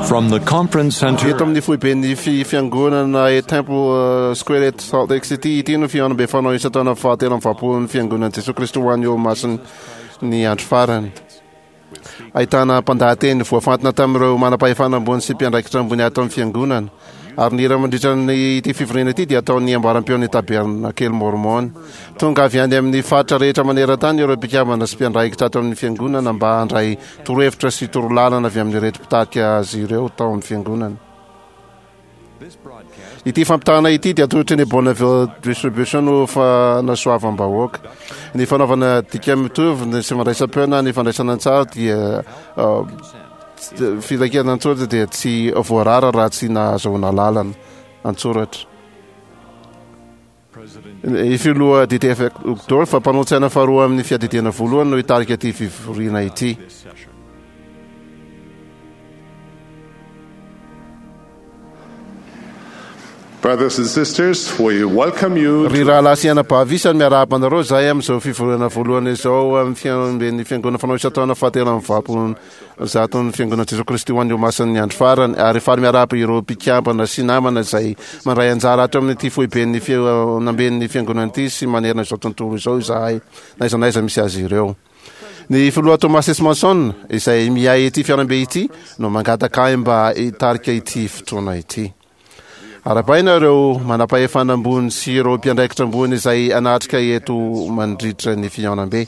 From the conference center. Eto amin'ny foiben'ny fiangonana e Temple Square eto Salt Lake City, ity no fihaonambe fanao isan-taona fahatelo amby valopolon'ny Fiangonan'i Jesoa Kristy ho an'ny Olomasin'ny ny andro farany. Ahitana mpandahateny voafantina tamin'ireo manam-pahefana ambony sy mpiandraikitra ambony ato amin'ny fiangonana. Ary ny hira mandritra ny ity fivoriana ity dia ataon'ny ambaram-peon'ny Tabernakely Mormon. Tonga avy any amin'ny faritra rehetra maneran-tany ireo mpikambana sy mpiandraikitra ato amin'ny fiangonana mba handray torohevitra sy torolalana avy amin'ireto mpitarika azy ireo tao amin'ny fiangonana. Ity fampitahana ity dia atolotry ny Bonneville Distribution ho fanasoavam-bahoaka. Ny fanaovana dika mitovy ny sy fandraisam-peo na ny fandraisana an-tsary dia filankevitra an-tsoratra dia tsy voarara raha tsy nahazoana alalana an-tsoratra. Ny filoha DTF Uchtdorf, mpanolo-tsaina faharoa amin'ny fiadidiana voalohany no hitarika ity fivoriana ity. Brothers and sisters, we welcome you Ry rahalahy sy anabavy isany, miarahaba anareo izahay amin'izao fivoriana voalohany izao amin'ny fihaonamben'ny Fiangonana fanao isan-taona fahatelo amby valopolo zaton'ny Fiangonana Jesoa Kristy ho an'ny Olomasin'ny Andro Farany, ary faly miarahaba ireo mpikambana sy namana izay mandray anjara ato amin'ity foiben'ny fihaonamben'ny Fiangonana ity sy manerana izao tontolo izao izahay, na aiza na aiza misy azy ireo. Ny Filoha Thomas S. Monson, izay miahy ity fihaonambe ity, no mangataka ahy mba hitarika ity fotoana ity. Arahabaina ireo manam-pahefana ambony sy ireo mpiandraikitra ambony izay hanatrika eto mandritra ny fihaonambe.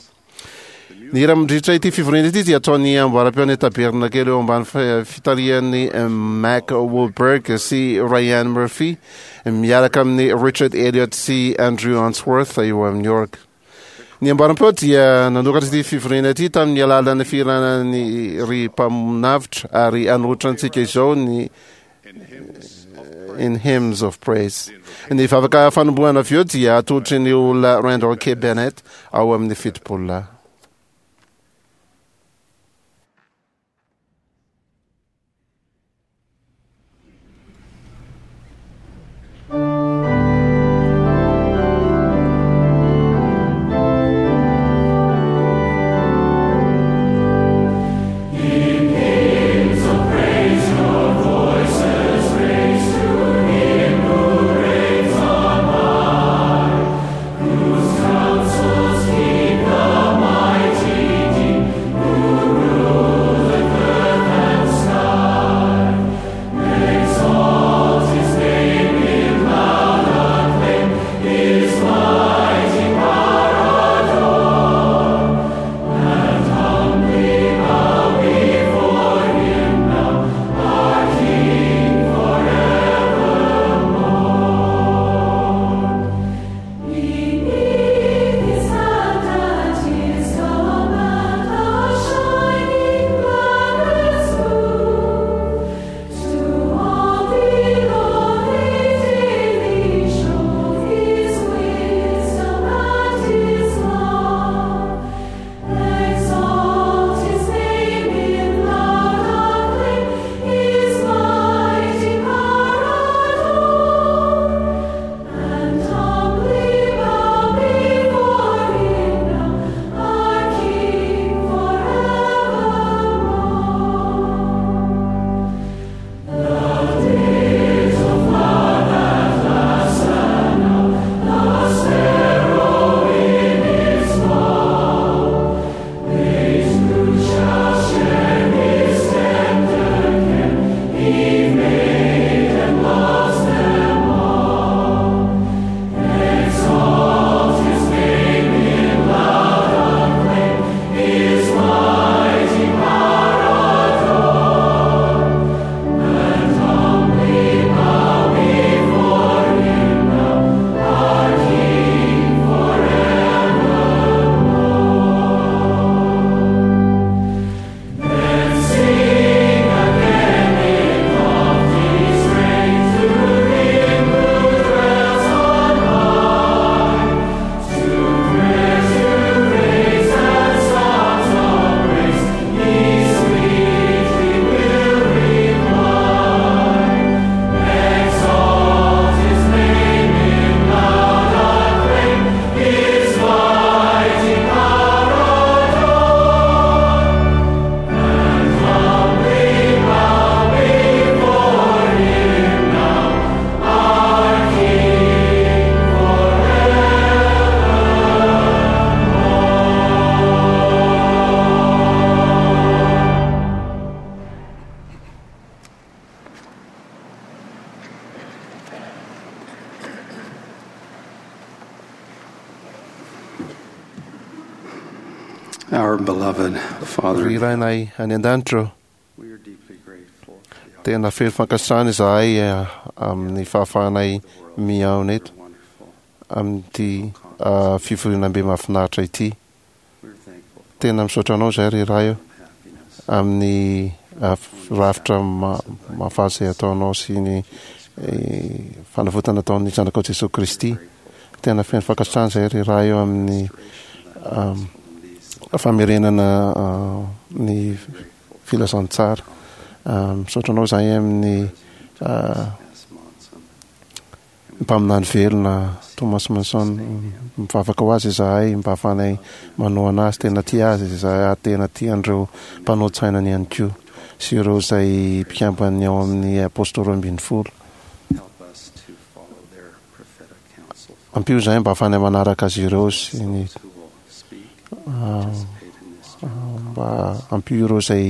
Ny hira mandritra ity fivoriana ity dia ataon'ny amboaram-peon'ny Tabernakely eo ambany fitarihan'i Mac Wahlberg sy Ryan Murphy miaraka amin'i Richard Elliot sy Andrew Unsworth eo amin'ny orga. Ny ambaram-peo dia nanokatra ity fivoriana ity tamin'ny alalan'ny fihirana ny Ry Mpamonavitra ary hanolotra antsika izao ny In Hymns of Praise. Ny vavaka fanombohana avy eo dia atolotry ny olona Randall K. Bennett ao amin'ny Fitopololahy. Our beloved Father, Ry Rainay any an-danitra ô, we are deeply grateful for the tena feno fankasitrahana izahay eh, amin'ny fahafahanay mihaona eto wonderful. amin'ity ah, fivorianambe mahafinaritra ity. We are thankful for Tena misaotra anao izahay ry Ray ô, happiness. amin'ny ah, rafitra ma- mahafaly izay ataonao sy ny eh, fanavotana ataon'ny zanakao Jesosy Kristy. Tena feno fankasitrahana izahay ry Ray ô amin'ny am, famerenana ah, ny filazantsara. Ah, Misaotra anao izahay amin'ny ah, S. Monson, mpaminany velona Thomas Manson. Mivavaka ho azy izahay mba hahafahanay manohana azy, tena tia azy izahay ary tena tia an'ireo mpanao tsainany ihany koa sy ireo izay mpikambany ao amin'ny apôstôly 12. help us to follow their prophetic counsel. Ampio izahay mba hahafahanay manaraka azy ireo sy ny Those who will speak, ah, participate in this mba ampio ireo izay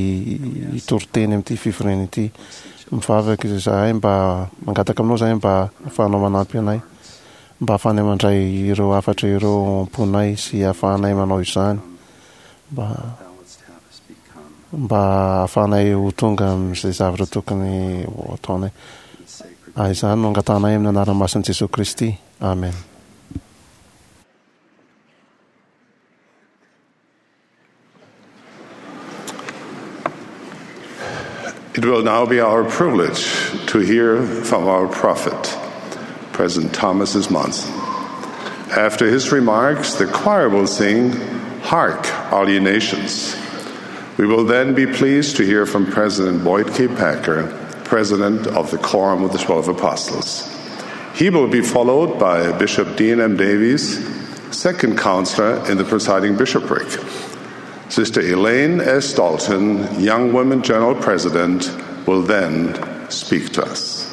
hitory teny amin'ity fivoriana ity. Mivavaka izahay mba mangataka aminao izahay mba hahafahanao manampy anay, mba hahafahanay mandray ireo hafatra ireo ao am-ponay sy hahafahanay manao izany, mba thou wouldst have us become mba hahafahanay ho tonga amin'izay zavatra tokony ho ataonay. in sacred Ah, Izany no angatahanay amin'ny anaran'ny masin'i Jesosy Kristy. Amen. It will now be our privilege to hear from our prophet, President Thomas S. Monson. After his remarks, the choir will sing, Hark, All Ye Nations. We will then be pleased to hear from President Boyd K. Packer, President of the Quorum of the Twelve Apostles. He will be followed by Bishop Dean M. Davies, second counselor in the presiding bishopric. Sister Elaine S. Dalton, Young Women General President, will then speak to us.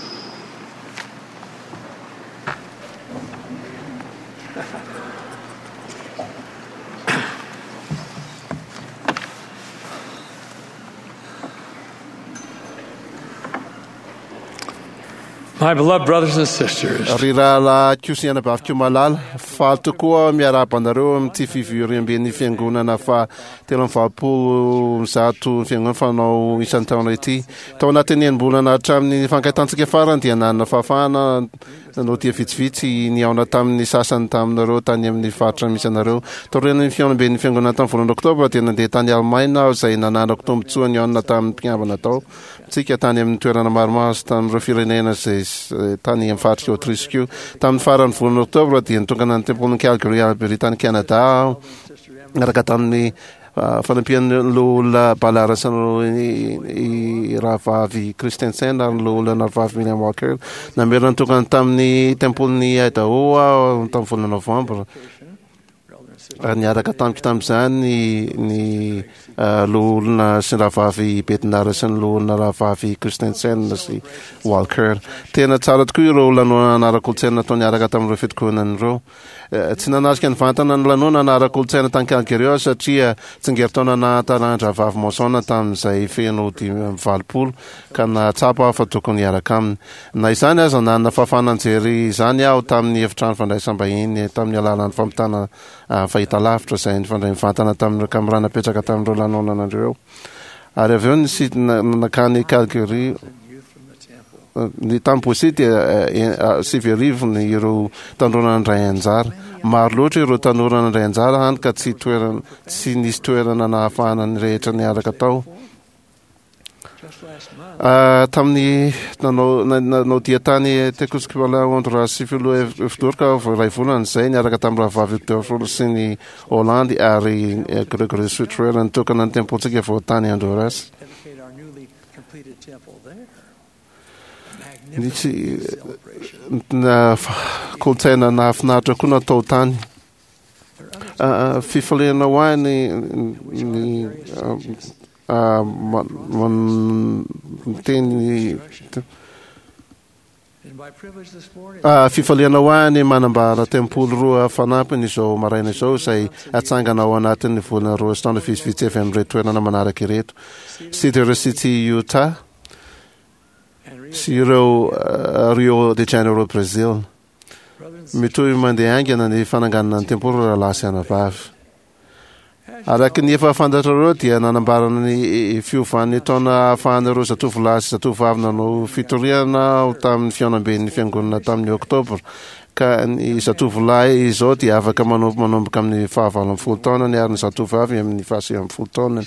My beloved brothers and sisters, Ry rahalahy koa sy anabavy koa malala, faly tokoa miarahaba anareo amin'ity fivoriamben'ny fiangonana fa 183 fiangonana fanao isan-taona ity. Tao anatin'ny enim-bolana hatramin'ny fankahitantsika farany dia nanana fahafahana nanao dia vitsivitsy nihaona tamin'ny sasany taminareo tany amin'ny faritra misy anareo. Taorian'ny fihaonamben'ny fiangonana tamin'ny volana oktobra dia nandeha tany Alemaina aho izay nananako tombontsoa nihaona tamin'ny mpikambana tao tsika tany amin'ny toerana maromaro sy tamin'ireo firenena izay tany amin'ny faritr'i Autriche koa. Tamin'ny faran'ny volana oktobra dia nitokana ny tempolin'i Calgary Alberta tany Canada aho niaraka tamin'ny ah, fanampian'ny loholona Ballard sy ny i rahavavy Christensen ary ny loholona rahavavy William Walker. Namerina nitokana tamin'ny tempolin'i Idaho aho tamin'ny volana novambra. Ary niaraka tamiko tamin'izany ny ny ah, loholona sy ny rahavavy Bednar sy ny loholona rahavavy Christensen sy Walker. Tena tsara tokoa ireo lanonana ara-kolontsaina natao niaraka tamin'ireo fitokonana ireo. Eh, Tsy nanatrika nivantana ny lanonana ara-kolontsaina tany Calgary aho satria tsingerin-taona nahatarandravavy Monson tamin'izay feno 85 ka nahatsapa aho fa tokony hiaraka aminy. Na izany aza, nanana fahafahana nijery izany aho tamin'ny efitrano fandraisam-bahiny tamin'ny alalan'ny fampitana ah, fahitalavitra izay nifandray mivantana tamin'ireo kamerà napetraka tamin'ireo lanonana ireo. Ary avy eo nisy- nankany Calgary youth from the temple. ny tamin'ny Boise dia 1900 ny ireo tanora nandray anjara. Maro loatra ireo tanora nandray anjara hany ka tsy toerana tsy nisy toerana nahafahana ny rehetra niaraka tao. Just last month, Ah, tamin'ny nanao na- nanao dia tany Tegucigalpa Honduras sy filoha Evodorka vao iray volana izay niaraka tamin'ny rahavavy Dorfol sy ny Holandy ary eh, Gregory Sutrer nitokana ny tempolintsika vao tany Honduras. dedicate our newly completed temple there. Nisy Magnificent celebration. na kolontsaina nahafinaritra koa natao tany. There are others Ah, ah, fifaliana ho ahy ny ny ah, ah, miteny And my privilege this morning Ah, fifaliana ho ahy ny manambara tempoly roa fanampiny izao maraina izao izay atsangana ao anatin'ny volana roa sy taona vitsivitsy avy amin'ireto toerana manaraka ireto. Cedar City, Utah and Rio sy ireo ah, Rio de Janeiro, Brazil. brothers and Mitohy mandeha haingana ny fananganana ny tempoly rahalahy sy anabavy. Araka ny efa fantatrareo dia nanambara ny fiovan'ny taona ahafahan'ireo zatovolahy sy zatovovavy nanao fitoriana aho tamin'ny fihaonamben'ny fiangonana tamin'ny Oktobra, ka ny zatovolahy izao dia afaka manompo manomboka amin'ny faha-18 taonany ary ny zatovovavy amin'ny faha-19 taonany.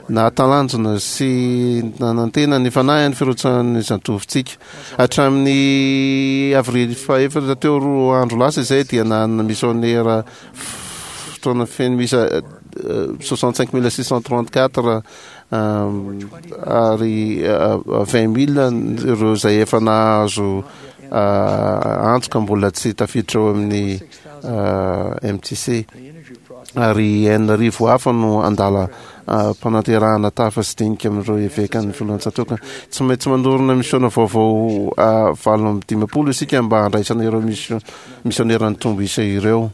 Nahatalanjona sy nanantena ny fanahy ny firotsahan'ny zatovontsika. Hatramin'ny avrily fahefatra teo roa andro lasa izay dia nanana misionera fotoana feno miisa 65634 ary 20000 ireo izay efa nahazo antso ka mbola tsy tafiditra ao amin'ny MTC ary 6000 hafa no andala mpananterahana tafa sy dinika amin'ireo evekan'ny filohan-tsatòka. Tsy maintsy manorina misiona vaovao 58 isika mba handraisana ireo misionera nitombo isa ireo.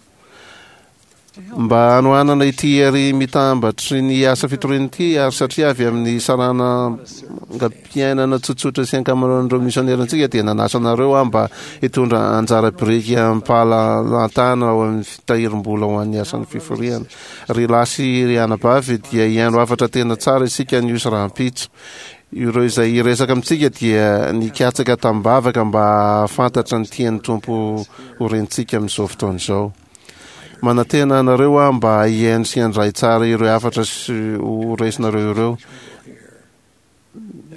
Mba hanohanana ity hery mitambatry ny asa fitoriana ity ary satria avy amin'ny sarangam-piainana tsotsotra sy ankamaroan'ireo misionerantsika dia nanasa anareo aho mba hitondra anjara biriky amim-pahalalantana ao amin'ny fitahirim-bola ho an'ny asan'ny fiforiana. Ry lahy sy ry anabavy dia hihaino hafatra tena tsara isika anio sy rahampitso. Ireo izay hiresaka amintsika dia nikatsaka tamim-bavaka mba hahafantatra ny tian'ny Tompo ho rentsika amin'izao fotoana izao. Manantena anareo aho mba hihaino sy handray tsara ireo hafatra sy ho raisinareo ireo.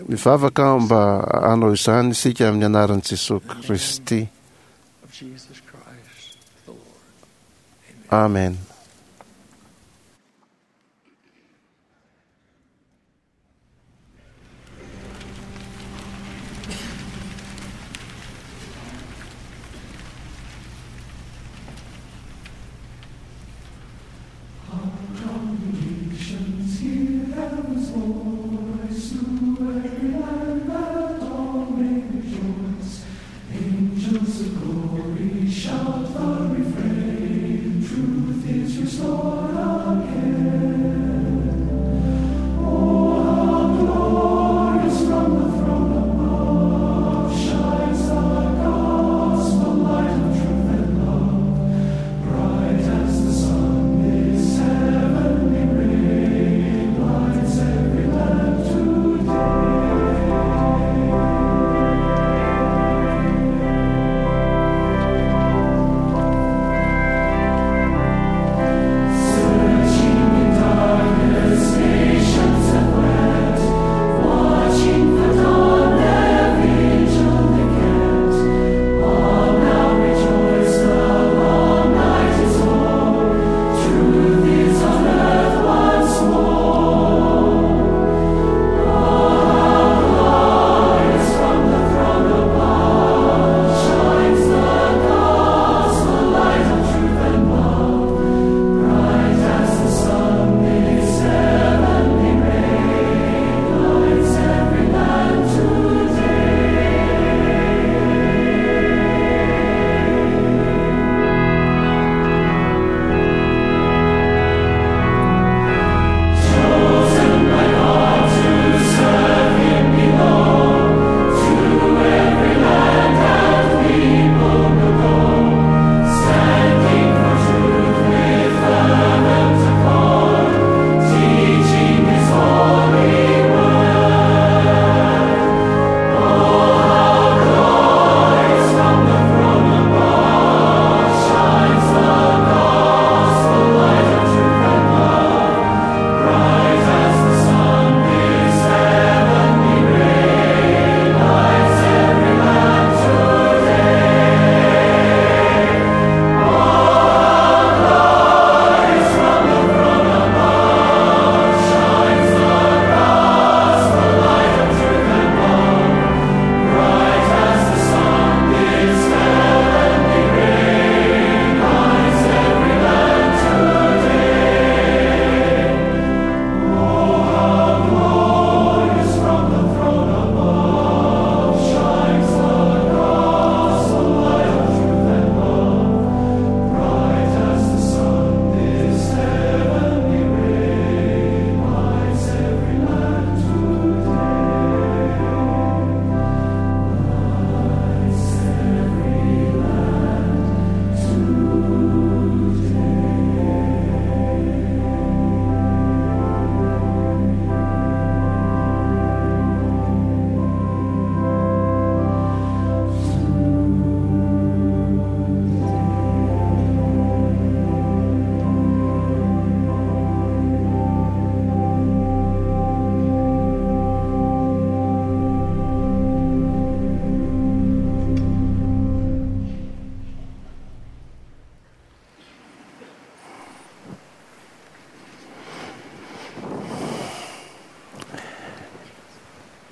Mivavaka aho mba hanao izany isika amin'ny anaran'i Jesoa Kristy. Amen. Angels of glory shout the refrain, truth is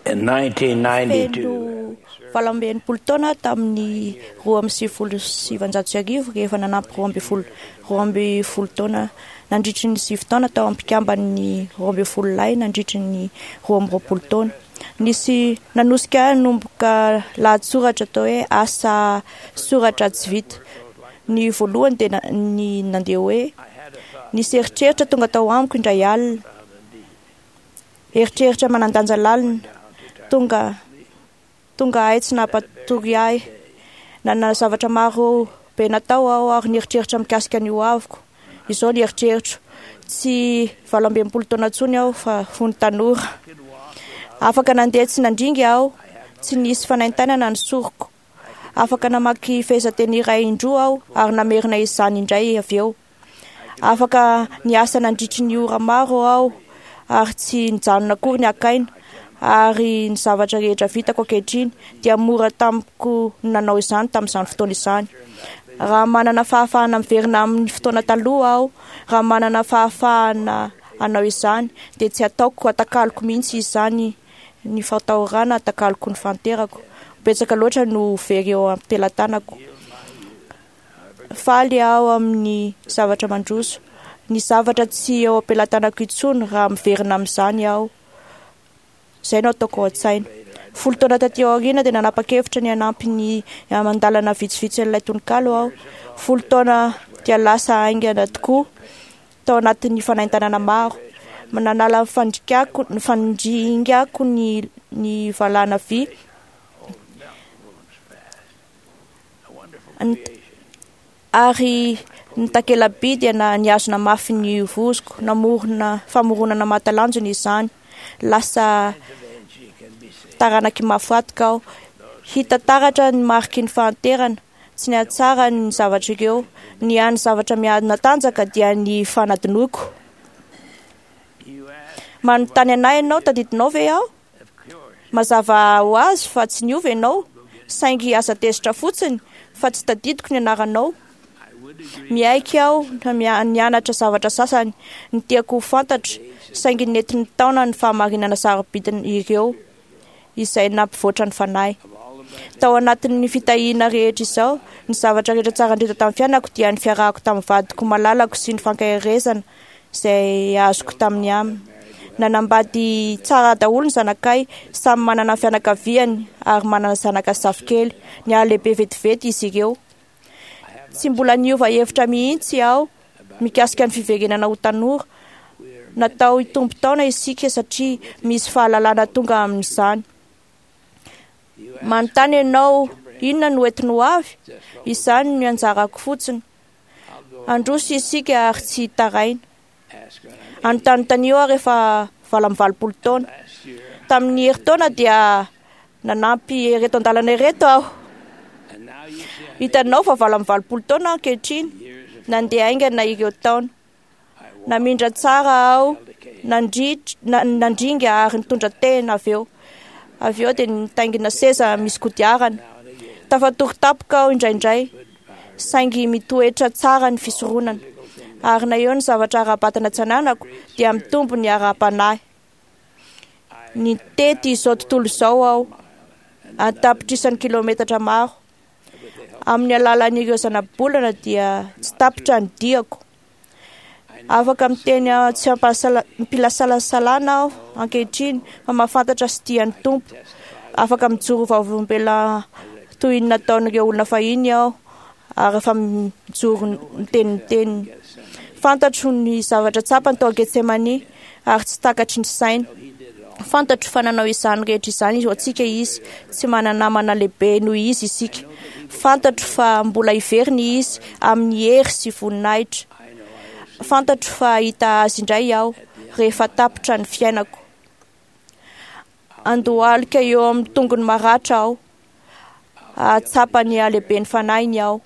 In 1992, Feno 68 taona tamin'ny 1992 rehefa nanampy 12 taona nandritry ny 9 taona tao ampikamban'ny 12 lahy nandritry ny 22 taona. Nisy nanosika ahy hanomboka lahatsoratra atao hoe asa soratra tsy vita. Ny voalohany dia ny nandeha hoe nisy eritreritra tonga tao amiko indray alina. Eritreritra manan-danja lalina tonga ahy tsy nampatory ahy. Nanana zavatra maro be natao aho ary nieritreritra mikasika ny hoaviko. Izao ny eritreritro, tsy 68 taona intsony aho fa fony tanora. Afaka nandeha tsy nandringa aho, tsy nisy fanaintainana ny soroko. Afaka namaky fehezanteny iray indroa aho ary namerina izany indray avy eo. Afaka niasa nandritry ny ora maro aho ary tsy nijanona akory ny hakaina. Ary ny zavatra rehetra vitako ankehitriny dia mora tamiko ny nanao izany tamin'izany fotoana izany. Raha manana fahafahana miverina amin'ny fotoana taloha aho, raha manana fahafahana hanao izany, dia tsy ataoko atakaloko mihitsy izany ny fahatahorana atakaloko ny fahanterako. Betsaka loatra no very eo am-pelatanako. Faly aho amin'ny zavatra mandroso. Ny zavatra tsy eo am-pelatanako intsony raha miverina amin'izany aho. Izay no ataoko ao an-tsaina. 10 taona taty aoriana dia nanapa-kevitra ny hanampy ny mandalana vitsivitsy an'ilay tononkalo aho. 10 taona dia lasa haingana tokoa tao anatin'ny fanaintainana maro. Nanala ny fandringako ny valana vy. Ary ny takela-by dia nihazona mafy ny vozoko. Namorona famoronana mahatalanjona izany. Lasa taranaky mahafatika aho. Hita taratra ny mariky ny fahanterana. Tsy nihatsara ny zavatra ireo. Ny hany zavatra mihanatanjaka dia ny fanadinoiko. Manontany anay ianao, tadidinao ve aho? Mazava ho azy fa tsy niova ianao, saingy aza tezitra fotsiny fa tsy tadidiko ny anaranao. Miaiky aho nianatra zavatra sasany ny tiako ho fantatra, saingy nentin'ny taona ny fahamarinana sarobidiny ireo izay nampivoatra ny fanahy. Tao anatin'ny fitahiana rehetra izao, ny zavatra rehetra tsara indrindra tamin'ny fiainako dia ny fiarahako tamin'ny vadiko malalako sy ny fankaherezana izay azoko tamin'ny aminy. Nanambady tsara daholo ny zanakay, samy manana ny fianakaviany ary manana zanaka sy zafikely. Nihalehibe vetivety izy ireo. Tsy mbola niova hevitra mihitsy aho mikasika ny fiverenana ho tanora. Natao hitombo taona isika satria misy fahalalana tonga amin'izany. Manontany ianao, inona no entiny ho avy? Izany no anjarako fotsiny. Handroso isika ary tsy hitaraina. Anontanontanio aho rehefa 88 taona. Tamin'ny herintaona dia nanampy ireto an-dalana ireto aho. Hitanao fa 88 taona ankehitriny. Nandeha haingana ireo taona. Namindra tsara aho, nandringa ary nitondra tena avy eo. Avy eo dia nitaingina seza misy kodiarana. Tafatory tampoka aho indraindray, saingy mitoetra tsara ny fisoronana. Ary na eo ny zavatra ara-batana tsy ananako dia mitombo ny ara-panahy. Nitety izao tontolo izao aho, an-tapitrisany kilometatra maro. Amin'ny alalan'ireo zanabolana dia tsy tapitra ny diako. Afaka miteny tsy ampilasalasalana aho ankehitriny fa mahafantatra sy tia ny Tompo. Afaka mijoro vavolombelona toy ny nataon'ireo olona fahiny aho ary efa mijoro miteniteny. Fantatro ny zavatra tsapany tao Getsemani ary tsy takatry ny saina. Fantatro fa nanao izany rehetra izany ho antsika izy. Tsy manana namana lehibe noho izy isika. Fantatro fa mbola hiverina izy amin'ny hery sy voninahitra. Fantatro fa hahita azy indray aho rehefa tapitra ny fiainako. Andohalika eo amin'ny tongony maratra aho. Hahatsapa ny halehiben'ny fanahiny aho.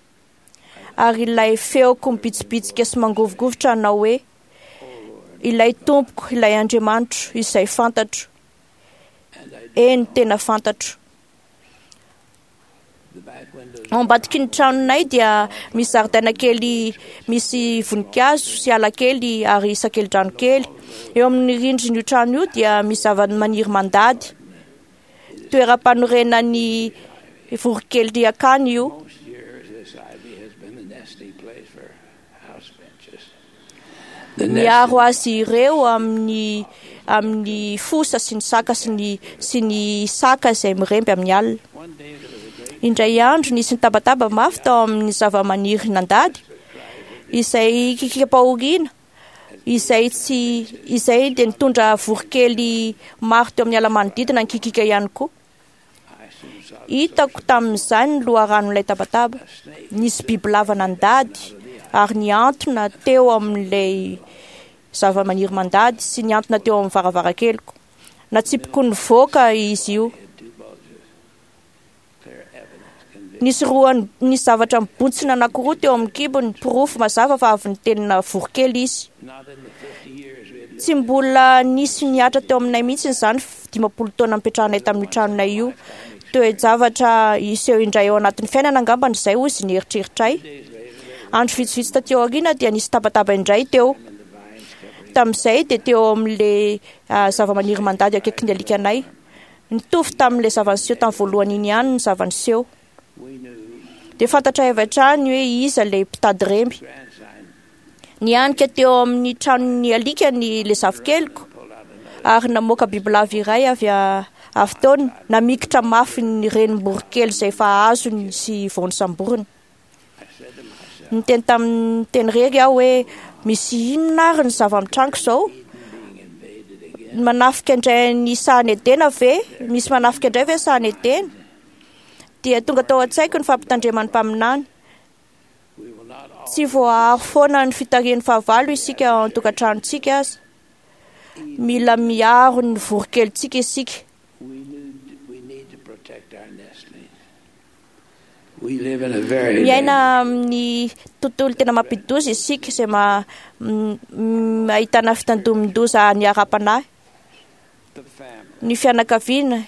Ary ilay feoko mibitsibitsika sy mangovigovitra hanao hoe: ilay Tompoko, ilay Andriamanitro, izay fantatro. Eny, tena fantatro. Ao ambadiky ny tranonay dia misy zaridaina kely misy voninkazo sy ala kely ary sakelidrano kely. Eo amin'ny rindrin'io trano io dia misy zava-maniry mandady. Toeram-panorenan'ny voronkely akany io. Miaro azy ireo amin'ny amin'ny fosa sy ny saka sy ny sy ny saka izay miremby amin'ny alina. Indray andro nisy nitabataba mafy tao amin'ny zavamaniry nandady izay kikikam-pahoriana izay tsy izay dia nitondra voronkely maro teo amin'ny ala manodidina nikikika ihany koa. Hitako tamin'izany ny loharanon'ilay tabataba. Nisy bibilava nandady ary nihantona teo amin'ilay zavamaniry mandady sy nihantona teo amin'ny varavarakeliko. Natsipiko nivoaka izy io. Nisy roa nisy zavatra mibontsina anankiroa teo amin'ny kibony, porofo mazava fa avy nitelina voronkely izy. Tsy mbola nisy nihatra teo aminay mihitsy izany 50 taona nipetrahanay tamin'io tranonay io. Toe-javatra hiseho indray ao anatin'ny fiainana angambany izay, hoy izy nieritreritray. Andro vitsivitsy taty aoriana dia nisy tabataba indray teo. Tamin'izay dia teo amin'ilay zavamaniry mandady akaikin'ny alikanay. Nitovy tamin'ilay zava-niseho tamin'ny voalohany iny ihany ny zava-niseho. Dia fantatray avy hatrany hoe iza ilay mpitady remby. Nihanika teo amin'ny tranon'ny alikany ilay zafikeliko ary namoaka bibilava iray avy avy teo, namikitra mafy ny renim-boronkely izay efa azony sy vao nosamboriny. Niteny tamin'ny teny irery aho hoe misy inona ary ny zava-mitranga izao? Manafika indray ny sahan'i Edena ve? Misy manafika indray ve ny sahan'i Edena? Dia tonga tao an-tsaiko ny fampitandreman'ny mpaminany. Tsy voaaro foana ny fitarihan'ny fahavalo isika ao an-tokantranontsika aza. Mila miaro ny voronkelintsika isika. Miaina amin'ny tontolo tena mampidi-doza isika izay ahitana fitandromin-doza ny ara-panahy. Ny fianakaviana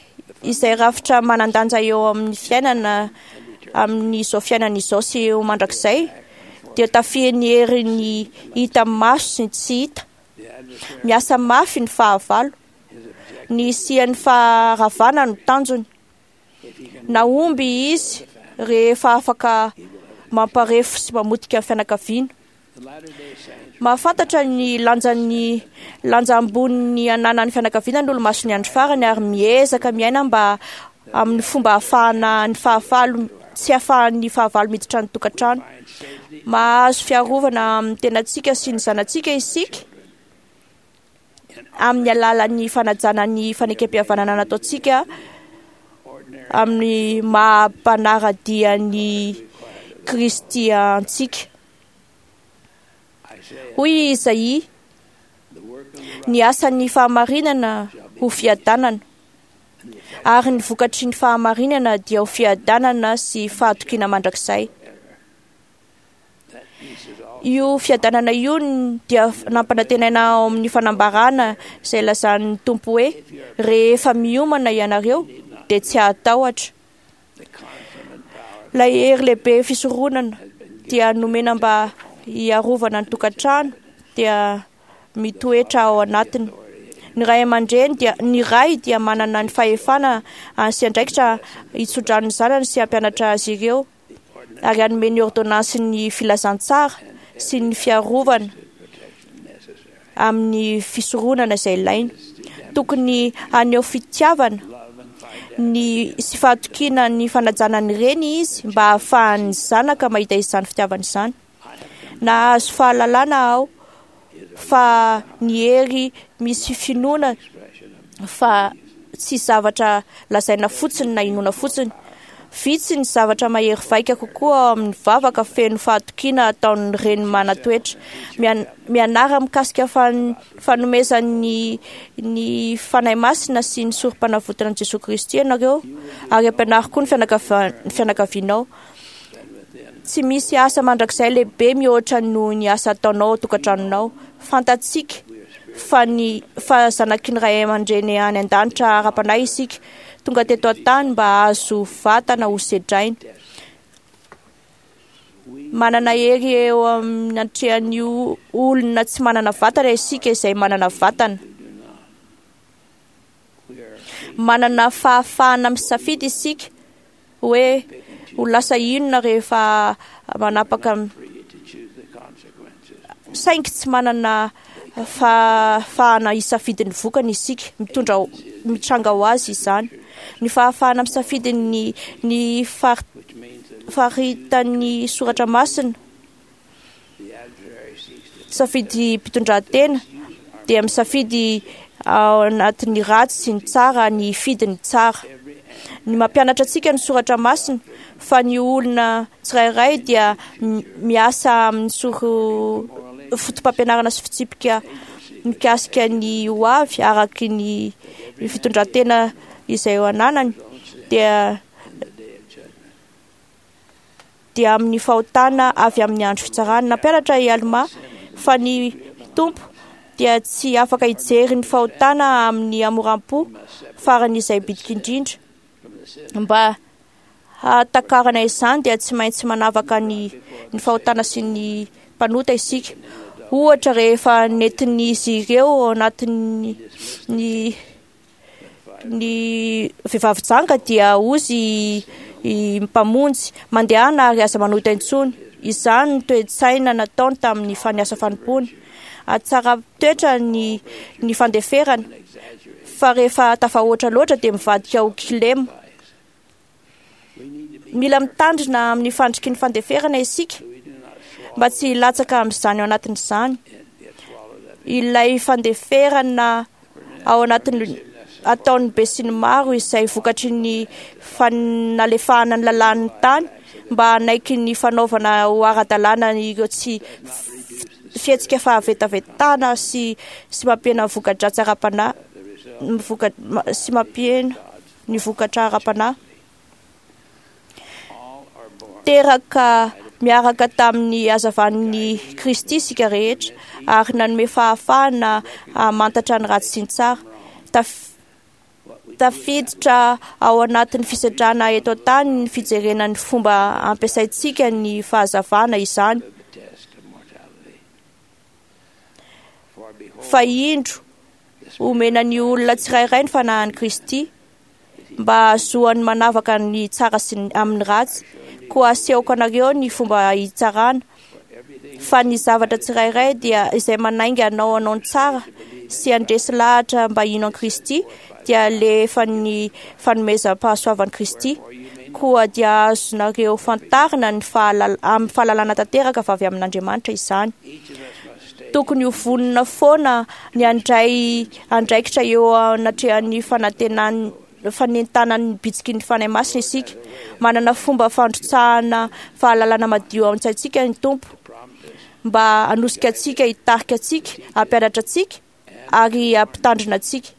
izay rafitra manan-danja eo amin'ny fiainana amin'izao fiainana izao sy eo mandrakizay dia tafihan'ny herin'ny hita maso sy ny tsy hita. Miasa mafy ny fahavalo. Ny hisian'ny faharavana no tanjony. Nahomby izy rehefa afaka mamparefo sy mamotika ny fianakaviana. Mahafantatra ny lanjan'ny lanja ambonin'ny ananan'ny fianakaviana ny olo-masin'ny andro farany ary miezaka miaina mba amin'ny fomba ahafahana ny fahavalo tsy ahafahan'ny fahavalo miditra ny tokantrano. Mahazo fiarovana amin'ny tenantsika sy ny zanatsika isika amin'ny alalan'ny fanajana ny fanekempihavanana nataontsika amin'ny maha mpanara-dia ny Kristy antsika. Hoy Izaia, ny asan'ny fahamarinana ho fiadanana, ary ny vokatry ny fahamarinana dia ho fiadanana sy fahatokiana mandrakizay. Io fiadanana io dia nampanantenaina ao amin'ny fanambarana izay lazan'ny Tompo hoe rehefa miomana ianareo dia tsy hatahotra. Ilay hery lehibe fisoronana dia nomena mba hiarovana ny tokantrano dia mitoetra ao anatiny. Ny ray aman-dreny dia ny ray dia manana ny fahefana sy andraikitra hitsodrano ny zanany sy hampianatra azy ireo ary hanome ny ordonnansin'ny filazantsara sy ny fiarovana amin'ny fisoronana izay ilaina. Tokony haneho fitiavana ny sy fahatokiana ny fanajana ny reny izy mba hahafahan'ny zanaka mahita izany fitiavana izany. Nahazo fahalalana aho fa ny hery misy finoana fa tsy zavatra lazaina fotsiny na inoana fotsiny. Vitsy ny zavatra mahery vaika kokoa ao amin'ny vavaka feno fahatokiana ataon'ny reny manan-toetra. Mianara mikasika fanomezan'ny ny Fanahy Masina sy ny sorom-panavotana an'i Jesoa Kristy ianareo ary ampianaro koa ny fianakavianao. Tsy misy asa mandrakizay lehibe mihoatra noho ny asa ataonao ao an-tokantranonao. Fantatsika fa ny fa zanaky ny ray aman-dreny any an-danitra ara-panahy isika, tonga teto an-tany mba hahazo vatana ho sedraina. Manana hery eo amin'ny atrehan'ny olona tsy manana vatana isika izay manana vatana. Manana fahafahana misafidy isika hoe ho lasa inona rehefa manapaka, saingy tsy manana fahafahana hisafidy ny vokany isika. Mitondra mitranga ho azy izany. Ny fahafahana misafidy ny ny faritan'ny soratra masina, safidy mpitondratena dia misafidy ao anatin'ny ratsy sy ny tsara ny hifidy ny tsara. Ny mampianatra antsika ny soratra masina fa ny olona tsirairay dia miasa amin'ny soro foto-pampianarana sy fitsipika mikasika ny ho avy araky ny fitondran-tena izay eo ananany dia dia amin'ny fahotana avy amin'ny andro fitsarana. Nampianatra i Almà fa ny Tompo dia tsy afaka hijery ny fahotana amin'ny hamoram-po faran'izay bitika indrindra. Mba hahatakarana izany dia tsy maintsy manavaka ny ny fahotana sy ny mpanota isika. Ohatra, rehefa nentin'izy ireo ao anatin'ny ny ny vehivavy janga dia hozy i Mpamonjy, mandehana ary aza manota intsony. Izany no toe-tsaina nataony tamin'ny faniasa fanompoana. Atsara toetra ny ny fandeferana, fa rehefa tafahoatra loatra dia mivadika ho kilema. Mila mitandrina amin'ny fandriky ny fandeferana isika mba tsy hilatsaka amin'izany ao anatin'izany. Ilay fandeferana ao anatin'ny ataon'ny besinimaro izay vokatry ny fanalefahana ny lalàn'ny tany mba hanaiky ny fanaovana ho ara-dalàna ireo tsy fihetsika fahavetavetana sy sy mampihena ny voka-dratsy ara-panahy voka sy mampihena ny vokatra ara-panahy. Teraka miaraka tamin'ny hazavan'ny Kristy isika rehetra ary nanome fahafahana hamantatra ny ratsy sy ny tsara. Tafiditra ao anatin'ny fisedrana eto an-tany ny fijerena ny fomba ampiasaintsika ny fahazavana izany. Fa indro, omena ny olona tsirairay ny fanahin'i Kristy mba hahazoany manavaka ny tsara sy ny amin'ny ratsy. Koa asehoko anareo ny fomba hitsarana fa ny zavatra tsirairay dia izay manainga anao hanao ny tsara sy handresy lahatra mba hino an'i Kristy dia alefan'ny fanomezam-pahasoavan'i Kristy. Koa dia azonareo fantarina ny fahalala amin'ny fahalalana tanteraka fa avy amin'Andriamanitra izany. Tokony ho vonona foana ny handray andraikitra eo anatrehan'ny fanantenan'ny fanentanan'ny bitsiky ny Fanahy Masina isika. Manana fomba fandrotsahana fahalalana madio ao an-tsaintsika ny Tompo mba hanosika antsika, hitarika antsika, hampianatra antsika ary hampitandrina antsika.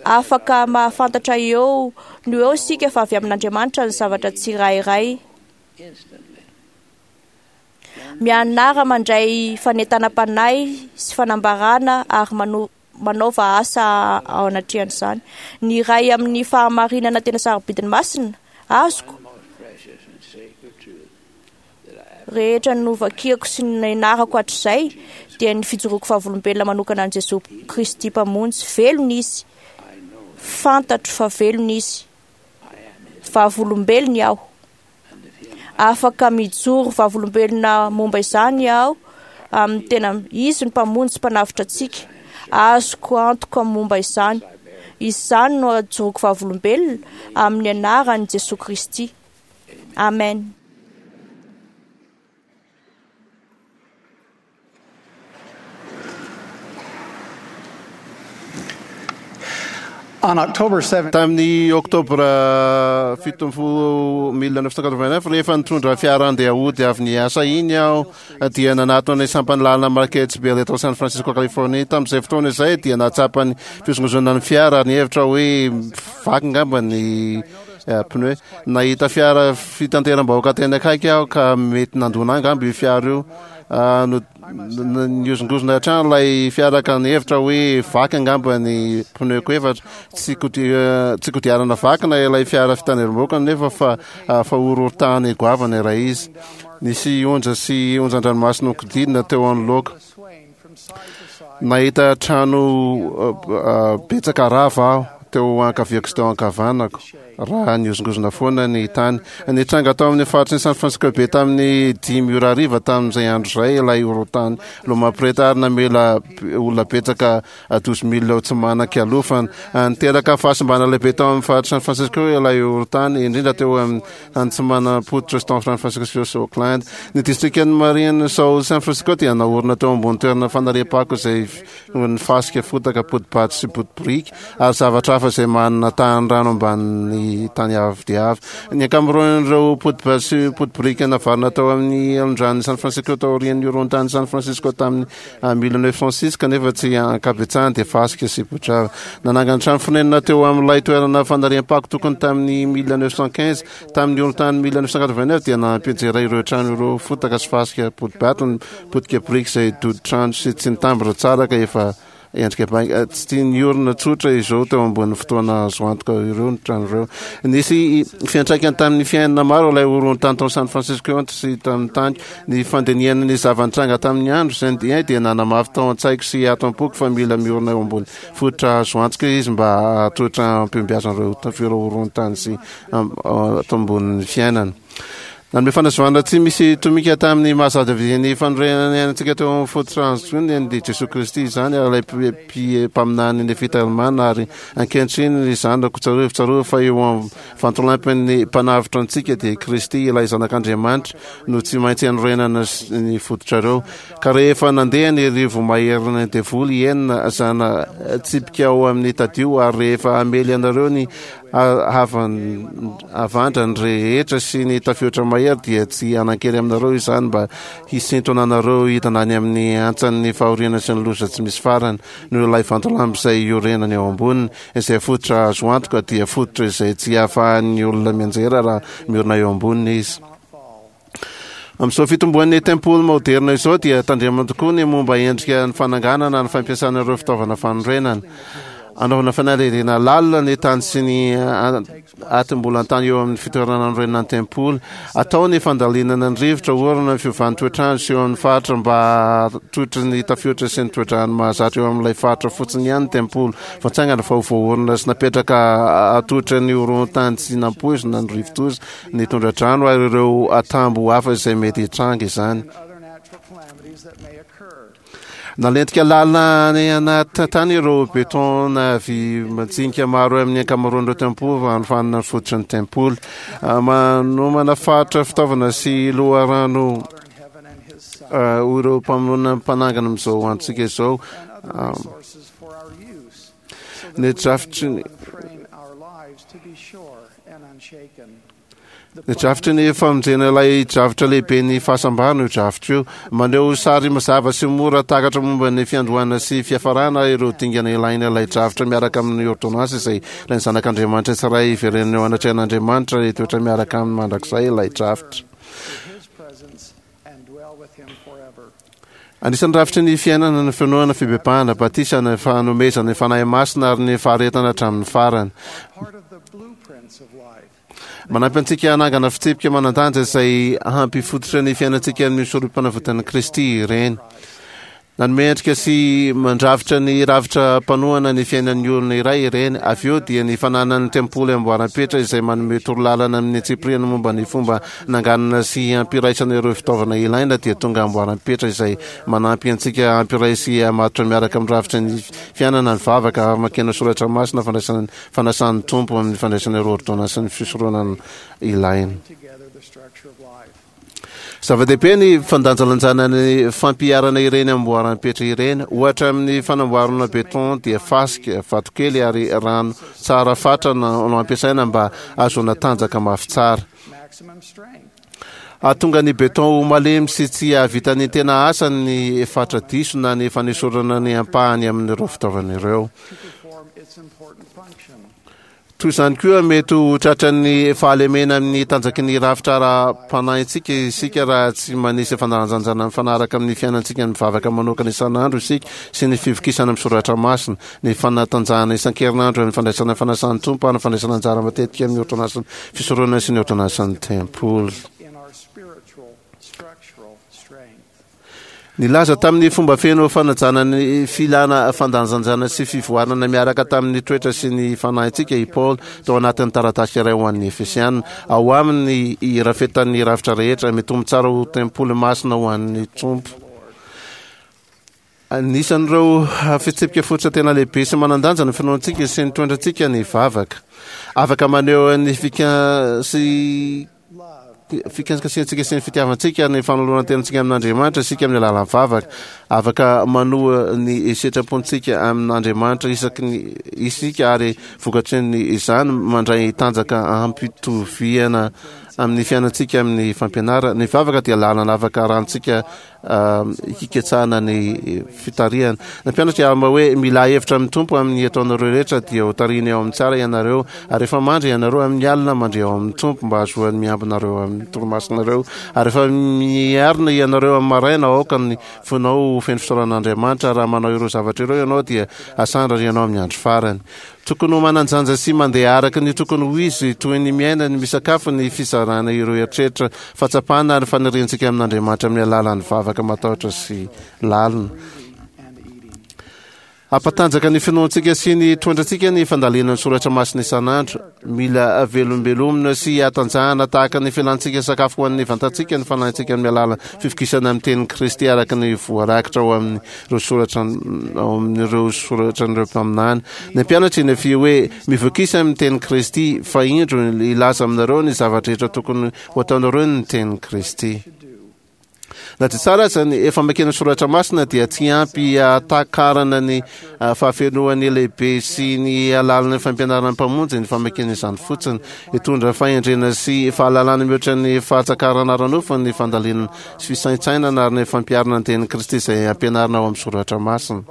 Afaka mahafantatra eo no eo isika fa avy amin'Andriamanitra ny zavatra tsirairay. Mianara mandray fanentanam-panahy sy fanambarana ary mano manaova asa ao anatrehan'izany. Ny iray amin'ny fahamarinana tena sarobidiny masina azoko rehetra novakiako sy nianarako hatrizay dia ny fijoroako vavolombelona manokana an'i Jesoa Kristy Mpamonjy. Velona Izy. Fantatro fa velona Izy. Vavolombelony aho. Afaka mijoro vavolombelona momba izany aho amin'ny tena Izy no Mpamonjy sy Mpanavotra antsika. Azoko antoka momba izany. Izany no ajoroko vavolombelona amin'ny anaran'i Jesoa Kristy. Amen. On October 7, Tamin'ny oktobra 17 1989, rehefa nitondra fiara handeha hody avy niasa iny aho, dia nanatona ny sampan'ny lalana Marketsbel eto San Francisco, Californie. Tamin'izay fotoana izay dia nahatsapa ny fihozongozonana ny fiara ary nihevitra hoe vaky angamba ny pneu. Nahita fiara fitanteram-bahoaka teny akaiky aho ka mety nandona angamba io fiara io. Nihozongozona hatrany ilay fiara ka nihevitra hoe vaky angamba ny pneu-ko efatra. Tsy tsy kodiarana vaky na ilay fiara fitateram-bahoaka nefa fa fa horohorontany goavana ilay izy. Nisy onja sy onjan-dranomasina nokodidina teo anoloako. Nahita trano betsaka rava aho. teo ankaviako sy teo ankavanako raha nihozongozona foana ny tany. Nitranga tao amin'ny faritry ny San Francisco Bay tamin'ny 5 ora hariva tamin'izay andro izay ilay horohorontany Loma Prieta ary namela olona betsaka 12 mille ho tsy manan-kialofana. Niteraka fahasimbana lehibe tao amin'ny faritry San Francisco ilay horohorontany, indrindra teo amin'ny tany tsy manam-pototra San Francisco sy Oakland. Ny distrikan'i Marin sao San Francisco dia naorina teo ambony toerana fanariam-pako izay ny fasika, fotaka, poti-bato sy poti-biriky ary zavatra hafa izay manana tahan'ny rano ambanin'ny tany avo dia avo. Ny ankamaroan'ireo poti-bato sy poti-biriky navarina tao amin'ny alondran'i San Francisco taorian'ny horohon-tanin'i San Francisco tamin'ny 1906 kanefa tsy ankabetsahany dia fasika sy potrava. Nanangana trano fonenana teo amin'ilay toerana fanariam-pako tokony tamin'ny 1915. Tamin'ny horohon-tany 1989 dia nampianjera ireo trano ireo fotaka sy fasika poti-bato ny potika biriky izay dodi-trano sy tsy nitambatra tsara ka efa endrika bainga. Tsy tia niorina tsotra izao teo ambonin'ny fotoana azo antoka ireo ny trano ireo. Nisy fiantraikany tamin'ny fiainana maro ilay horohon-tany tao San Francisco sy tamin'ny tany. Ny fandinihana ny zava-nitranga tamin'ny andro izay dia dia nanamafy tao an-tsaiko sy ato am-poko fa mila miorina eo ambony fototra azo antoka izy mba hahatohitra am-pihombiazan'ireo horohon-tany sy ato ambonin'ny fiainana. Nanome fanazavana tsy misy tomika tamin'ny maha zava-dehibe ny fanorenana ny ainantsika teo amin'ny fototra azo ny Jesoa Kristy izany ary ilay mpaminany Nefita Alemana ary ankehitriny ry zanako tsarovy tsarovy fa eo amin'ny vantolampin'ny mpanavotra antsika dia Kristy ilay zanak'Andriamanitra no tsy maintsy anorenana ny fototrareo ka rehefa nandeha ny rivo maherin'ny devoly enina zana tsipika ao amin'ny tadio ary rehefa hamely anareo ny Havandra ny rehetra sy ny tafiotra mahery dia tsy hanan-kery aminareo izany mba hisintona anareo hidina any amin'ny hantsan'ny fahoriana sy ny loza tsy misy farany noho ilay vantolampy izay iorenany eo amboniny, izay fototra azo antoka dia fototra izay tsy ahafahan'ny olona mianjera raha miorina eo amboniny izy. Amin'izao fitomboan'ny tempoly maoderina izao dia tandremana tokoa ny momba endrika ny fananganana ny fampiasana ireo fitaovana fanorenana. Anaovana fanadihadiana lalina ny tany sy ny atim-bolan-tany eo amin'ny fitoerana anorenana ny tempoly. Atao ny fandalinana ny rivotra, orana, ny fiovan'ny toetr'andro sy eo amin'ny faritra mba hahatohitra ny tafiotra sy ny toe-drano mahazatra eo amin'ilay faritra fotsiny ihany ny tempoly. Voatsangana fa ho voaorina sy napetraka hahatohitra ny horohontany tsy nampoizina ny rivodoza ny tondra-drano ary ireo atambo hafa izay mety hitranga izany. Nalentika lalina any anaty tany ireo béton na vy majinika maro amin'ny ankamaroan'ireo tempoly hanofanana ny fototry ny tempoly. Manomana faritra fitaovana sy loharano ho ireo mpamonina mpanangana amin'izao androntsika izao. Ny drafitry ny Ny drafitry ny famonjena ilay drafitra lehibe ny fahasambarana io drafitra io. Maneho sary mazava sy mora takatra momba ny fiandohana sy fiafarana ireo dingana ilaina ilay drafitra miaraka amin'ny ôrdônansy izay ilain'ny zanak'Andriamanitra tsirairay hiverenana eo anatrehan'Andriamanitra hitoetra miaraka aminy mandrakizay ilay drafitra. Anisan'ny rafitry ny fiainana ny finoana, fibebahana, batisa, ny fanomezana ny Fanahy Masina ary ny faharetana hatramin'ny farany. Manampy antsika hanangana fitsipika manan-danja izay hampifototra ny fiainantsika amin'ny sorom-panavotan'i Kristy ireny. Nanome endrika sy mandrafitra ny rafitra mpanohana ny fiainan'ny olona iray ireny. Avy eo dia ny fananan'ny tempoly amboaram-petra izay manome torolalana amin'ny antsipiriany momba ny fomba nanganana sy hampiraisana ireo fitaovana ilaina dia tonga amboaram-petra izay manampy antsika hampiray sy hamatotra miaraka amin'ny rafitra ny fiainana, ny vavaka, famakiana soratra masina, fandraisana fanasan'ny Tompo amin'ny fandraisana ireo ôrdônansin'ny fisoronana ilaina. Zava-dehibe ny fandanjalanjana ny fampiharana ireny amboaram-petra ireny. Ohatra amin'ny fanamboarana béton dia fasika, vatokely ary rano tsara fatra no ampiasaina mba hahazoana tanjaka mafy tsara. Hahatonga ny béton ho malemy sy tsy hahavita ny tena asany ny fatra diso na ny fanesorana ny ampahany amin'ireo fitaovana ireo. Toy izany koa, mety ho tratran'ny fahalemena amin'ny tanjaky ny rafitra ara-panahintsika isika raha tsy manisy fandanjanjana mifanaraka amin'ny fiainantsika ny vavaka manokana isan'andro isika sy ny fivokisana amin'ny soratra masina, ny fanatanjahana isan-kerinandro amin'ny fandraisana fanasan'ny Tompo ary ny fandraisana anjara matetika amin'ny ôrdônansin'ny fisoronana sy ny ôrdônansin'ny tempoly. Nilaza tamin'ny fomba feno fanajana ny filana fandanjanjana sy fivoarana miaraka tamin'ny toetra sy ny fanahintsika i Paoly tao anatin'ny taratasy iray ho an'ny Efesiana. Ao aminy ny irafetan'ny rafitra rehetra, mitombo tsara ho tempoly masina ho an'ny Tompo. Anisan'ireo fitsipika fototra tena lehibe sy manan-danja ny finoantsika sy ny toetrantsika ny vavaka. Afaka maneho ny fika sy fikasikasihantsika sy ny fitiavantsika ny fanoloran-tenantsika amin'Andriamanitra isika amin'ny alalan'ny vavaka. Afaka manoa ny sitrapontsika amin'Andriamanitra isaky ny isika ary vokatry ny izany mandray tanjaka ampitoviana amin'ny fiainantsika amin'ny fampianarana. Ny vavaka dia lalana afaka arahantsika hiketsahana ny fitarihana. Nampianatra i Alma hoe, Milà hevitra amin'ny Tompo amin'ny ataonareo rehetra, dia ho tarihiny ao amin'ny tsara ianareo. Ary rehefa mandry ianareo amin'ny alina, mandria ao amin'ny Tompo, mba hahazoany miambina anareo amin'ny torimasonareo. Ary rehefa miarina ianareo amin'ny maraina, aoka ny fonao ho feno fisaorana an'Andriamanitra. Raha manao ireo zavatra ireo ianao, dia hasandratra ianao amin'ny andro farany. Tokony ho manan-janja sy mandeha araka ny tokony ho izy, toy ny miaina, ny misakafo, ny fizarana ireo eritreritra, fahatsapana ary faniriantsika amin'Andriamanitra amin'ny alalan'ny vavaka matahotra sy lalina. Hampatanjaka ny finoantsika sy ny toetrantsika ny fandalinana ny soratra masina isan'andro. Mila velombelomina sy hatanjahana tahaka ny filantsika sakafo ho an'ny vantantsika ny fanahintsika amin'ny alalan'ny fivokisana amin'ny tenin'i Kristy araka ny voarakitra ao amin'ny ireo soratra ao amin'ireo soratran'ireo mpaminany. Ny mpianatra i Nefia hoe, Mivokisa amin'ny tenin'i Kristy, fa indro hilaza aminareo ny zava-drehetra tokony ho ataonareo ny tenin'i Kristy. Na dia tsara aza ny famakiana soratra masina dia tsy ampy hahatakarana ny fahafenoan'ny lehibe sy ny halalin'ny fampianaran'ny Mpamonjy ny famakiana izany fotsiny. Hitondra fahendrena sy fahalalana mihoatra ny fahatsakarana ara-nofo ny fandalinana sy fisaintsainana ary ny fampiharana ny tenin'i Kristy izay ampianarina ao amin'ny soratra masina.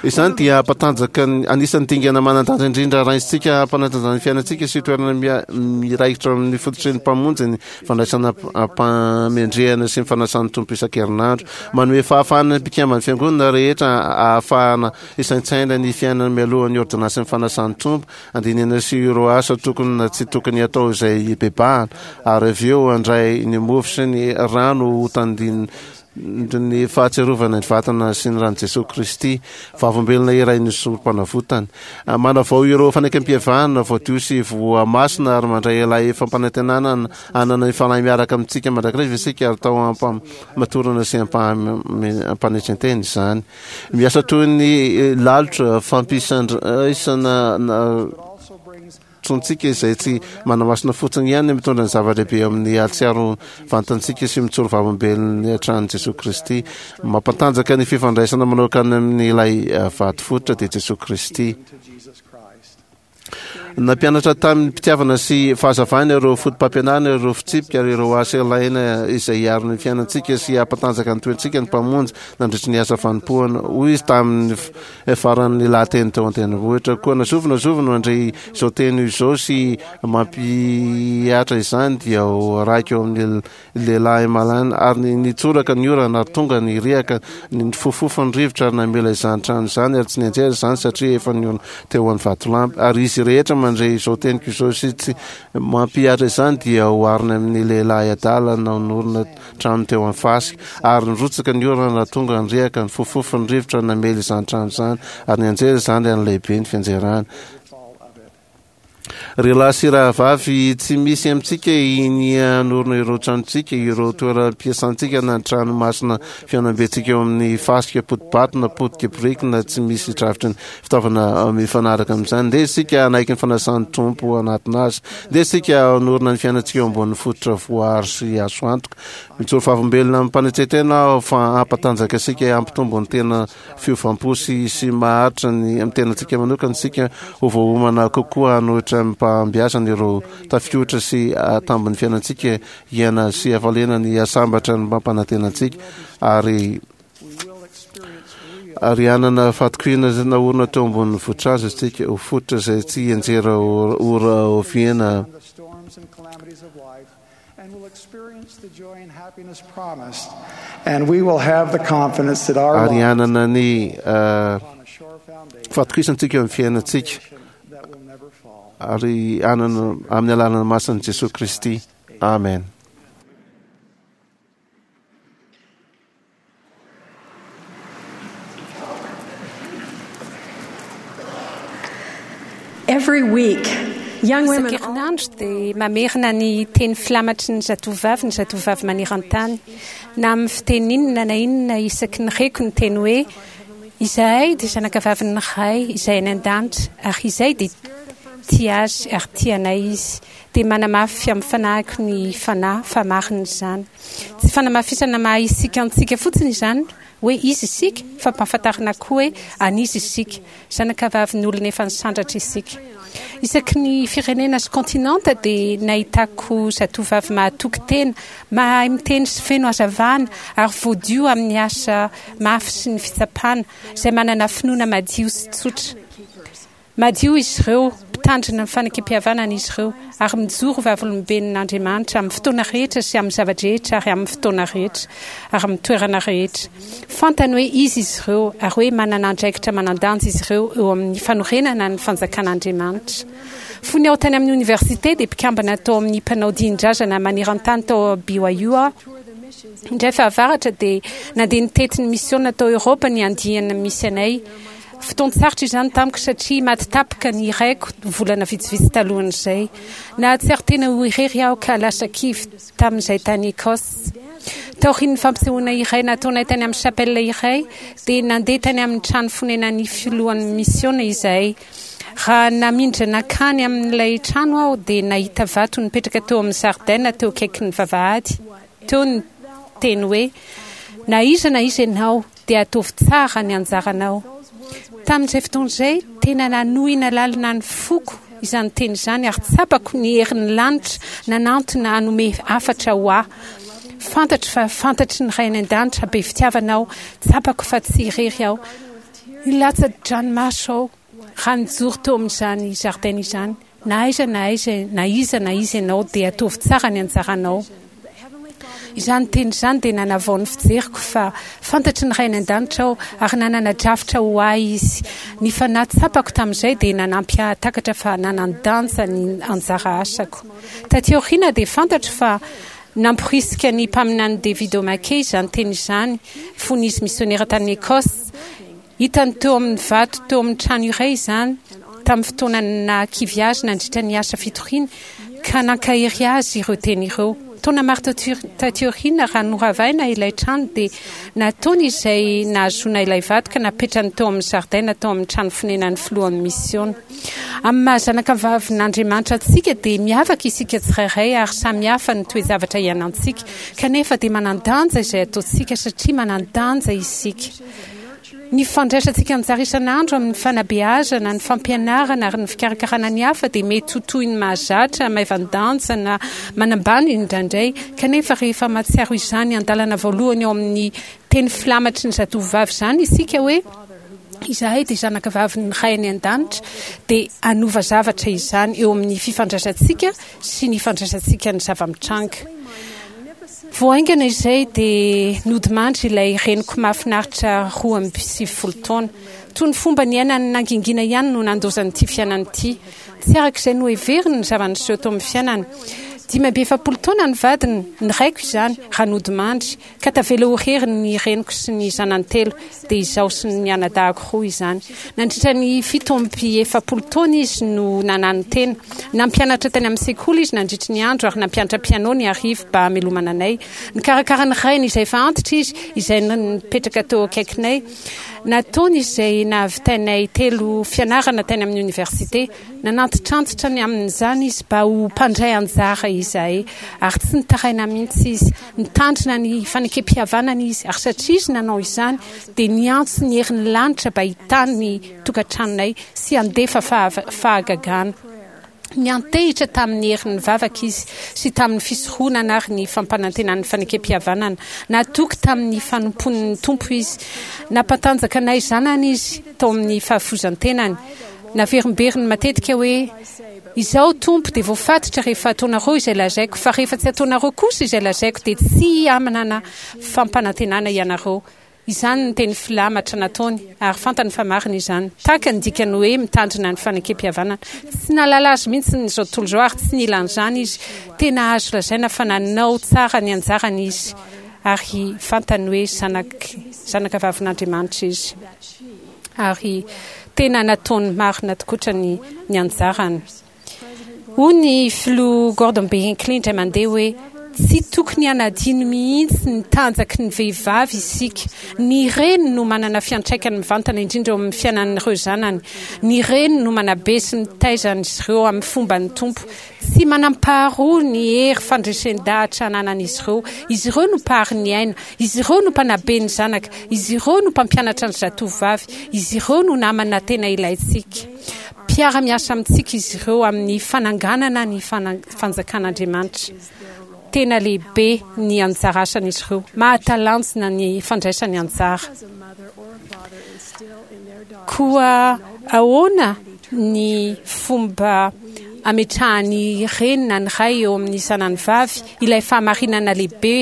Izany dia hampatanjaka ny anisan'ny dingana manan-danja indrindra raintsika hampanatanjana ny fiainantsika sy toerana miraikitra amin'ny fototry ny Mpamonjy ny fandraisana am-pamendrehana sy ny fanasan'ny Tompo isan-kerinandro. Manome fahafahana ny mpikamban'ny Fiangonana rehetra ahafahana hisaintsaina ny fiainana mialohan'ny ôrdônansin'ny fanasan'ny Tompo Andinihana sy ireo asa tokony na tsy tokony hatao izay hibebahana, ary avy eo handray ny mofo sy ny rano ho tandindon'ny fahatsiarovana ny vatana sy ny ran'i Jesoa Kristy, vavolombelona iray ny Sorompanavotany. Manavao ireo fanekempihavanana voadio sy voamasina ary mandray ilay fampanantenana hanana ny Fanahy miaraka amintsika mandrakariva isika ary tao am-pamatorana sy am-panetren-tena izany. Miasa toy ny lalotra fampisandraisana tsontsika izay tsy manamasina fotsiny ihany mitondra ny zava-dehibe amin'ny hatsiaro vantantsika sy mitsoro vavolombelon'ny hatrany Jesoa Kristy. Mampantanjaka ny fifandraisana manokana amin'ilay vato fototra dia Jesoa Kristy. Nampianatra tamin'ny mpitiavana sy fahazavana ireo fotopampianarana, ireo fitsipika ary ireo asa ilaina izay hiaro ny fiainantsika sy hampatanjaka ny toetsika ny Mpamonjy nandritry ny asa fanompoana. Hoy izy tamin'ny faran'ny lahateny teo an-tendrombohitra, Koa na zovy na zovy no handre izao teny izao sy mampihatra izany dia ho arahiko eo amin'ny Lehilahy malaina, ary nitsoraka ny orana, ary tonga ny riaka, nifofofo ny rivotra, ary namela izany trano izany, ary tsy nianjera izany, satria efa niorina teo amin'ny vatolampy. Ary izy rehetra mandre izao teniko izao sy tsy mampihatra izany dia oharina amin'ny lehilahy adala nanorina trano teo amin'ny fasika. Ary nirotsaka ny orana, tonga ny riaka, nifofofo ny rivotra, namely izany trano izany, ary nianjera izany, ary lehibe ny fianjerany. Ry lahy sy rahavavy, tsy misy amintsika hinia hanorina ireo tranontsika, ireo toeram-piasantsika na ny trano masina fihaonambentsika eo amin'ny fasika poti-bato na potika biriky na tsy misy drafitry ny fitaovana mifanaraka amin'izany. Ndeha isika hanaiky ny fanasan'ny Tompo hanatona Azy. Ndeha isika hanorina ny fiainantsika eo ambonin'ny fototra voaaro sy azo antoka. Mijoro vavolombelona amim-panetren-tena aho fa hampatanjaka antsika hampitombo ny tena fiovam-po sy sy maharitra ny amin'ny tenantsika manokana isika ho voaomana kokoa hanohitra amim-pahombiazana ireo tafiotra sy tambin'ny fiainantsika hiaina sy hafaliana ny hasambatra ny mampanantena antsika ary ary hanana fahatokiana naorina teo ambonin'ny vohitrazo isika ho fototra izay tsy hianjera ora oviana. And will experience the joy and happiness promised, and we will have the confidence that our ary lives hanana ny upon a sure foundation fahatokisantsika eo amin'ny fiainantsika that will never fall. ary hanana amin'ny alalan'ny masin'i Jesoa Kristy. Amen. Amen. Every week, young women Isan-kerinandro dia mamerina ny teny filamatry ny zatovovavy ny zatovovavy maneran-tany. Na amin'ny fiteny inona na inona isaky ny reko ny teny hoe Izahay dia zanakavavin'ny Ray izay any an-danitra ary izay dia tia azy ary tia anay Izy, dia manamafy amin'ny fanahiko ny Fanahy fa marina izany. Tsy fanamafisana maha isika antsika fotsiny izany hoe iza isika fa ampahafantarina koa hoe an'iza isika. Zanakavavin'olona efa nisandratra isika. Isaky ny firenena sy kontinanta dia nahitako zatovovavy mahatoky tena, mahay miteny sy feno hazavana ary voadio amin'ny asa mafy sy ny fitsapana, izay manana finoana madio sy tsotra. Madio izy ireo, mpitandrina ny fanekempihavanana izy ireo, ary mijoro vavolomben'Andriamanitra amin'ny fotoana rehetra sy amin'ny zava-drehetra ary amin'ny fotoana rehetra ary amin'ny toerana rehetra. Fantany hoe iza izy ireo ary hoe manana andraikitra manan-danja izy ireo eo amin'ny fanorenana ny Fanjakan'Andriamanitra. Fony aho tany amin'ny oniversite dia mpikambana tao amin'ny mpanao dihin-drazana maneran-tany tao BYU aho. Indray fahavaratra dia nandeha nitety ny misiona tao Eoropa ny andiany misy anay. Fotoan-tsarotra izany tamiko satria maty tapaka ny raiko volana vitsivitsy talohan'izay. Nahatsiaro tena ho irery aho ka lasa kivy tamin'izay tany Écosse. Taorian'ny fampisehoana iray nataonay tany amin'ny chapelle iray, dia nandeha tany amin'ny trano fonenan'ny filohan'ny misiona izahay. Raha namindra nankany amin'ilay trano aho, dia nahita vato nipetraka teo amin'ny zaridaina teo akaikin'ny vavahady. Teo ny teny hoe, Na iza na iza ianao, dia ataovy tsara ny anjaranao. Tamin'izay fotoana izay, tena nanohina lalina ny foko izany teny izany ary tsapako ny herin'ny lanitra nanantona hanome hafatra ho ahy. Fantatro fa fantatry ny Ray any An-danitra be fitiavana aho, tsapako fa tsy irery aho. Nilatsa-dranomaso aho raha nijoro teo amin'izany zaridaina izany. Na aiza na aiza, na iza na iza ianao, dia ataovy tsara ny anjaranao. Izany teny izany dia nanavao ny fijeriko fa fantatry ny Ray any An-danitra aho ary nanana drafitra ho ahy Izy. Ny fanahy tsapako tamin'izay dia nanampy ahy hahatakatra fa nanan-danja ny anjara asako. Taty aoriana dia fantatro fa namporisika ny Mpaminany David O. McKay izany teny izany fony izy misionera tany Écosse. Hitany teo amin'ny vato teo amin'ny trano iray izany tamin'ny fotoana nahakivy azy nandritra ny asa fitoriany, ka nankahery azy ireo teny ireo. Taona maro taty aoriana, raha noravaina ilay trano, dia nataony izay nahazoana ilay vato ka napetrany teo amin'ny zaridaina tao amin'ny trano fonenan'ny filohan'ny misiona. Amin'ny maha zanakavavin'Andriamanitra antsika, dia miavaka isika tsirairay ary samy hafa ny toe-javatra iainantsika, kanefa dia manan-danja izay ataontsika satria manan-danja isika. Ny fandraisantsika anjara isan'andro amin'ny fanabeazana, ny fampianarana ary ny fikarakarana ny hafa dia mety ho toy ny mahazatra, maivan-danja na manambany indraindray. Kanefa rehefa mahatsiaro izany andalana voalohany ao amin'ny teny filamatry ny zatovovavy izany isika hoe, Izahay dia zanakavavin'ny Ray any An-danitra, dia hanova zavatra izany eo amin'ny fifandraisantsika sy ny fandraisantsika ny zava-mitranga. Vao haingana izay dia nodimandry ilay reniko mahafinaritra 92 taona. Toy ny fomba niainany nangingina ihany no nandaozany ity fiainana ity. Tsy araka izay noheveriny ny zava-niseho tao amin'ny fiainany. 45 taona ny vadiny, ny raiko izany, raha nodimandry. Ka tavela ho irery ny reniko sy ny zanany telo, dia izaho sy ny anadahiko roa izany. Nandritra ny 47 taona izy no nananotena. Nampianatra tany amin'ny sekoly izy nandritry ny andro ary nampianatra piano ny hariva mba hamelomana anay. Nikarakara ny rainy izay efa antitra izy, izay nipetraka teo akaikinay. Nataony izay nahavitainay telo fianarana tany amin'ny oniversite. Nanantitrantitra ny amin'izany izy mba ho mpandray anjara izahay, ary tsy nitaraina mihitsy izy. Nitandrina ny fanekempihavanana izy, ary satria izy nanao izany, dia niantso ny herin'ny lanitra mba hitahy ny tokantranonay sy handefa fahagagana. Niantehitra tamin'ny herin'ny vavaka izy, sy tamin'ny fisoronana ary ny fampanantenan'ny fanekempihavanana. Natoky tamin'ny fanompoan'ny Tompo izy. Nampatanjaka anay zanany izy tao amin'ny fahafoizan-tenany. Naverimberiny matetika hoe, Izaho Tompo dia voafatotra rehefa ataonareo izay lazaiko, fa rehefa tsy ataonareo kosa izay lazaiko dia tsy hamanana fampanantenana ianareo. Izany ny teny filamatra nataony, ary fantany fa marina izany. Tahaka ny dikany hoe mitandrina ny fanekempihavanana. Tsy nahalala azy mihitsy ny izao tontolo izao ary tsy nila an'izany izy. Tena azo lazaina fa nanao tsara ny anjarany izy, ary fantany hoe zanak, zanakavavin'Andriamanitra izy. Ary tena nataony marina tokoatra ny, ny anjarany. Hoy ny filoha Gordon B. Hinckley indray mandeha hoe, Tsy tokony hanadino mihitsy ny tanjaky ny vehivavy isika. Ny reny no manana fiantraikany mivantana indrindra eo amin'ny fiainan'ireo zanany. Ny reny no manabe sy mitaiza an'izy ireo amin'ny fomban'ny Tompo. Tsy manam-paharoa ny hery fandresen-dahatra ananan'izy ireo. Izy ireo no mpahary ny aina. Izy ireo no mpanabe ny zanaka. Izy ireo no mpampianatra ny zatovovavy. Izy ireo no namana tena ilaintsika. Mpiara-miasa amintsika izy ireo amin'ny fananganana ny Fanjakan'Andriamanitra. Tena lehibe ny anjara asan'izy ireo. Mahatalanjona ny fandraisany anjara. Koa ahoana ny fomba ametrahan'ny reny na ny ray eo amin'ny zanany vavy ilay fahamarinana lehibe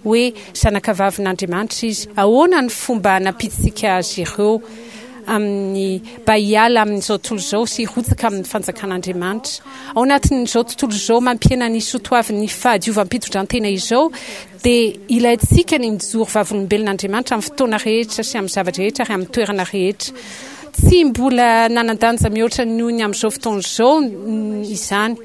hoe zanakavavin'Andriamanitra izy? Ahoana ny fomba anampiantsika azy ireo amin'ny mba hiala amin'izao tontolo izao sy hirotsaka amin'ny fanjakan'Andriamanitra. Ao anatin'izao tontolo izao mampihena ny soatoavin'ny fahadiovam-pitondrantena izao dia ilaintsika ny mijoro vavolombelon'Andriamanitra amin'ny fotoana rehetra sy amin'ny zava-drehetra ary amin'ny toerana rehetra. Tsy mbola nanan-danja mihoatra noho ny amin'izao fotoana izao izany.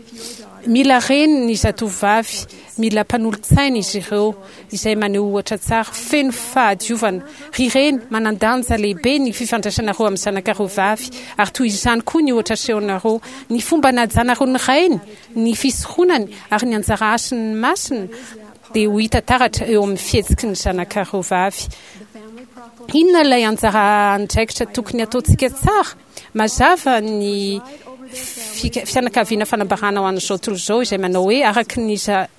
Mila reny ny zatovovavy, mila mpanolotsaina izy ireo. izay maneho ohatra tsara, feno fahadiovana. Ry reny, manan-danja lehibe ny fifandraisanareo amin'ny zanakareo vavy, ary toy izany koa ny ohatra asehonareo. Ny fomba anajanareo ny rainy, ny fisoronany, ary ny anjara hasiny masina dia ho hita taratra eo amin'ny fihetsiky ny zanakareo vavy. Inona ilay anjara andraikitra tokony hataontsika tsara? Mazava ny fianakaviana fanambarana ho an'izao tontolo izao izay manao hoe araka ny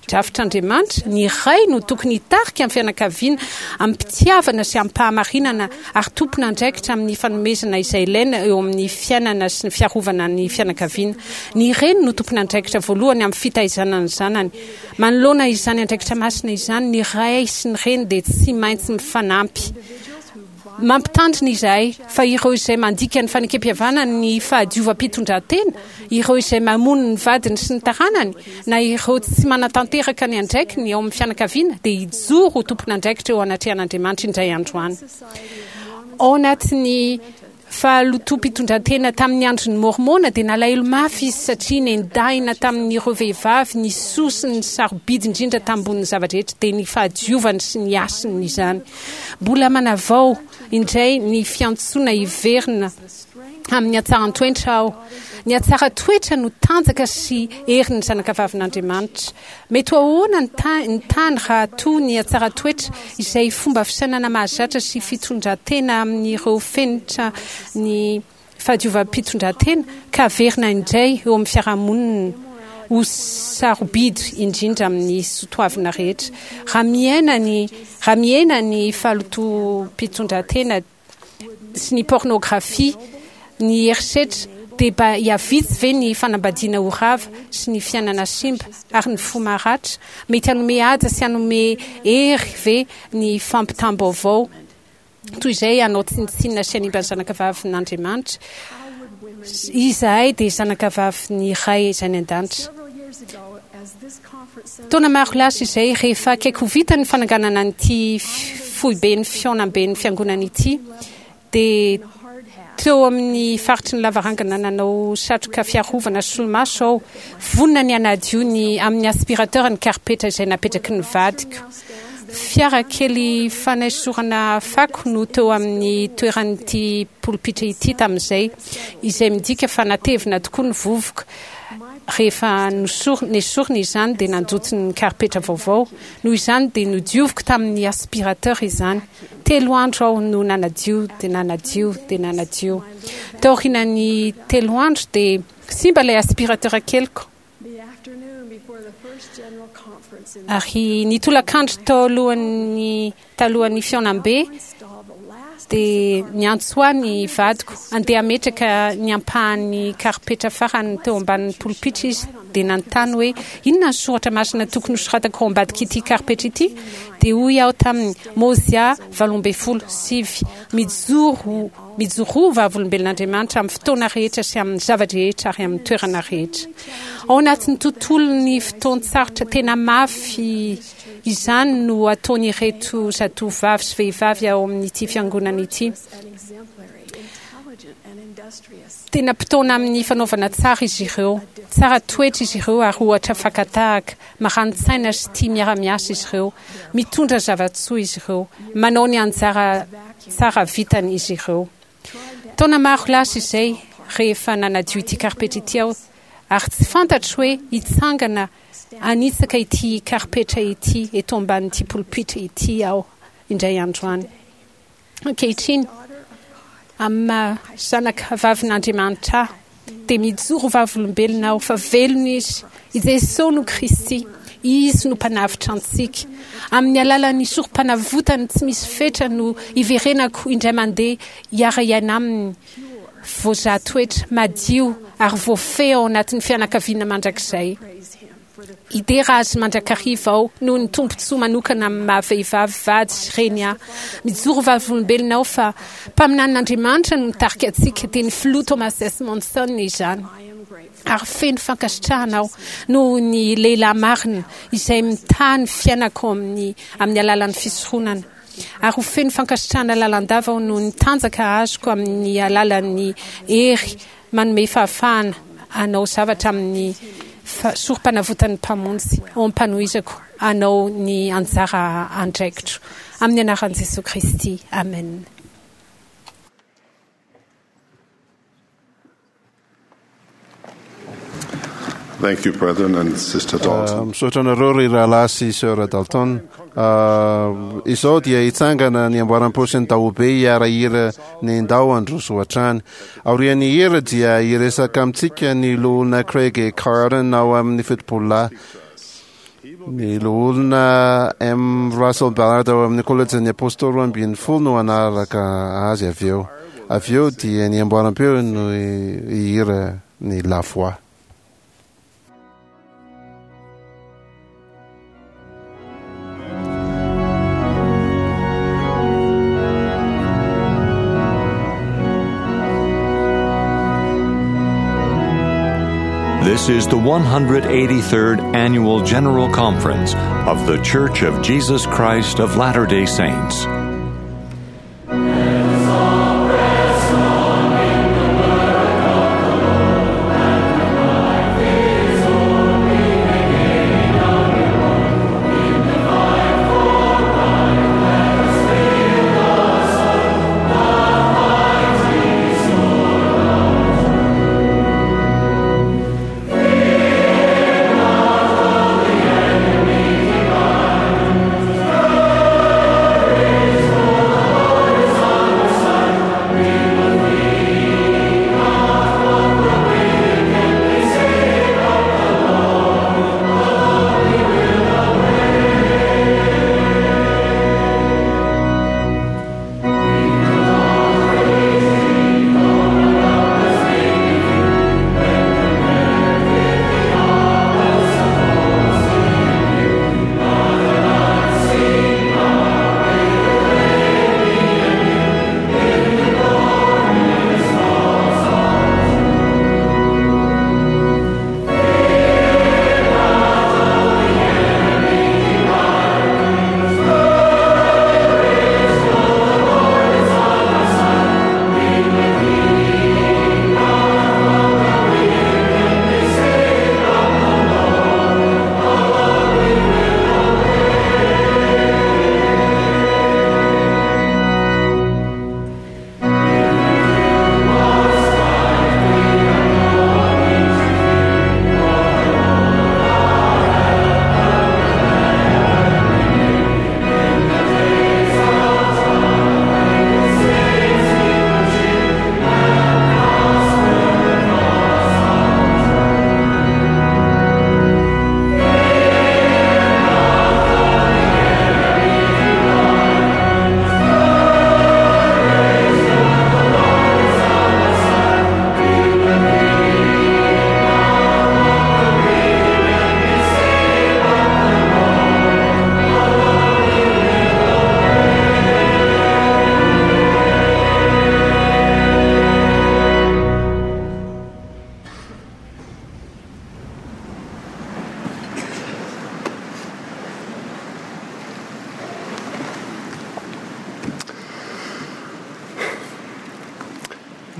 drafitr'Andriamanitra, ny ray no tokony hitarika ny fianakaviana amim-pitiavana sy amim-pahamarinana ary tompon'andraikitra amin'ny fanomezana izay ilaina eo amin'ny fiainana sy ny fiarovana ny fianakaviana. Ny reny no tompon'andraikitra voalohany amin'ny fitaizana ny zanany. Manoloana izany andraikitra masina izany, ny ray sy ny reny dia tsy maintsy mifanampy. Mampitandrina izahay fa ireo izay mandika ny fanekempihavanany ny fahadiovam-pitondrantena, ireo izay mamono ny vadiny sy ny taranany, na ireo tsy manatanteraka ny andraikiny ao amin'ny fianakaviana dia hijoro ho tompon'andraikitra eo anatrehan'Andriamanitra indray andro any. Ao anatin'ny Fahalotoam-pitondrantena tamin'ny andron'i Môrmôna dia nalahelo mafy izy satria nendahina tamin'ireo vehivavy ny soa sy ny sarobidy indrindra tambonin'ny zava-drehetra dia ny fahadiovany sy ny hasiny izany. Mbola manavao indray ny fiantsoana hiverina amin'ny hatsaran-toetra aho. Ny hatsaran-toetra no tanjaka sy herin'ny zanakavavin'Andriamanitra. Mety ho ahoana ny ny tany raha toa ny hatsaran-toetra, izay fomba fisainana mahazatra sy fitondran-tena amin'ireo fenitra ny fahadiovam-pitondran-tena, ka averina indray eo amin'ny fiarahamonina ho sarobidy indrindra amin'ny sotoavina rehetra? Raha miaina ny raha mihena ny fahalotoam-pitondran-tena, sy ny pornographie, ny herisetra, dia mba hihavitsy ve ny fanambadiana ho rava sy ny fiainana simba ary ny fo maratra? Mety hanome haja sy hanome hery ve ny fampitam-baovao toy izay hanao tsinontsinona sy hanimba ny zanakavavin'Andriamanitra? Izahay dia zanakavavin'ny Ray izay any an-danitra. Taona maro lasa izay, rehefa akaiky ho vita ny fananganana an'ity foiben'ny fihaonamben'ny Fiangonana ity, dia teo amin'ny faritry ny lavarangana nanao satroka fiarovana sy solomaso aho, vonona ny hanadio ny amin'ny aspirateur ny karipetra izay napetraky ny vadiko. Fiara kely fanaisorana fako no teo amin'ny toeran'ity polipitra ity tamin'izay, izay midika fa natevina tokoa ny vovoka. Rehefa nesorina izany dia nandoto ny karipetra vaovao. Noho izany dia nodioviko tamin'ny aspirateur izany. Telo andro aho no nanadio dia nanadio dia nanadio. Taorian'ny telo andro dia simba ilay aspirateur keliko. Ary ny tolakandro talohan'ny talohan'ny fihaonambe dia niantso ahy ny vadiko handeha hametraka ny ampahan'ny karipetra farany teo ambanin'ny polipitra izy. dia nanontany hoe inona ny soratra masina tokony hosoratako ao ambadik'ity karipetra ity, dia hoy aho taminy, Môzià 18, 9, Mijoro, mijoroa ho vavolombelon'Andriamanitra amin'ny fotoana rehetra sy amin'ny zava-drehetra ary amin'ny toerana rehetra. Ao anatin'ny tontolon'ny fotoan-tsarotra tena mafy izany no ataon'ireto zatovovavy sy vehivavy ao amin'ity fiangonana ity. Tena mpitaona amin'ny fanaovana tsara izy ireo. Tsara toetra izy ireo ary ohatra fakan-tahaka. Marani-tsaina sy tia miara-miasa izy ireo. Mitondra zava-tsoa izy ireo. Manao ny anjara tsara vitany izy ireo. Taona maro lasa izay, rehefa nanadio ity karipetra ity aho, ary tsy fantatro hoe hitsangana hanitsaka ity karipetra ity eto ambanin'ity polipitra ity aho indray andro any. Ankehitriny, amin'ny maha zanaka vavin'Andriamanitra ahy, dia mijoro vavolombelona aho fa velona Izy. I Jesoa no Kristy. Izy no Mpanavotra antsika. Amin'ny alalan'ny sorompanavotany tsy misy fetra no hiverenako indray mandeha hiara-hiaina Aminy, voazaha toetra, madio ary voafehy ao anatin'ny fianakaviana mandrakizay. Hidera azy mandrakariva aho noho ny tombontsoa manokana amin'ny maha vehivavy, vady sy reny ahy. Mijoro vavolombelona aho fa mpaminanin'Andriamanitra no mitarika antsika, dia ny Filoha Thomas S. Monson izany. Ary feno fankasitrahana aho noho ny lehilahy marina izay mitaha ny fiainako amin'ny amin'ny alalan'ny fisoronana. Ary ho feno fankasitrahana lalandava aho noho ny tanjaka azoko amin'ny alalan'ny hery Manome fahafahana hanao zavatra amin'ny sorompanavotan'ny Mpamonjy ao am-panohizako hanao ny anjara andraikitro. Amin'ny anaran'i Jesoa Kristy, amena. Thank you, brethren and Sister Dalton. Misaotra anareo ry rahalahy sy Sœur Dalton. Izao dia hitsangana ny amboaram-peo sy ny dahobe hiara-hira ny Ndao handroso hatrany. Aorian'ny hira dia hiresaka amintsika ny Loholona Craig E. Carden ao amin'ny Fitopololahy. Ny Loholona M. Russell Ballard ao amin'ny Kolejin'ny Apôstôly 12 no hanaraka azy avy eo. Avy eo dia ny amboaram-peo no hihira ny La Voix. This is the 183rd Annual General Conference of The Church of Jesus Christ of Latter day Saints.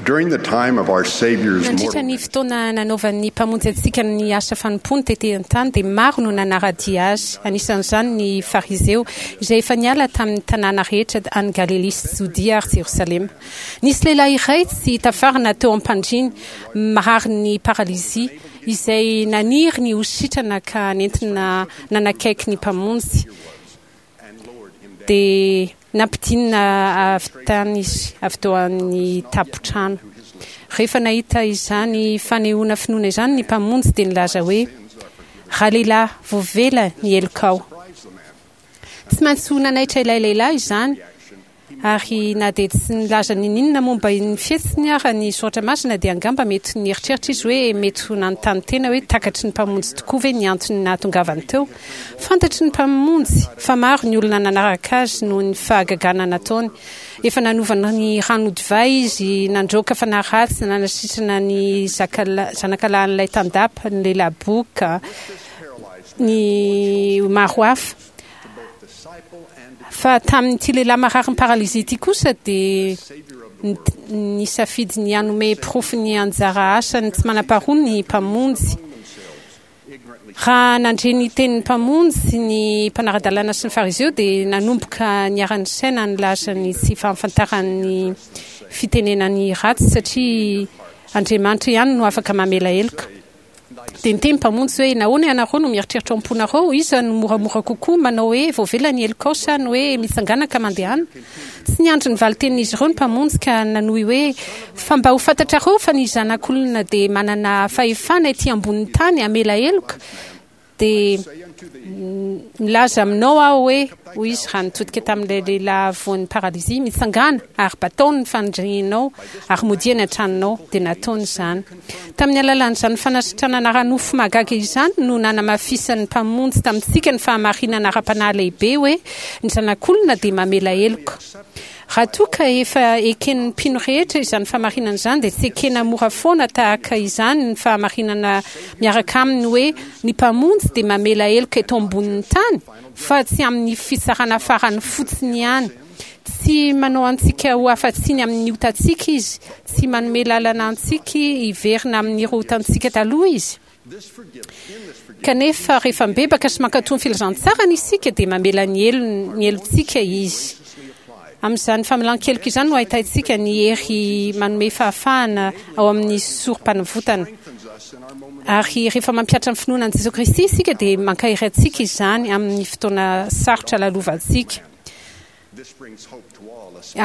During the time of our Savior's Nandritra mortal ny fotoana nanaovan'ny Mpamonjy antsika ny asa fanompoany tety an-tany dia maro no nanara-dia Azy, anisan'izany ny Fariseo, izay efa niala tamin'ny tanàna rehetra any Galilia sy Jodia ary Jerosalema. Nisy lehilahy iray tsy tafarina teo am-pandriany, mararin'ny paralizia, izay naniry ny ho sitrana ka nentina nanakaiky ny Mpamonjy. Dia nampidinina avy tany izy, avy teo amin'ny tampon-trano. Rehefa nahita izany fanehoana finoana izany ny Mpamonjy dia nilaza hoe, Ralehilahy, voavela ny helokao. Tsy maintsy ho nanaitra ilay lehilahy izany. Ary na dia tsy nilaza n'inon'inona momba ny fihetsiny ara ny Soratra Masina, dia angamba mety nieritreritra izy hoe mety ho nanontany tena hoe takatry ny Mpamonjy tokoa ve ny antony nahatongavany teo. Fantatry ny Mpamonjy fa maro ny olona nanaraka Azy noho ny fahagagana nataony. Efa nanova ny rano ho divay Izy, nandroaka fanahy ratsy, nanasitrana ny zanakalahin'ilay tandapa, ny lehilahy boka, ny maro hafa. Fa tamin'ity lehilahy mararin'ny paralysie ity kosa dia nisafidy ny hanome porofon'ny anjara asany tsy manam-paharoa ny Mpamonjy. Raha nandre ny tenin'ny Mpamonjy ny mpanara-dalàna sy ny Fariseo dia nanomboka niara-nisaina nilaza ny tsy fahafantarany fitenenany ratsy satria Andriamanitra ihany no afaka mamela heloka. Dia niteny ny Mpamonjy hoe, Nahoana ianareo no mieritreritra ao am-ponareo? Iza no moramora kokoa, manao hoe, 'Voavela ny helokao' sa ny hoe, 'Mitsangàna ka mandehana'? Tsy niandry ny valin-tenin'izy ireo ny Mpamonjy ka nanohy hoe, Fa mba ho fantatrareo fa ny Zanak'olona dia manana fahefana ety ambonin'ny tany hamela heloka, Dia milaza aminao aho hoe, hoy izy raha nitodika tamin'ilay lehilahy voan'ny paralysy, mitsangàna ary batao ny fandrianao ary modia any an-tranonao. Dia nataony izany. Tamin'ny alalan'izany fanasitranana ara-nofo mahagaga izany no nanamafisan'ny Mpamonjy tamintsika ny fahamarinana ara-panahy lehibe hoe ny Zanak'olona dia mamela heloka. Raha toa ka efa eken'ny mpino rehetra izany fahamarinana izany dia tsy ekena mora foana tahaka izany ny fahamarinana miaraka aminy hoe ny Mpamonjy dia mamela heloka eto ambonin'ny tany fa tsy amin'ny fitsarana farany fotsiny ihany. Tsy manao antsika ho afa-tsiny amin'ny otantsika Izy, tsy manome lalana antsika hiverina amin'ireo otantsika taloha Izy. Kanefa rehefa mibebaka sy mankatò ny filazantsarany isika dia mamela ny helony, ny helotsika Izy. Amin'izany famelan-keloka izany no ahitaintsika ny hery manome fahafahana ao amin'ny sorom-panavotana. Ary rehefa mampihatra ny finoana an'i Jesoa Kristy isika dia mankahery antsika izany amin'ny fotoana sarotra lalovantsika.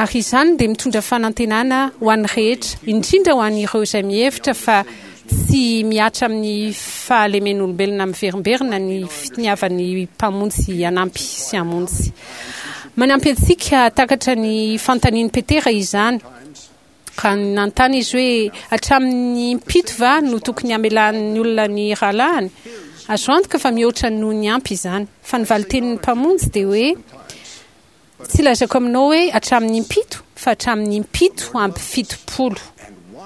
Ary izany dia mitondra fanantenana ho an'ny rehetra, indrindra ho an'ireo izay mihevitra fa tsy mihatra amin'ny fahalemen'olombelona miverimberina ny finiavan'ny Mpamonjy hanampy sy hamonjy. Manampy antsika hahatakatra ny fanontanian'i Petera izany. Raha nanontany izy hoe, Hatramin'ny impito va no tokony hamelan'ny olona ny rahalahiny? Azo antoka fa mihoatra noho ny ampy izany. Fa ny valin-tenin'ny Mpamonjy dia hoe, Tsy lazaiko aminao hoe hatramin'ny impito, fa hatramin'ny impito amby 70.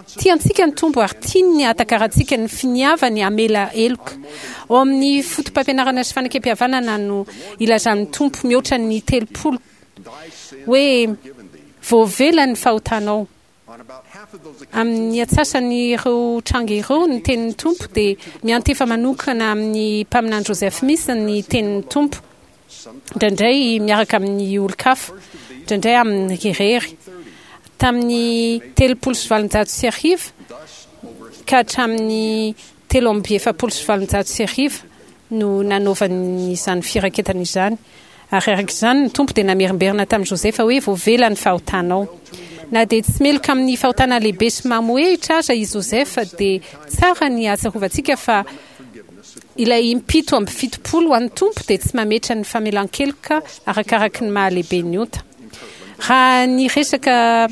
Tia antsika ny Tompo ary tiany ny hahatakarantsika ny finiavany hamela heloka. Ao amin'ny Fotopampianarana sy Fanekempihavanana no ilazan'ny Tompo mihoatra ny 30 hoe voavela ny fahotanao. Amin'ny antsasan'ireo tranga ireo, ny tenin'ny Tompo dia miantefa manokana amin'ny Mpaminany Joseph Smith ny tenin'ny Tompo, indraindray miaraka amin'ny olon-kafa, indraindray aminy irery. Tamin'ny 1830 ka hatramin'ny 1843 no nanaovany izany firaketana izany. Ary araka izany, ny Tompo dia namerimberina tamin'i Josefa hoe, Voavela ny fahotanao. Na dia tsy meloka amin'ny fahotana lehibe sy mamohehitra aza i Josefa, dia tsara ny hahatsiarovantsika fa ilay impito amby 70 ho an'ny Tompo dia tsy mametra ny famelan-keloka arakaraky ny maha-lehibe ny ota. Raha niresaka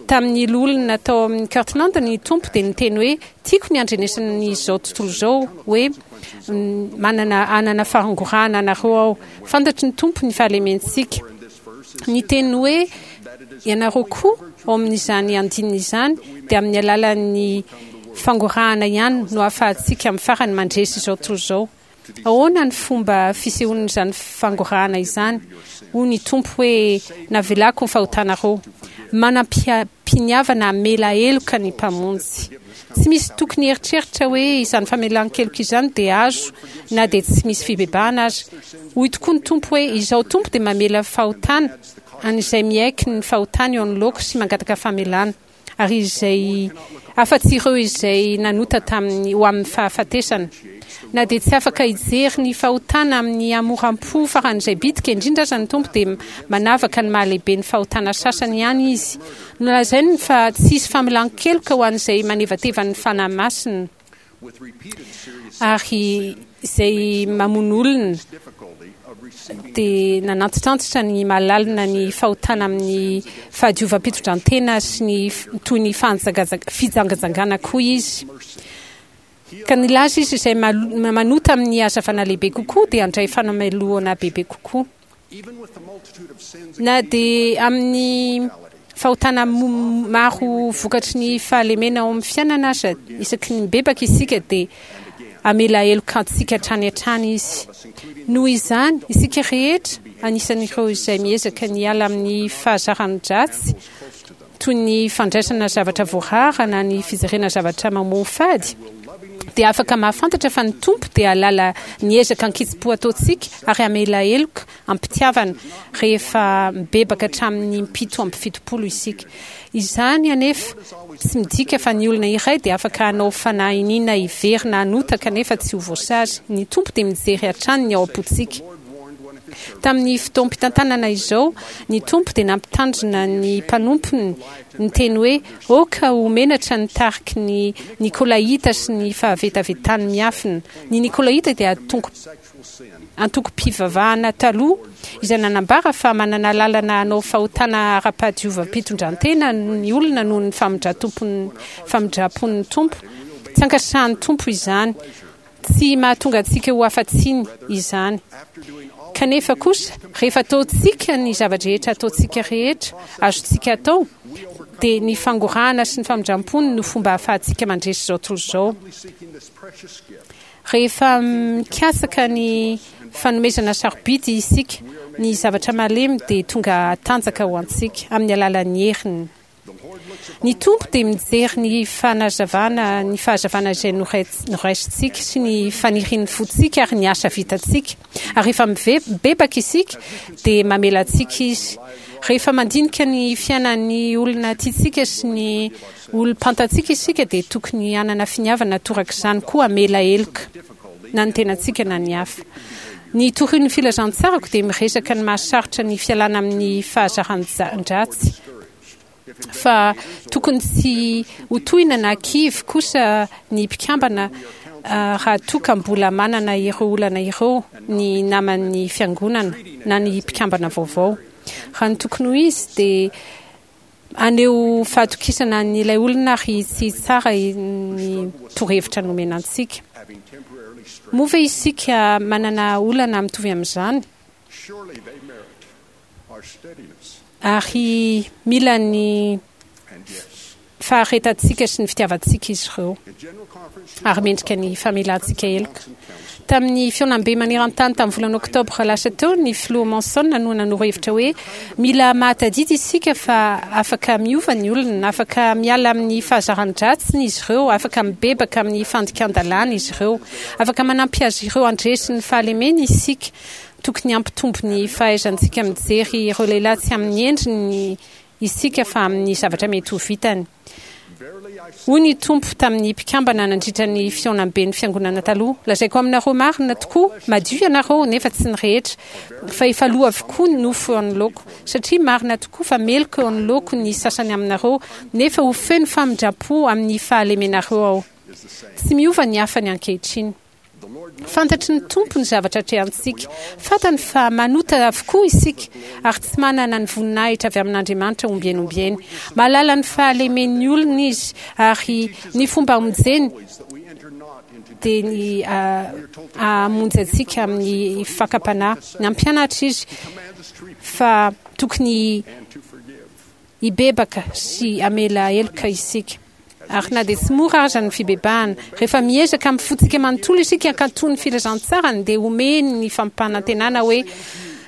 tamin'ny loholona tao amin'ny Kirtland ny Tompo dia niteny hoe, Tiako ny handrenesan'izao tontolo izao hoe manana hanana fahangorahana anareo aho. Fantatry ny Tompo ny fahalementsika. Ny teny hoe ianareo koa ao amin'izany andininy izany dia amin'ny alalan'ny fangorahana ihany no ahafahantsika amin'ny farany mandresy izao tontolo izao. Ahoana ny fomba fisehoan'izany fangorahana izany? Hoy ny Tompo hoe, Navelako ny fahotanareo. Manam-piniavana hamela heloka ny Mpamonjy. Tsy misy tokony hieritreritra hoe izany famelan-keloka izany dia azo na dia tsy misy fibebahana aza. Hoy tokoa ny Tompo hoe, Izaho Tompo dia mamela fahotana an'izay miaiky ny fahotany eo anoloako sy mangataka famelana. ary izay afa-tsy ireo izay nanota tamin'ny ho amin'ny fahafatesana. Na dia tsy afaka hijery ny fahotana amin'ny hamoram-po faran'izay bitika indrindra aza ny Tompo dia manavaka ny mahalehibe ny fahotana sasany ihany Izy. Nolazainy fa tsy hisy famelan-keloka ho an'izay manevateva ny Fanahy Masina ary izay mamono olona dia nanantitrantitra ny mahalalina ny fahotana amin'ny fahadiovam-pitondrantena sy ny toy ny fijangajangana koa izy. Ka nilaza izy izay manota amin'ny hazavana lehibe kokoa dia handray fanamelohana bebe kokoa. Na dia amin'ny fahotana maro vokatry ny fahalemena ao amin'ny fiainana aza, isaky ny mibebaka isika dia hamela heloka antsika hatrany hatrany Izy. Noho izany, isika rehetra, anisan'ireo izay miezaka ny hiala amin'ny fahazaran-dratsy, toy ny fandraisana zavatra voarara na ny fijerena zavatra mamoafady, dia afaka mahafantatra fa ny Tompo dia hahalala ny ezaka an-kitsim-po ataontsika ary hamela heloka am-pitiavana rehefa mibebaka hatramin'ny impito 70 isika. Izany anefa tsy midika fa ny olona iray dia afaka hanao fanahy iniana hiverina hanota kanefa tsy ho voasazy. Ny Tompo dia mijery hatrany ny ao am-pontsika. Tamin'ny fotoam-pitantanana izao, ny Tompo dia nampitandrina ny mpanompony niteny hoe, Aoka ho menatra ny tariky ny Nikolaita sy ny fahavetavetany miafina. Ny Nikolaita dia antokom-pivavahana taloha izay nanambara fa manana lalana hanao fahotana ara-pahadiovam-pitondrantena ny olona noho ny famindram-pon'ny Tompo. Tsy ankasitrahan'ny Tompo izany. Tsy mahatonga antsika ho afa-tsiny izany. Kanefa kosa, rehefa ataontsika ny zava-drehetra ataontsika rehetra azontsika atao, dia ny fangorahana sy ny famindram-pony no fomba ahafahantsika mandresy izao tontolo izao. Rehefa mikatsaka ny fanomezana sarobidy isika, ny zavatra malemy dia tonga hatanjaka ho antsika amin'ny alalan'ny heriny. Ny Tompo dia mijery ny fanazavana, ny fahazavana izay noraisintsika sy ny fanirian'ny fontsika ary ny asa vitantsika. Ary rehefa mibebaka isika dia mamela antsika Izy. Rehefa mandinika ny fiainan'ny olona tiantsika sy ny olom-pantatsika isika dia tokony hanana finiavana torak'izany koa hamela heloka na ny tenantsika na ny hafa. Ny torian'ny filazantsarako dia miresaka ny maha-sarotra ny fialana amin'ny fahazaran-dratsy. Fa tokony tsy ho tohina na kivy kosa ny mpikambana raha toa ka mbola manana ireo olana ireo ny naman'ny fiangonana na ny mpikambana vaovao. Raha ny tokony ho izy dia haneho fahatokisana an'ilay olona ary tsy hitsara ny torohevitra nomena antsika. Moa ve isika manana olana mitovy amin'izany? Ary mila ny faharetantsika sy ny fitiavantsika izy ireo, ary mendrika ny famelantsika heloka. Tamin'ny fihaonambe maneran-tany tamin'ny volana Oktobra lasa teo, ny Filoha Monson no nanoro hevitra hoe, Mila mahatadidy isika fa afaka miova ny olona, afaka miala amin'ny fahazaran-dratsiny izy ireo, afaka mibebaka amin'ny fandikan-dalàna izy ireo. Afaka manampy azy ireo handresy ny fahalemeny isika. Tokony hampitombo ny fahaizantsika mijery ireo lehilahy tsy amin'ny endriny isika fa amin'ny zavatra mety ho vitany. Hoy ny Tompo tamin'ny mpikambana nandritra ny fihaonamben'ny Fiangonana taloha, Lazaiko aminareo marina tokoa, madio ianareo, nefa tsy ny rehetra, fa efa lo avokoa ny nofo eo anoloako, satria marina tokoa fa meloka eo anoloako ny sasany aminareo, nefa ho feno famindram-po amin'ny fahalemenareo Aho. Tsy miova ny hafany ankehitriny. Fantatry ny Tompo ny zavatra atrehantsika. Fantany fa manota avokoa isika ary tsy manana ny voninahitra avy amin'Andriamanitra ombieny ombieny. Mahalala ny fahalemen'ny olona Izy ary ny fomba hamonjeny dia ny hamonjy antsika amin'ny fakam-panahy. Nampianatra Izy fa tokony hibebaka sy hamela heloka isika. Ary na dia tsy mora aza ny fibebahana, rehefa miezaka amin'ny fontsika manontolo isika hankatò ny filazantsarany, dia omeny ny fampanantenana hoe,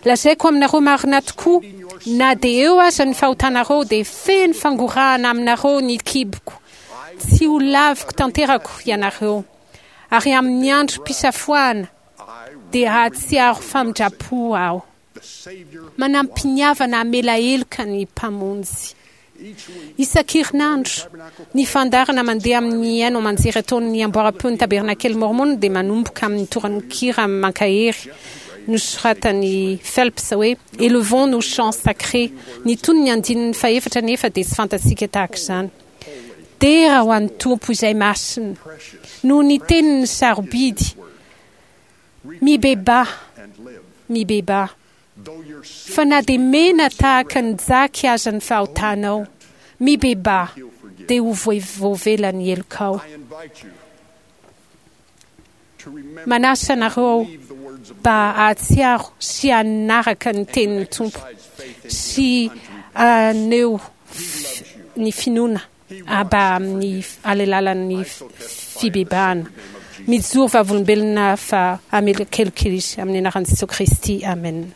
Lazaiko aminareo marina tokoa, na dia eo aza ny fahotanareo, dia feno fangorahana aminareo ny kiboko. Tsy ho laviko tanterako ianareo. Ary amin'ny androm-pisafoahana dia hahatsiaro famindram-po Aho. Manam-piniavana hamela heloka ny Mpamonjy. Isan-kerinandro, ny fandaharana mandeha amin'ny haino aman-jery ataon'ny Amboaram-peon'ny Tabernakely Môrmôna dia manomboka amin'ny torankira mankahery nosoratan'i Phelps hoe Élevons nos chants sacrés. Ny tonon'ny andininy fahefatra anefa dia tsy fantatsika tahaka izany. Dera ho an'ny Tompo izay masina, noho ny teniny sarobidy. Mibebaha, mibebaha. Fa na dia mena tahaka ny jaky aza ny fahotanao, mibebaha, dia ho voavela ny helokao. Manasa anareo aho mba hahatsiaro sy hanaraka ny tenin'ny Tompo sy haneho ny finoana mba amin'ny alalalan'ny fibebahana. Mijoro vavolombelona fa hamelokeloka Izy amin'ny anaran'i Jesoa Kristy. Amen.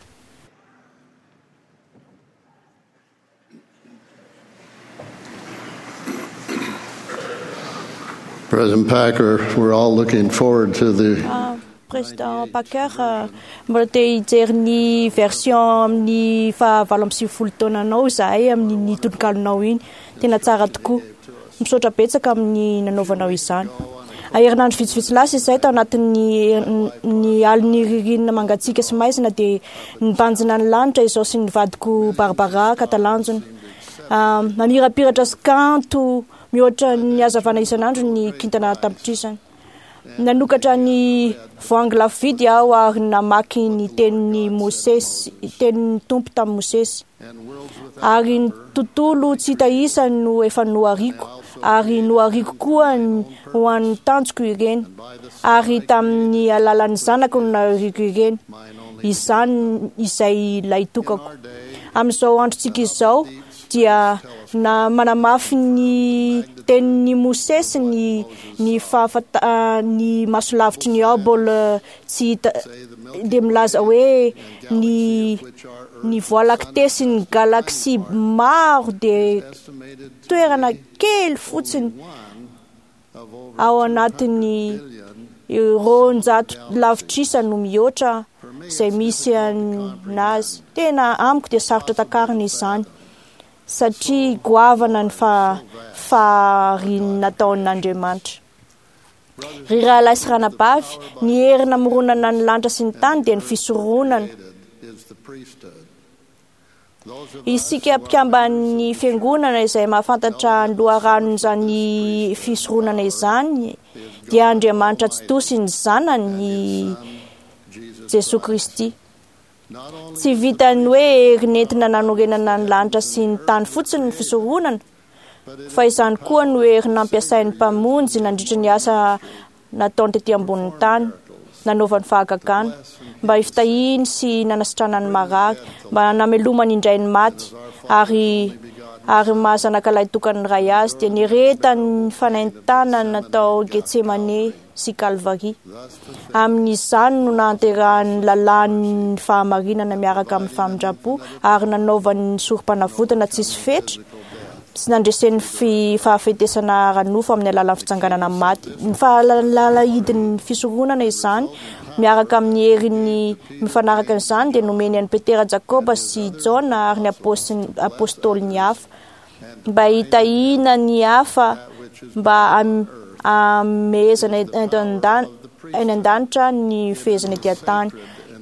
President Packer, we're all looking forward to the Président Packer, mbola te hijery ny version amin'ny faha 98 taonanao izahay amin'iny tononkalonao iny. Tena tsara tokoa. Misaotra betsaka amin'ny nanaovanao izany. Herinandro vitsivitsy lasa izay tao anatin'ny ny alin'ny ririnina mangatsiaka sy maizina dia nibanjina ny lanitra izao sy ny vadiko Barbara ka talanjona. Mamirapiratra sy kanto mihoatra ny hazavana isan'andro ny kintana an-tapitrisany. Nanokatra ny voahangy lafo vidy aho ary namaky ny tenin'i Mosesy, tenin'ny Tompo tamin'i Mosesy. Ary ny tontolo tsy hita isa no efa nohariko, ary nohariko koa ho an'ny tanjoko ireny, ary tamin'ny alalan'ny zanako no nahariako ireny, izany izay lahitokako. Amin'izao androntsika izao, dia na manamafy ny tenin'i Mosesy ny ny fahafata ny masolavitry ny Hubble tsy hita dia milaza hoe ny ny Voie lactée sy ny galaxie maro dia toerana kely fotsiny ao anatin'ny 200 lavitrisa no mihoatra izay misy anazy. Tena amiko dia sarotra takarina izany satria goavana ny fahariana nataon'Andriamanitra. Ry rahalahy sy ranabavy, ny hery namoronana ny lanitra sy ny tany dia ny fisoronana. Isika mpikamban'ny Fiangonana izay mahafantatra ny loharanon'izany fisoronana izany dia Andriamanitra Tsitoha sy ny Zanany, Jesoa Kristy. Tsy vitan'ny hoe hery nentina nanorenana ny lanitra sy ny tany fotsiny ny fisoronana, fa izany koa no hery nampiasain'ny Mpamonjy nandritra ny asa nataony tety ambonin'ny tany, nanaovany fahagagana, mba hifitahiany sy nanasitranany ny marary, mba namelomany indray ny maty, ary ary maha zanaka lahitokan'ny Ray azy, dia niaretany ny fanaintanana tao Getsemane sy Kalvary. Amin'izany no nahanterahan'ny lalàn'ny fahamarinana miaraka amin'ny famindram-po ary nanaovany ny sorom-panavotana tsisy fetra sy nandresen'ny fahafetesana ara-nofo amin'ny alalan'ny fitsanganana amin'ny maty. Ny fahalalahidin'ny fisoronana izany miaraka amin'ny heriny mifanaraka amin'izany dia nomeny an'i Petera, Jakoba sy Jaona ary ny apôstôliny hafa mba hitahiana ny hafa mba hamehezana any an-danitra ny fehezana ety an-tany.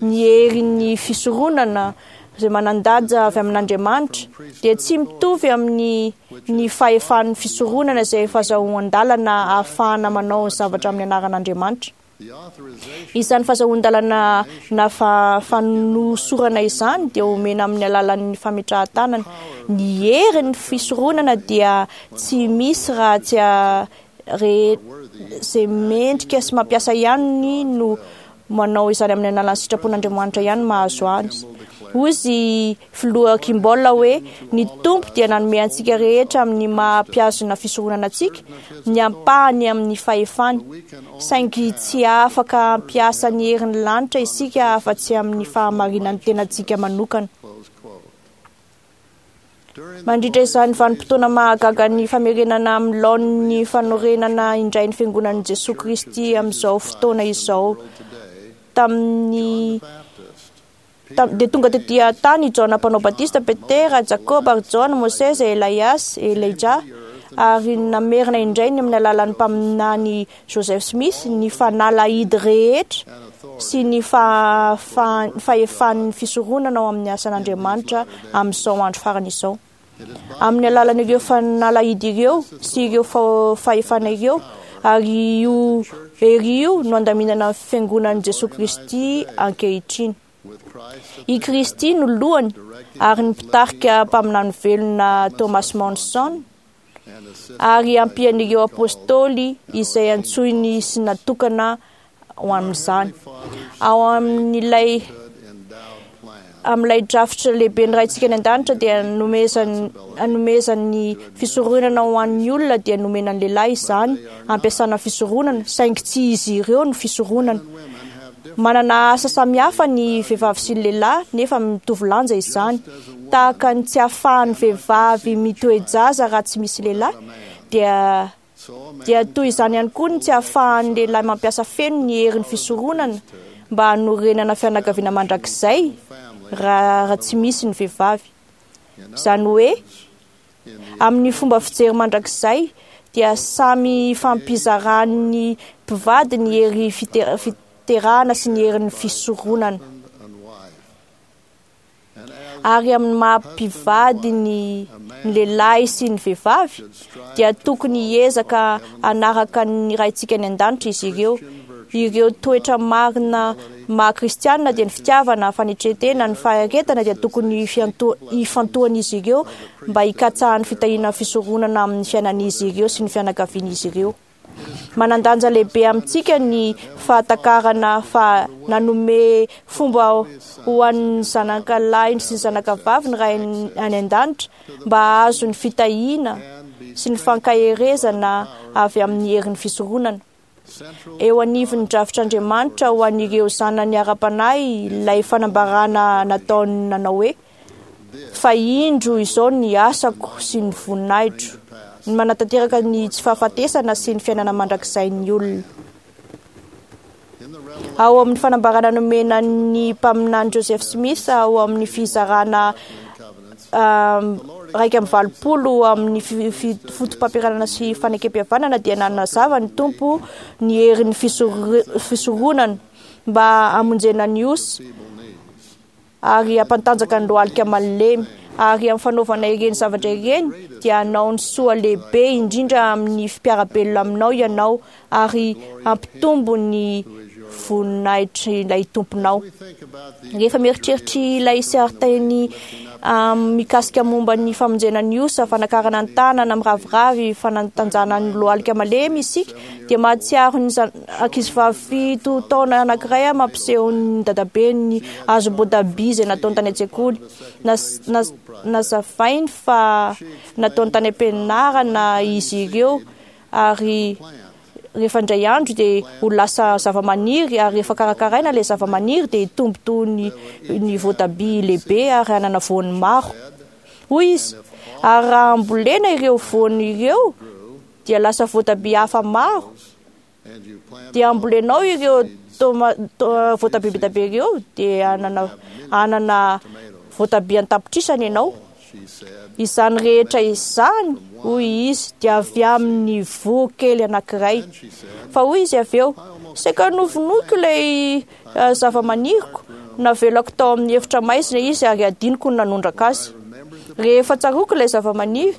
Ny herin'ny fisoronana izay manan-danja avy amin'Andriamanitra dia tsy mitovy amin'ny ny fahefan'ny fisoronana izay fahazahoan-dalana ahafahana manao ny zavatra amin'ny anaran'Andriamanitra. Izany fahazahoan-dalana na fanosorana izany dia omena amin'ny alalan'ny fametrahan-tanana. Ny herin'ny fisoronana dia tsy misy raha tsy izay mendrika sy mampiasa ihany no manao izany amin'ny alalan'ny sitrapon'Andriamanitra ihany mahazo azy. Hoy izy filoha Kimball hoe ny Tompo dia nanome antsika rehetra amin'ny maha mpihazona fisoronana antsika ny ampahany amin'ny fahefany, saingy tsy afaka hampiasa ny herin'ny lanitra isika afa-tsy amin'ny fahamarinan'ny tenantsika manokana. Mandritra izany vanim-potoana mahagaga ny famerenana amin'ny laoniny fanorenana indray ny fiangonan'i Jesoa Kristy amin'izao fotoana izao, tamin'ny dia tonga tetỳ an-tany i Jaona Mpanao Batista, Petera, Jakoba ary Jaona, Mosesy, Elias, Elijah, ary namerina indray ny amin'ny alalan'ny mpaminany Joseph Smith ny fanalahidy rehetra sy ny fahefan'ny fisoronana ao amin'ny asan'Andriamanitra amin'izao andro farany izao. Amin'ny alalan'ireo fanalahidy ireo sy ireo fahefana ireo ary io hery io no andaminana ny fiangonan'i Jesoa Kristy ankehitriny. I Kristy no lohany ary ny mpitarika mpaminany velona Thomas Monson ary ampian'ireo apôstôly izay antsoiny sy natokana ho amin'izany. Ao amin'ilay amin'ilay drafitra lehibe ny Raintsika any an-danitra dia nomezany anomezany fisoronana ho an'ny olona dia nomena ny lehilahy izany ampiasana fisoronana, saingy tsy izy ireo no fisoronana. Manana asa samihafa ny vehivavy sy ny lehilahy nefa mitovy lanja izany. Tahaka ny tsy ahafahan'ny vehivavy mitoe-jaza raha tsy misy lehilahy dia dia toy izany ihany koa ny tsy ahafahan'ny lehilahy mampiasa feno ny herin'ny fisoronana mba hanorenana fianakaviana mandrakizay raha tsy misy ny vehivavy. Izany hoe amin'ny fomba fijery mandrakizay dia samy ifampizaran'ny mpivady ny hery fiterahana sy ny herin'ny fisoronana. Ary amin'ny maha mpivady ny lehilahy sy ny vehivavy dia tokony hiezaka hanaraka ny Raintsika any an-danitra izy ireo. Ireo toetra marina maha kristianina dia ny fitiavana, fanetren-tena, ny faharetana dia tokony hifantohan'izy ireo mba hikatsahan'ny fitahiana fisoronana amin'ny fiainan'izy ireo sy ny fianakavian'izy ireo. Manan-danja lehibe amintsika ny fahatakarana fa nanome fomba ho an'ny zanaka lahiny sy ny zanaka vavy ny Ray any an-danitra mba hahazo ny fitahiana sy ny fankaherezana avy amin'ny herin'ny fisoronana. Eo anivon'ny drafitr'Andriamanitra ho an'ireo zanany ara-panahy ilay fanambarana nataony nanao hoe, Fa indro izao ny asako sy ny voninahitro, ny manatanteraka ny tsy fahafatesana sy ny fiainana mandrakizain'ny olona. Ao amin'ny fanambarana nomena ny mpaminany Joseph Smith ao amin'ny fizarana 81 amin'ny fotopampianarana sy fanekempihavanana dia nanazava ny Tompo ny herin'ny fisoronana mba hamonjena ny osy ary hampantanjaka ny lohalika malemy. Ary amin'ny fanaovana ireny zavatra ireny dia hanao ny soa lehibe indrindra amin'ny mpiara-belona aminao ianao ary hampitombo ny voninahitr'ilay Tomponao. Rehefa mieritreritra ilay sarin-teny mikasika momba ny famonjena ny osa, fanakarana ny tanana miraviravy, fanatanjahana ny lohalika malemy isika, dia mahatsiaro ny ankizivavy 7 taona anankiray mampiseho ny dadabeny hazom-boatabia izay nataony tany an-tsekoly. Nazavainy fa nataony tany am-pianarana izy ireo ary rehefa indray andro dia ho lasa zava-maniry ary rehefa karakaraina ilay zava-maniry dia hitombo toy ny voatabia lehibe ary hanana voany maro. Hoy izy, ary raha ambolena ireo voany ireo dia lasa voatabia hafa maro, dia ambolenao ireo voatabia be dia be ireo dia hanana voatabia an-tapitrisany ianao. Izany rehetra izany, hoy izy, dia avy amin'ny voa kely anankiray. Fa hoy izy avy eo, saika novonoiko ilay zava-maniriko, navelako tao amin'ny efitra maizina izy ary adinoko ny nanondraka azy. Rehefa tsaroako ilay zava-maniry,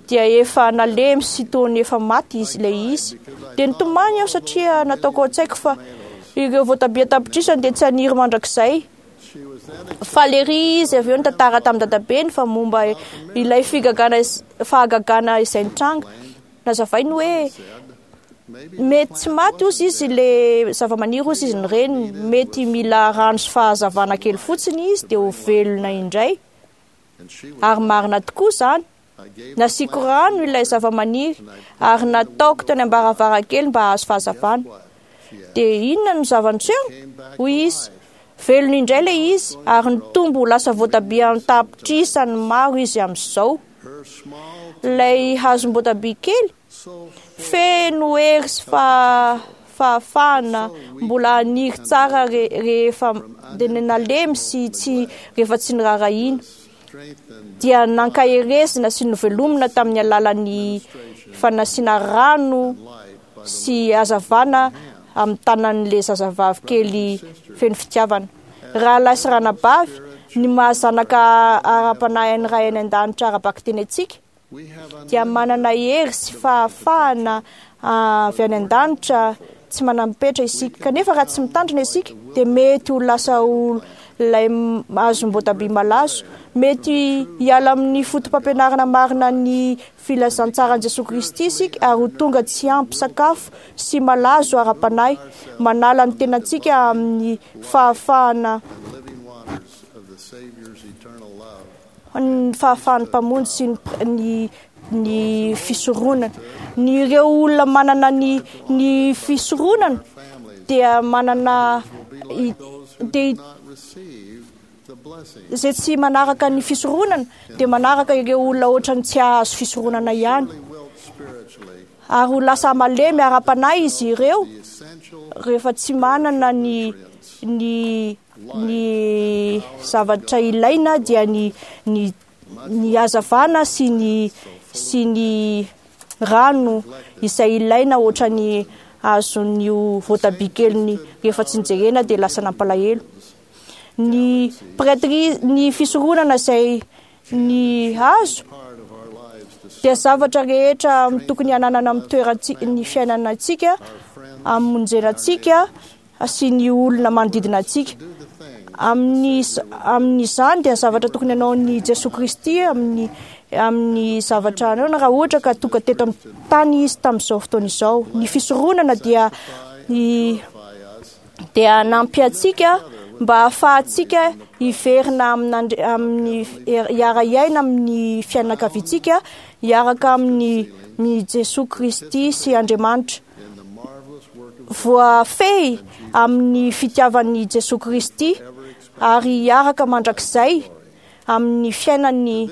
dia efa nalemy sy toa ny efa maty izy ilay izy. Dia nitomany aho satria nataoko ao an-tsaiko fa ireo voatabia an-tapitrisany dia tsy haniry mandrakizay. Faly ery izy avy eo nitantara tamin'ny dadabeny fa momba ilay figagana fahagagana izay nitranga. Nazavainy hoe. Mety tsy maty ozy izy le zava-maniry ozy izy ny reniny, mety mila rano sy fahazavana kely fotsiny izy dia ho velona indray. Ary marina tokoa izany. Nasiako rano ilay zava-maniry ary nataoko teny am-baravarankely mba hahazo fahazavana. Dia inona no zava-niseho? Hoy izy. Velona indray ilay izy ary nitombo ho lasa voatabia an-tapitrisany maro izy amin'izao. Ilay hazom-boatabia kely feno hery sy fahafahana mbola haniry tsara rehefa nalemy sy tsy rehefa tsy niraharahiana, dia nankaherezina sy novelomina tamin'ny alalan'ny fanasiana rano sy hazavana amin'ny tanan'ilay zazavavy kely feno fitiavana. Rahalahy sy ranabavy, ny maha-zanaka ara-panahy an'ny Ray any An-danitra ara-bakiteny antsika dia manana hery sy fahafahana avy any an-danitra tsy manam-petra isika. Kanefa raha tsy mitandrina isika dia mety ho lasa ho ilay hazom-boatabia malazo. Mety hiala amin'ny foto-pampianarana marina ny filazantsaran'i Jesoa Kristy isika ary ho tonga tsy ampy sakafo sy malazo ara-panahy, manala ny tenantsika amin'ny fahafahana ny fahafahan'ny Mpamonjy sy ny ny fisoronana. Ny ireo olona manana ny ny fisoronana dia manana dia izay tsy manaraka ny fisoronana dia manaraka ireo olona ohatran'ny tsy hahazo fisoronana ihany. Ary ho lasa malemy ara-panahy izy ireo rehefa tsy manana ny ny ny zavatra ilaina dia ny ny ny hazavana sy ny sy ny rano izay ilaina ohatran'ny azon'io voatabia keliny rehefa tsy nijerena dia lasa nampalahelo. Ny prêtrise, ny fisoronana izay ny hazo dia zavatra rehetra tokony hananana amin'ny toerantsika, ny fiainanantsika, hamonjena antsika sy ny olona manodidina antsika. Amin'ny amin'izany dia zavatra tokony hanaon'i Jesoa Kristy amin'ny amin'ny zavatra anaona raha ohatra ka tonga teto amin'ny tany izy tamin'izao fotoana izao. Ny fisoronana dia ny dia hanampy antsika mba hahafahantsika hiverina amin'Andri- amin'ny hiara-hiaina amin'ny fianakaviantsika hiaraka amin'ny ny Jesoa Kristy sy Andriamanitra. Voafehy amin'ny fitiavan'i Jesoa Kristy ary hiaraka mandrakizay amin'ny fiainany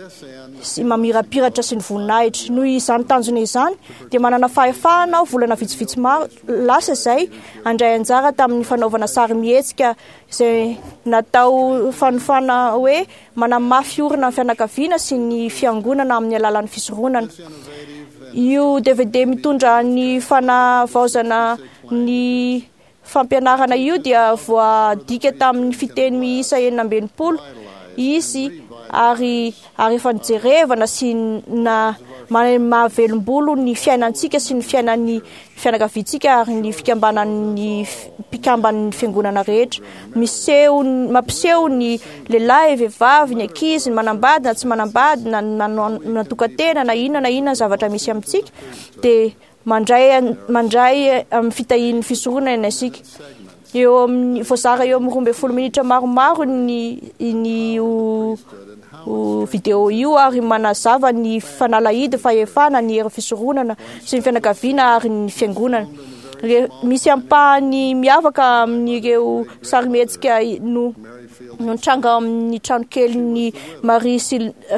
sy mamirapiratra sy ny voninahitra. Noho izany tanjona izany dia manana fahefahana aho volana vitsivitsy maro lasa izay handray anjara tamin'ny fanaovana sarimihetsika izay natao fanofana hoe manamafy orina ny fianakaviana sy ny fiangonana amin'ny alalan'ny fisoronana. Io DVD mitondra ny fanavaozana ny fampianarana io dia voadika tamin'ny fiteny miisa 66 izy ary ary efa nijerevana sy na mahavelombolo ny fiainantsika sy ny fiainan'ny fianakaviantsika ary ny fikambanan'ny mpikamban'ny fiangonana rehetra. Miseho mampiseho ny lehilahy, vehivavy, ny ankizy, ny manambady na tsy manambady na natokan-tena na inona na inona zavatra misy amintsika dia mandray mandray amin'ny fitahian'ny fisoronana isika. Eo amin'ny voazara eo amin'ny 12 minitra maromaro ny ny io video io ary manazava ny fanalahidy, fahefana, ny hery fisoronana sy ny fianakaviana ary ny fiangonana. Misy ampahany miavaka amin'ireo sarimihetsika no no nitranga amin'ny tranokelin'i Marie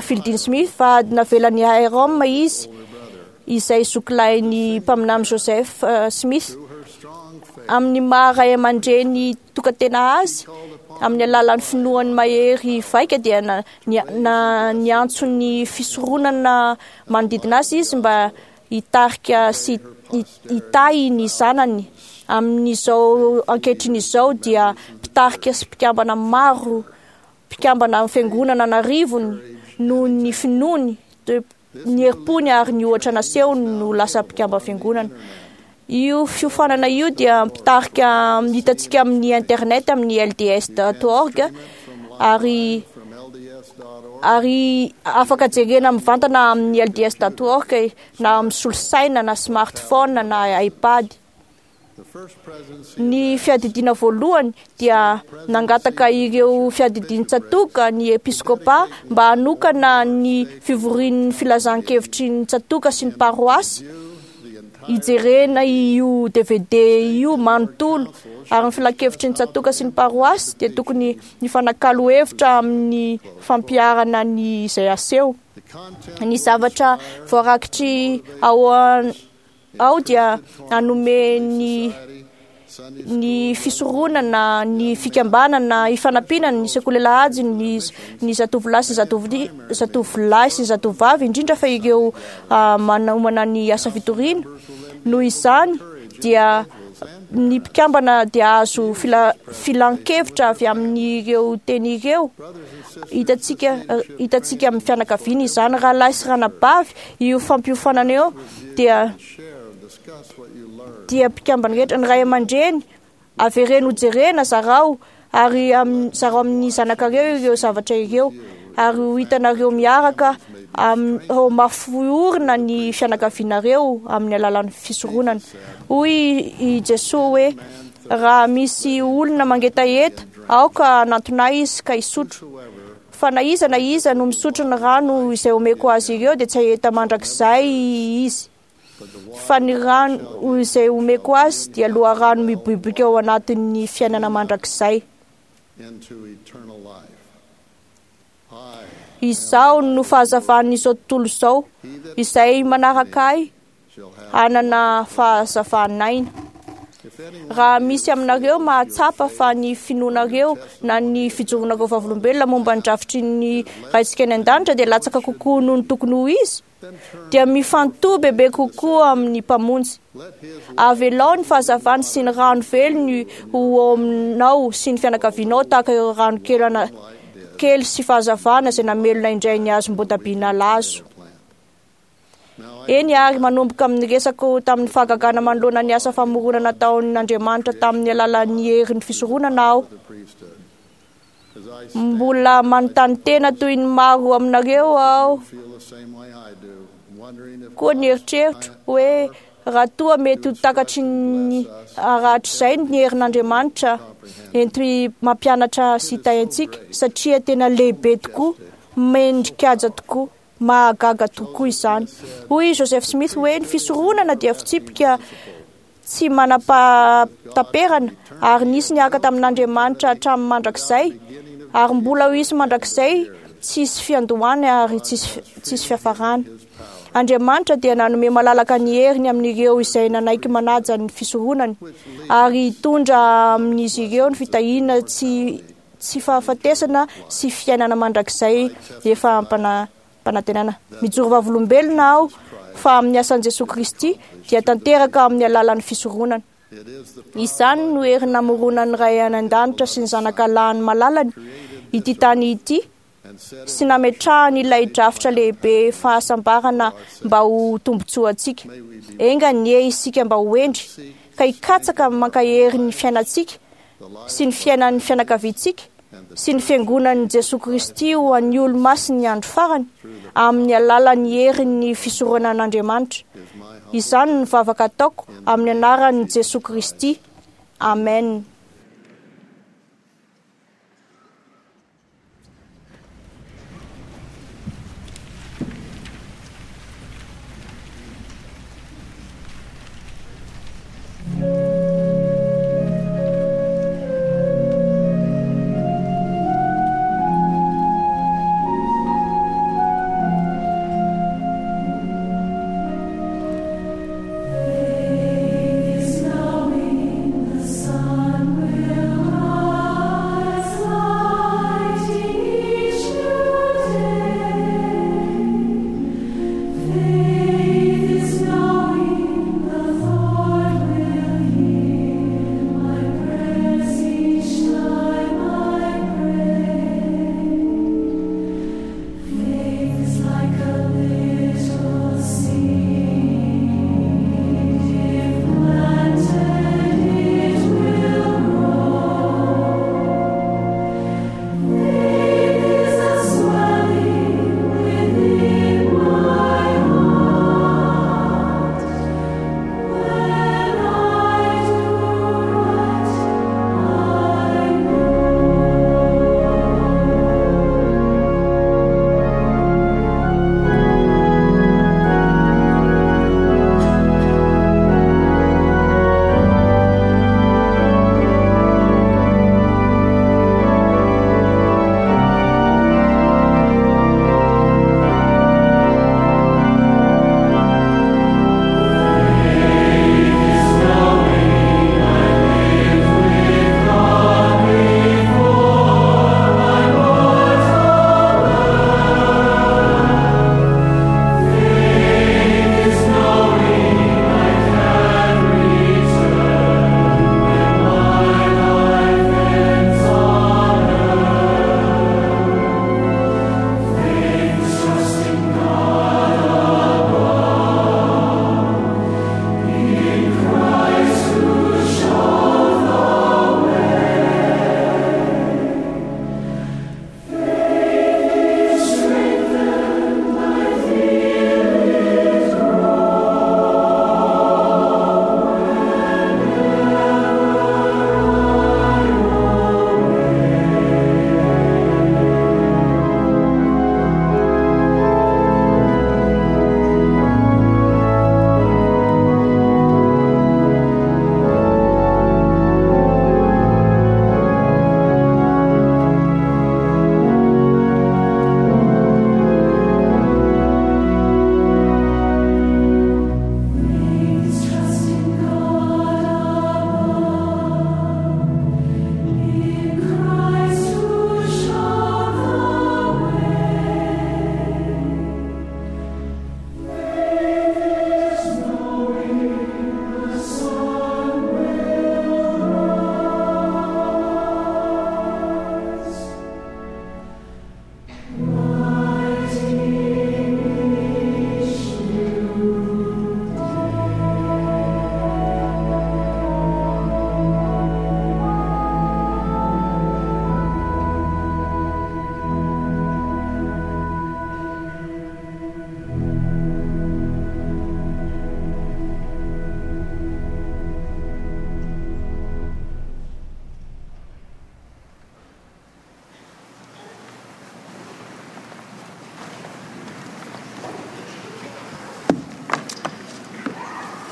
Fielding Smith fa navelan'i Hiram izy izay zokilahin'ny mpaminany Joseph Smith. Amin'ny maha ray aman-dreny tokantena azy, amin'ny alalan'ny finoany mahery vaika dia niantso ny fisoronana manodidina azy izy mba hitarika sy hitahy ny zanany. Amin'izao ankehitriny izao dia mpitarika sy mpikambana maro, mpikambana amin'ny fiangonana an'arivony noho ny finoany, ny herim-pony ary ny ohatra nasehony no lasa mpikambana fiangonana. Io fiofanana io dia mpitarika hitantsika amin'ny internet amin'ny lds.org ary Ary afaka jerena mivantana amin'ny lds.org na amin'ny solosaina na smartphone na iPad. Ny fiadidiana voalohany dia nangataka ireo fiadidian-tsatoka ny episkopa mba hanokana ny fivorian'ny filazan-kevitry ny tsatoka sy ny paroasy hijerena io DVD io manontolo. Ary ny filankevitry ny tsatoka sy ny paroasy dia tokony hifanakalo hevitra amin'ny fampiharana ny izay aseho. Ny zavatra voarakitry ao ao dia hanome ny fisoronana, ny fikambanana, ifanampiana ny sekoly alahady, ny zatovolahy sy zatovolahy sy zatovovavy, indrindra fa ireo manomana ny asa fitoriana. Noho izany dia ny mpikambana dia azo filan-kevitra avy amin'ireo teny ireo. Hitantsika amin'ny fianakaviana izany, rahalahy sy ranabavy, io fampiofanana io dia mpikambana rehetra, ny ray aman-dreny avereno hojerena, zarao ary zarao amin'ny zanakareo ireo zavatra ireo, ary ho hitanareo miaraka ho mafiorina ny fianakavianareo amin'ny alalan'ny fisoronana. Hoy i Jesoa hoe raha misy olona mangetaheta, aoka hanantona izy ka hisotro. Fa na iza na iza no misotro ny rano izay omeko azy ireo dia tsy haheta mandrakizay izy. Fa ny rano izay omeko azy dia loharano miboiboika ao anatin'ny fiainana mandrakizay. Izaho no fahazavan'izao tontolo izao, izay manaraka ahy hanana fahazavan'aina. Raha misy aminareo mahatsapa fa ny finoanareo na ny fijoronareo vavolombelona momba ny drafitry ny Raintsika any an-danitra dia latsaka kokoa noho ny tokony ho izy, dia mifantoha bebe kokoa amin'ny Mpamonjy. Avelao ny fahazavany sy ny rano velony ho ao aminao sy ny fianakavianao tahaka ireo rano kely sy fahazavana izay namelona indray ny hazom-boatabia nalazo. Eny ary manomboka amin'ny resako tamin'ny fahagagana manoloana ny asa famoronana nataon'Andriamanitra tamin'ny alalan'ny herin'ny fisoronana aho. Mbola manontany tena toy ny maro aminareo aho koa ny eritreritro hoe raha toa mety ho takatry ny rahatrizay ny herin'Andriamanitra ento mampianatra sy hitahiantsika, satria tena lehibe tokoa, mendrikaja tokoa, mahagaga tokoa izany. Hoy Joseph Smith hoe ny fisoronana dia fitsipika tsy manam-pahataperana ary nisy niaraka tamin'Andriamanitra hatramin'ny mandrakizay, ary mbola ho hisy mandrakizay, tsisy fiandohana ary tsisy fiafarana. Andriamanitra dia nanome malalaka ny heriny amin'ireo izay nanaiky manaja ny fisoronany, ary hitondra amin'izy ireo ny fitahiana tsy fahafatesana sy fiainana mandrakizay efa ampanantenana. Mijoro vavolombelona aho fa amin'ny asan'i Jesoa Kristy dia tanteraka amin'ny alalan'ny fisoronana. Izany no hery namoronan'ny Ray any an-danitra sy ny Zanaka lahiny malalany ity tany ity, sy nametrahany ilay drafitra lehibe fahasambarana mba ho tombontsoantsika. Enga anie isika mba ho hendry ka hikatsaka mankahery ny fiainantsika sy ny fiainan'ny fianakaviantsika sy ny fiangonan'i Jesoa Kristy ho an'ny olo-masin'ny andro farany amin'ny alalan'ny herin'ny fisoronan'Andriamanitra. Izany no vavaka ataoko amin'ny anaran'i Jesoa Kristy. Amen. Is now in the sun.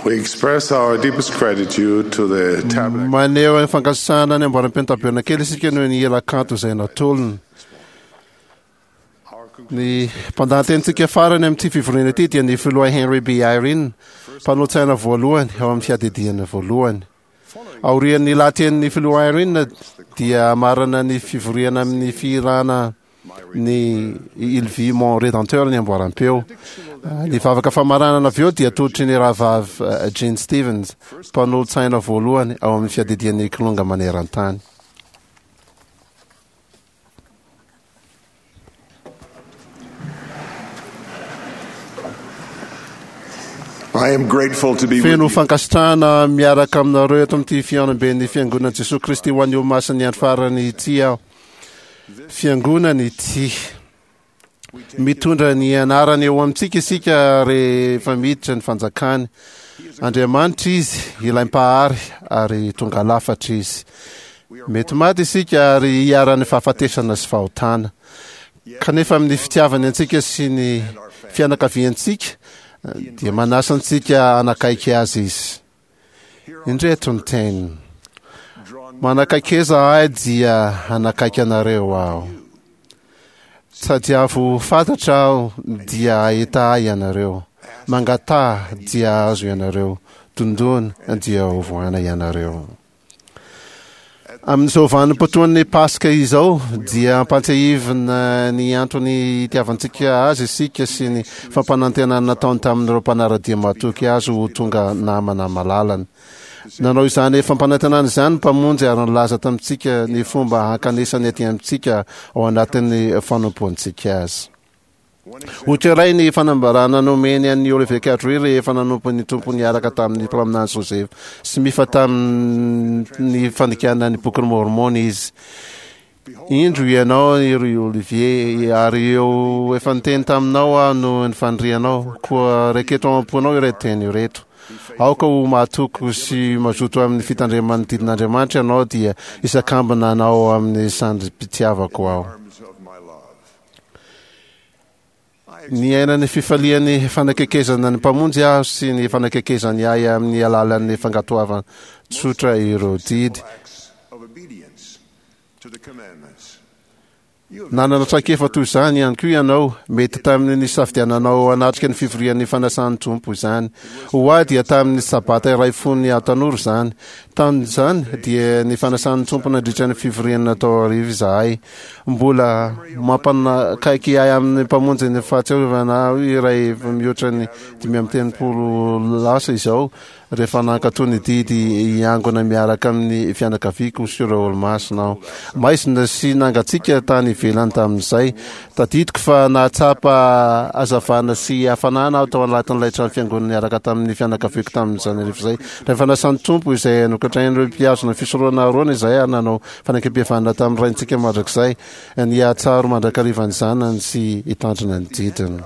We express our deepest gratitude to the Tabernacle. Maneho ny fankasitrahana ny amboaram-peo tabernakely isika noho ny hira kanto izay natolony. Ny mpandahatenintsika farany amin'ity fivoriana ity dia ny filoha Henry B. Eyring, mpanolotsaina voalohany ao amin'ny fiadidiana voalohany. Aorian'ny lahatenin'ny filoha Eyring dia hamarana ny fivoriana amin'ny fihirana ny Il vit mon Rédempteur ny amboaram-peo. Ny vavaka famaranana avy eo dia atolotry ny rahavavy eh, Gene Stevens, mpanolotsaina voalohany ao amin'ny fiadidian'ny Kilonga maneran-tany. I am grateful to be with Feno you. fankasitrahana miaraka aminareo eto amin'ity fihaonamben'ny Fiangonan'i Jesoa Kristy ho an'ny Olomasin'ny Andro Farany ity aho. Fiangonana ity. Mitondra ny anarany eo amintsika isika rehefa miditra ny fanjakany. Andriamanitra izy, ilay Mpahary, ary tonga lafatra izy. Mety maty isika ary hiharan'ny fahafatesana sy fahotana. Kanefa amin'ny fitiavany antsika sy ny fianakaviantsika dia manasa antsika hanakaiky azy izy. Indreto ny teniny, Manakaikeza ahy dia hanakaiky anareo aho. Tadiavo fantatra aho dia hahita ahy ianareo. Mangataha dia hahazo ianareo. Dondona dia hovohana ianareo. Amin'izao vanim-potoan'ny Paska izao dia ampantsiahivina ny antony itiavantsika azy isika sy ny fampanantenana nataony tamin'ireo mpanara-dia matoky azy ho tonga namana malalany. Nanao izany fampanantenana izany ny Mpamonjy ary nilaza tamintsika ny fomba hankanesany aty amintsika ao anatin'ny fanompoantsika azy. Ohatra iray ny fanambarana nomeny an'i Oliver Cowdery rehefa nanompo ny Tompo niaraka tamin'ny mpaminany Joseph Smith tamin'ny fandikana ny Bokin'i Môrmôna izy. Indro ianao ry Olivier, ary eo efa niteny taminao aho noho ny fanirianao, koa raiketo ao am-ponao ireto teny ireto. Aoka ho mahatoky sy mazoto amin'ny fitandreman'ny didin'Andriamanitra ianao, dia hisakambina anao amin'ny sandrim-pitiavako aho. Niaina ny fifalian'ny fanakekezana ny Mpamonjy aho sy ny fanakekezany ahy amin'ny alalan'ny fankatoavana tsotra ireo didy. Nanana traikefa toy izany ihany koa ianao, mety tamin'ny nisafidiananao hanatrika ny fivorian'ny fanasan'ny Tompo izany. Ho ahy dia tamin'ny Sabata iray fony aho tanora izany. Tamin'izany dia ny fanasan'ny Tompo nandritra ny fivoriana natao hariva izahay. Mbola mampanakaiky ahy amin'ny Mpamonjy ny fahatsiarovana ahy iray efa mihoatra ny 35 lasa izao, rehefa nankatò ny didy hiangona miaraka amin'ny fianakaviako sy ireo olomasina aho. Maizina sy nangatsiaka tany ivelany tamin'izay. Tadidiko fa nahatsapa hazavana sy hafanana aho tao anatin'ilay trano fiangonana niaraka tamin'ny fianakaviako tamin'izany hariva izay. Rehefa nasan'ny Tompo izay nokatrain'ireo mpihazona fisoronana Arona izahay ary nanao Fanekempihavanana tamin'ny Raintsika Mandrakizay ny hahatsaro mandrakariva ny Zanany sy hitandrina ny didiny.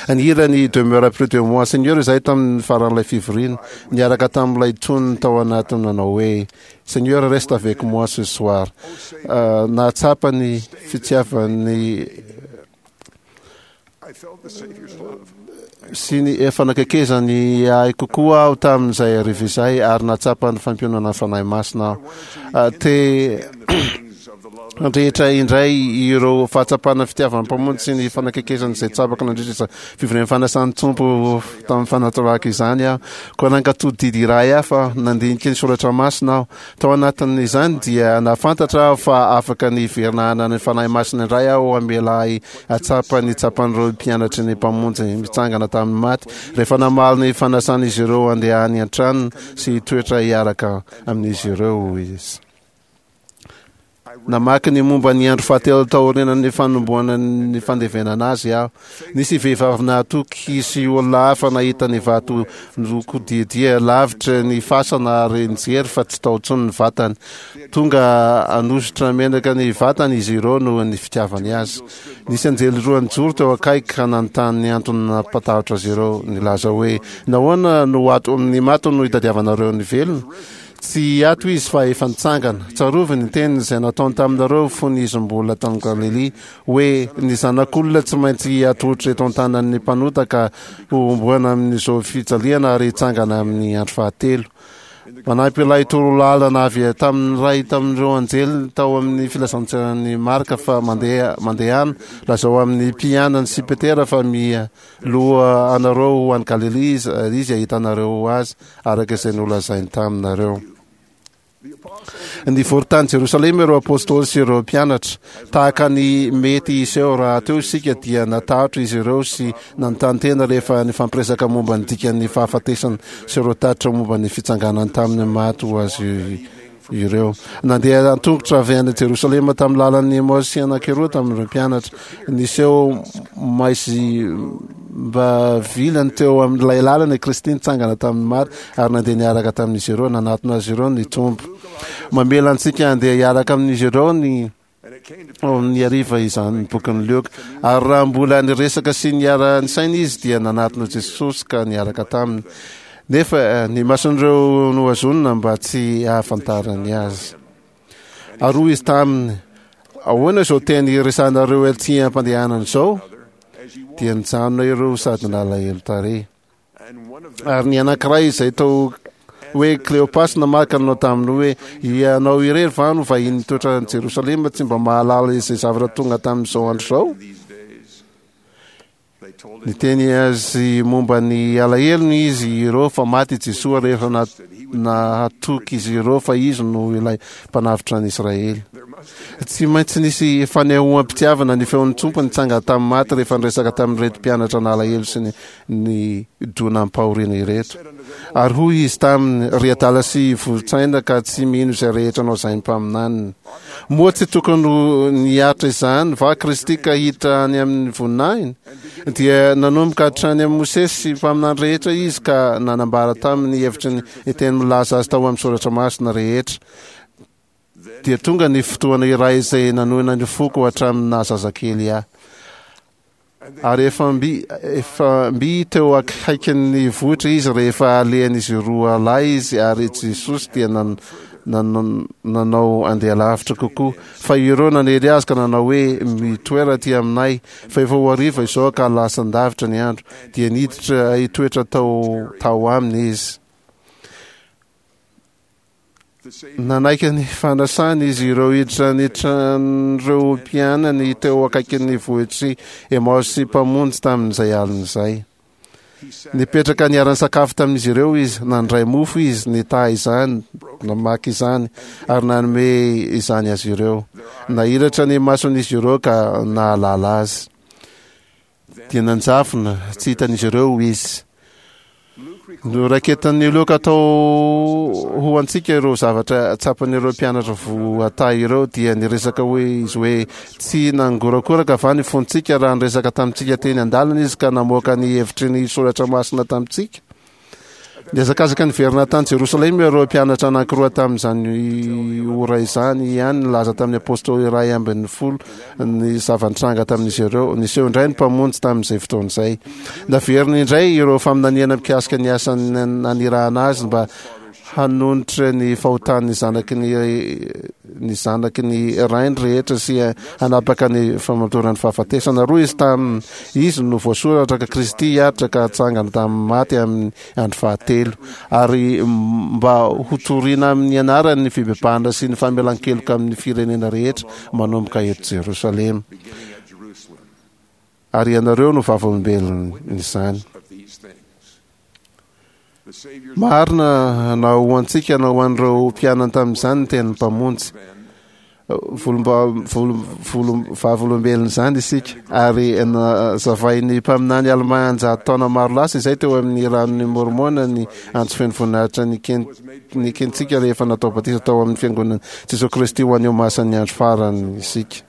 Nihira ny Demeure près de moi, Seigneur izahay tamin'ny faran'ilay fivoriana, niaraka tamin'ilay tonony tao anatiny nanao hoe, Seigneur, reste avec moi ce soir. Nahatsapa ny fitiavan'ny sy ny fanakaikezany ahy kokoa aho tamin'izay hariva izay ary nahatsapa ny fampiononana ny Fanahy Masina aho. Ah, te handrehitra indray ireo fahatsapana fitiavan'ny Mpamonjy sy ny fanakaikezany izay tsapako nandritra izany fivorian'ny fanasan'ny Tompo tamin'ny fanatorahako izany aho. Koa nankatò didy iray hafa nandinika ny soratra masina aho. Tao anatin'izany dia nahafantatra aho fa afaka ny hiverina hanana ny Fanahy Masina indray aho hamela ahy hahatsapa ny tsapan'ireo mpianatry ny Mpamonjy mitsangana tamin'ny maty rehefa namaly ny fanasan'izy ireo handeha any an-tranony sy hitoetra hiaraka amin'izy ireo izy. Namaky ny momba ny andro fahatelo taorianan'ny fanombohana ny fandevenana azy aho. Nisy vehivavy nahatoky sy olona hafa nahita ny vato nokodiadia lavitra ny fasana ary nijery fa tsy tao intsony ny vatany. Tonga hanosotra menaka ny vatany izy ireo noho ny fitiavany azy. Nisy anjely roa nijoro teo akaiky ka nanontany ny antony nampatahotra azy ireo, nilaza hoe, Nahoana no ato amin'ny maty no itadiavanareo ny velona? Tsy ato Izy fa efa nitsangana. Tsarovy ny teniny izay nataony taminareo fony Izy mbola tany Galilia, hoe, Ny Zanak'olona tsy maintsy hatolotra eto an-tanan'ny mpanota ka hohomboana amin'izao fijaliana ary hitsangana amin'ny andro fahatelo. Manampy ilay torolalana avy tamin'ny iray tamin'ireo anjely tao amin'ny filazantsaran'i Marka fa mandeha mandehana, lazao amin'ny mpianany sy Petera fa mialoha anareo ho any Galilia izy, ary izy hahita anareo azy araka izay nolazainy taminareo. Nivory tany Jerosalema ireo apostoly sy ireo mpianatra. Tahaka ny mety hiseho rahateo isika dia natahotra izy ireo sy nanontany tena rehefa nifampiresaka momba ny dikan'ny fahafatesana sy ireo tatitra momba ny fitsanganany tamin'ny maty ho azy ireo. Nandeha an-tongotra avy any Jerosalema tamin'ny lalan'ny Emaosy anankiroa tamin'ireo mpianatra. Niseho maizim-ba vilany teo amin'ilay lalana i Kristy nitsangana tamin'ny maty ary nandeha niaraka tamin'izy ireo. Nanatona azy ireo ny Tompo. Mamela antsika handeha hiaraka amin'izy ireo ny ao amin'ny hariva izany ny bokin'i Lioka. Ary raha mbola niresaka sy niara-nisaina izy dia nanatona Jesosy ka niaraka taminy. Nefa eh, ny mason'ireo nohazonina mba tsy hahafantarany azy. Ary hoy izy taminy, ahoana izao teny iresahanareo etsy am-pandehanana izao? Dia nijanona ireo sady nalahelo tarehy. Ary ny anankiray izay tao hoe Kleopasy namaly ka nanao taminy hoe, Ianao irery va no vahiny mitoetra any Jerosalema tsy mba mahalala izay zavatra tonga tamin'izao andro izao? Niteny azy momba ny alahelony izy ireo fa maty i Jesoa rehefa nahatoky izy ireo fa izy no ilay mpanavotra an'i Israely. Tsy maintsy nisy fanehoam-pitiavana ny feon'ny Tompo nitsangana tamin'ny maty rehefa niresaka tamin'ireto mpianatra nalahelo sy ny nidonam-pahoriana ireto. Ary hoy izy taminy, Ry adala sy voron-tsaina ka tsy mino izay rehetra nolazain'ny mpaminaniny. Moa tsy tokony ho niaritra izany va Kristy ka hiditra any amin'ny voninahiny? Dia nanomboka hatrany amin'i Mosesy sy mpaminany rehetra izy ka nanambara taminy ny hevitry ny teny milaza azy tao amin'ny soratra masina rehetra. Dia tonga ny fotoana iray izay nanohina ny foko hatramin'ny naha zazakely ahy. Ary efa mby, efa mby teo akaikin'ny vohitra izy rehefa alehan'izy roa lahy izy ary Jesosy dia nan, nan, nanao andeha lavitra kokoa. Fa ireo nanery azy ka nanao hoe, Mitoera aty aminay, fa efa ho hariva izao ka lasan-davitra ny andro. Dia niditra hitoetra tao, tao aminy izy. Nanaiky ny fanasany izy ireo hiditra ny tran'ireo mpianany teo akaikin'ny vohitr'i Emaosy Mpamonjy tamin'izay alina izay. Nipetraka niara-nisakafo tamin'izy ireo izy, nandray mofo izy, nitaha izany, namaky izany, ary nanome izany azy ireo. Nahiratra ny mason'izy ireo ka nahalala azy. Dia nanjavona tsy hitan'izy ireo izy. Noraiketan'i Lioka tao ho antsika ireo zavatra tsapan'ireo mpianatra voatahy ireo, dia niresaka hoe izy hoe, Tsy nangorakoraka va ny fontsika raha niresaka tamintsika teny an-dalana izy ka namoaka ny hevitry ny soratra masina tamintsika? Nihazakazaka niverina tany Jerosalema ireo mpianatra anankiroa tamin'izany ora izany ihany, nilaza tamin'ny apostoly 11 ny zava-nitranga tamin'izy ireo. Niseho indray ny Mpamonjy tamin'izay fotoana izay. Naveriny indray ireo faminaniana mikasika ny asa nanirahana azy mba hanonitra ny fahotan'ny zanaky ny ny zanaky ny rainy rehetra sy hanapaka ny famotoran'ny fahafatesana. Roa izy tamin izy no voasoratra ka Kristy hiaritra ka hatsangana tamin'ny maty amin'ny andro fahatelo, ary mba hotorina amin'ny anarany ny fibebahana sy ny famelan-keloka amin'ny firenena rehetra manomboka eto Jerosalema. Ary ianareo no vavolombelon'izany. Marina na ho antsika na ho an'ireo mpianany tamin'izany ny tenin'ny Mpamonjy. Vavolombelon'izany isika ary nazavain'ny mpaminany Almà an-jato taona maro lasa izay teo amin'ny ranon'i Môrmôna ny antso feno voninahitra nekentsika rehefa natao batisa tao amin'ny Fiangonan'i Jesoa Kristy ho an'ny Olomasin'ny Andro Farany isika.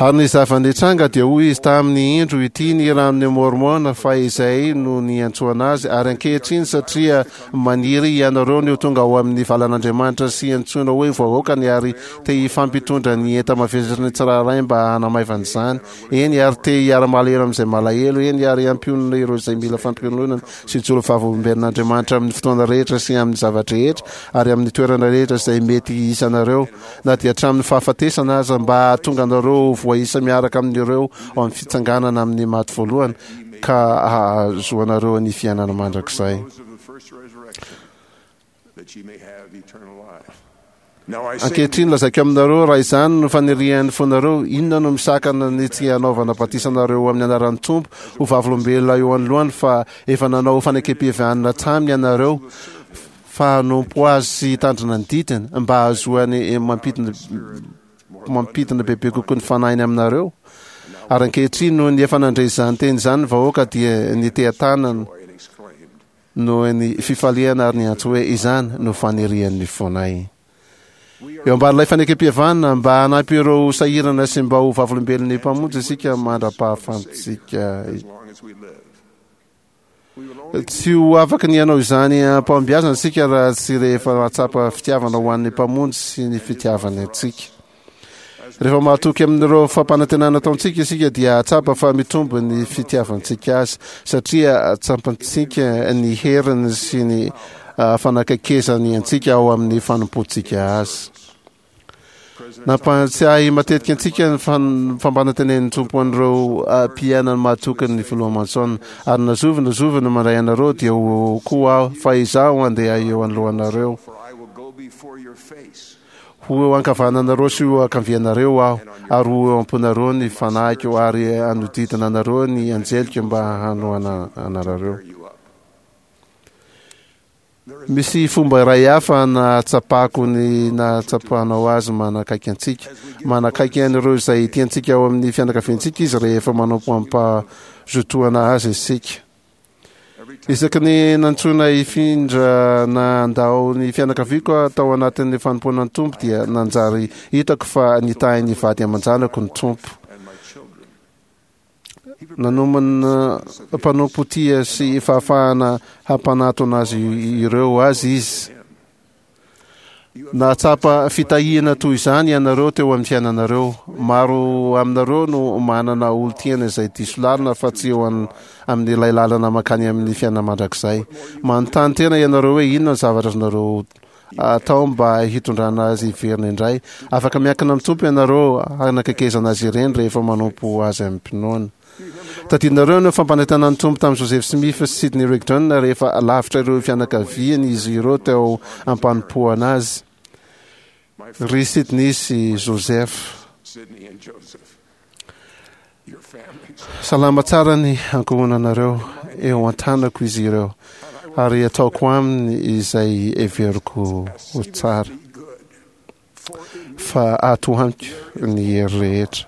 Ary ny zava-nitranga dia hoy izy taminy, Indro, ity ny ranon'i Môrmôna, fa izay no niantsoana azy, ary ankehitriny satria maniry ianareo ny ho tonga ao amin'ny valan'Andriamanitra sy antsoina hoe vahoakany ary te hifampitondra ny enta-mavesatry ny tsirairay mba hanamaivana izany, eny, ary te hiara-malahelo amin'izay malahelo, eny, ary hampionona ireo izay mila fampiononana sy hijoro vavolombelon'Andriamanitra amin'ny fotoana rehetra sy amin'ny zava-drehetra ary amin'ny toerana rehetra izay mety hisy anareo, na dia hatramin'ny fahafatesana aza, mba hahatonga anareo ho voaisa miaraka amin'ireo ao amin'ny fitsanganana amin'ny maty voalohany, ka hahazoanareo ny fiainana mandrakizay. Ankehitriny, lazaiko aminareo, raha izany no fanirian'ny fonareo, inona no misakana ny tsy hanaovana batisa anareo amin'ny anaran'ny Tompo ho vavolombelona eo anoloany fa efa nanao fanekempihavanana taminy ianareo, fa hanompo azy sy hitandrina ny didiny mba hahazoany mampidina mampidina bebe kokoa ny fanahiny aminareo. Ary ankehitriny noho ny efa nandre izany teny izany ny vahoaka dia niteha-tanana noho ny fifaliana ary niantso hoe izany no fanirian'ny fonay. Eo ambanin'ilay fanekempihavanana mba hanampy ireo sahirana sy mba ho vavolombelon'ny Mpamonjy isika mandra-pahafantsika Tsy ho afaka ny hanao izany am-pahombiazana isika raha tsy rehefa mahatsapa fitiavana ho an'ny Mpamonjy sy ny fitiavany antsika. Rehefa mahatoky amin'ireo fampanantenana ataontsika isika dia hahatsapa fa mitombo ny fitiavantsika azy satria tsapantsika ny heriny sy ny ah, fanakaikezany antsika ao amin'ny fanompoantsika azy. Nampahatsiahy matetika antsika ny fampanantenen'ny Tompo an'ireo ah, mpiainany mahatoky ny Filoha Monson. Ary na zovy na zovy no mandray anareo dia ho eo koa aho, fa izaho handeha eo anoloanareo. Ho eo ankavananareo sy ho ankavianareo aho, ary ho eo am-ponareo ny fanahiko, ary hanodidina anareo ny anjeliko mba hanohana anareo. Misy fomba iray hafa nahatsapako ny nahatsapanao azy manakaiky antsika. Manakaiky an'ireo izay tiantsika ao amin'ny fianakaviantsika izy rehefa manompo amim-pahazotoana azy isika. Isaky ny nantsoina hifindra na handao ny fianakaviako aho tao anatin'ny fanompoana ny Tompo dia nanjary hitako fa nitahy ny vady aman-janako ny Tompo. Nanomana mpanompo tia sy fahafahana hampanatona azy ireo azy izy. Nahatsapa fitahiana toy izany ianareo teo amin'ny fiainanareo. Maro aminareo no manana olon-tiana izay diso lalana fa tsy eo amin'ilay lalana mankany amin'ny fiainana mandrakizay. Manontany tena ianareo hoe inona ny zavatra azonareo atao mba hitondrana azy hiverina indray. Afaka miankina amin'ny Tompo ianareo hanakaikezana azy ireny rehefa manompo azy amim-pinoana. Tadidinareo ny fampanentanan'ny Tompo tamin'i Joseph Smith sy Sidney Rigdon rehefa lavitra ireo fianakaviany izy ireo teo am-panompoana azy. Ry Sidney sy Joseph. Salama tsara ny ankohonanareo, eo an-tanako izy ireo, ary ataoko aminy izay heveriko ho tsara. Fa ato amiko ny hery rehetra.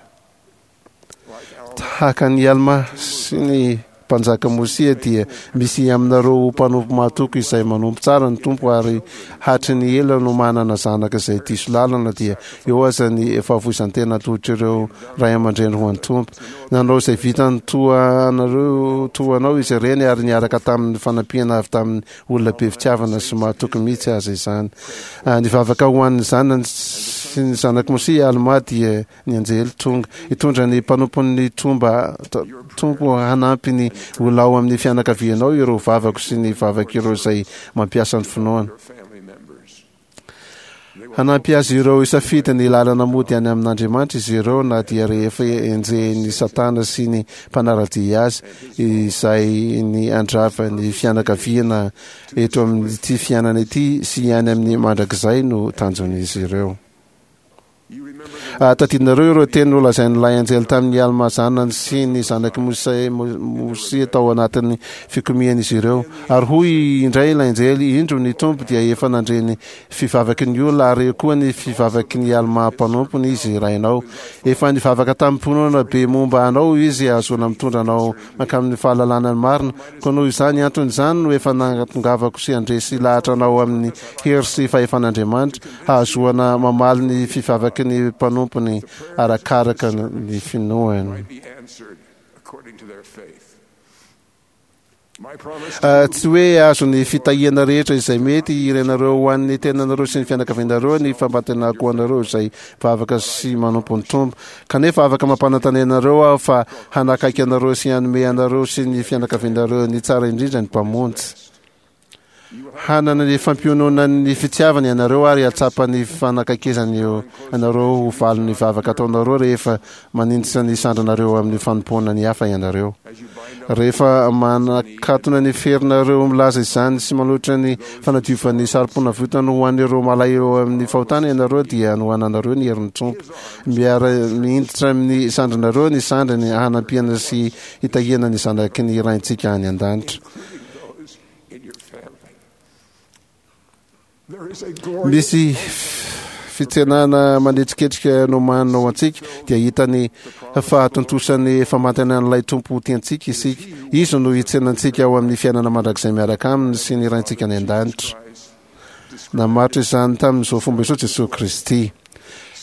Tahaka an'i Almà sy ny Mpanjaka Môsia dia misy aminareo mpanompo mahatoky izay manompo tsara ny Tompo ary hatry ny ela no manana zanaka izay diso lalana dia eo aza ny fahafoizan-tena atolotr'ireo ray aman-dreny ho an'ny Tompo. Nanao izay vitany toa anareo toa anao izy ireny ary niaraka tamin'ny fanampiana avy tamin'ny olona be fitiavana sy mahatoky mihitsy aza izany. Nivavaka ho an'ny zanany sy ny zanak'i Môsia i Almà dia Ny anjely tonga hitondra ny mpanompon'ny Tomba Tompo hanampy ny olona ao amin'ny fianakavianao ireo vavako sy ny vavak'ireo izay mampiasa ny finoana. Hanampy azy ireo hisafidy ny lalana mody any amin'Andriamanitra izy ireo na dia rehefa enjehin'ny Satana sy ny mpanara-dia azy izay ny handrava ny fianakaviana eto amin'ity fiainana ity sy any amin'ny mandrakizay no tanjon'izy ireo. Tadidinareo ireo teny nolazain'ilay anjely tamin'i Almà zanany sy ny zanak'i Mosia tao anatin'ny fikomian'izy ireo. Ary hoy indray ilay anjely, Indro, ny Tompo dia efa nandre ny fivavaky ny olona, ary koa ny fivavaky ny Almà mpanompony Izy rainao. Efa nivavaka tamim-pinoana be momba anao Izy hahazoana mitondra anao mankamin'ny fahalalana ny marina. Koa noho izany antony izany no efa nahatongavako sy handresy lahatra anao amin'ny hery sy fahefan'Andriamanitra, hahazoana mamaly ny fivavaky. vavaky ny mpanompony arakaraka ny finoany. Tsy hoe azon'ny fitahiana rehetra izay mety irinareo ho an'ny tenanareo sy ny fianakavianareo ny fampantenako ho anareo izay mivavaka sy manompo ny Tompo. Kanefa afaka mampanantena anareo aho fa hanakaiky anareo sy hanome anareo sy ny fianakavianareo ny tsara indrindra ny Mpamonjy. Hanana ny fampiononan'ny fitiavany ianareo ary hahatsapa ny fanakaikezany anareo ho valin'ny vavaka ataonareo rehefa manindritra ny sandrinareo amin'ny fanompoana ny hafa ianareo. Rehefa manakatona ny ferinareo milaza izany sy manohitra ny fanadiovan'ny sarom-ponavotana ho an'ireo malahelo amin'ny fahotana ianareo dia hanohananareo ny herin'ny Tompo. Miara-mihindritra amin'ny sandrinareo ny sandriny hanampiana sy hitahiana ny zanaky ny Raintsika any an-danitra. Misy fitsenana manetsiketsika nomanina ho antsika, dia hita ny fahatontosan'ny famantanan'ilay Tompo tiantsika isika. Izy no hitsena antsika ao amin'ny fiainana mandrakizay miaraka aminy sy ny Raintsika any an-danitra. Namaritra izany tamin'izao fomba izao Jesoa Kristy.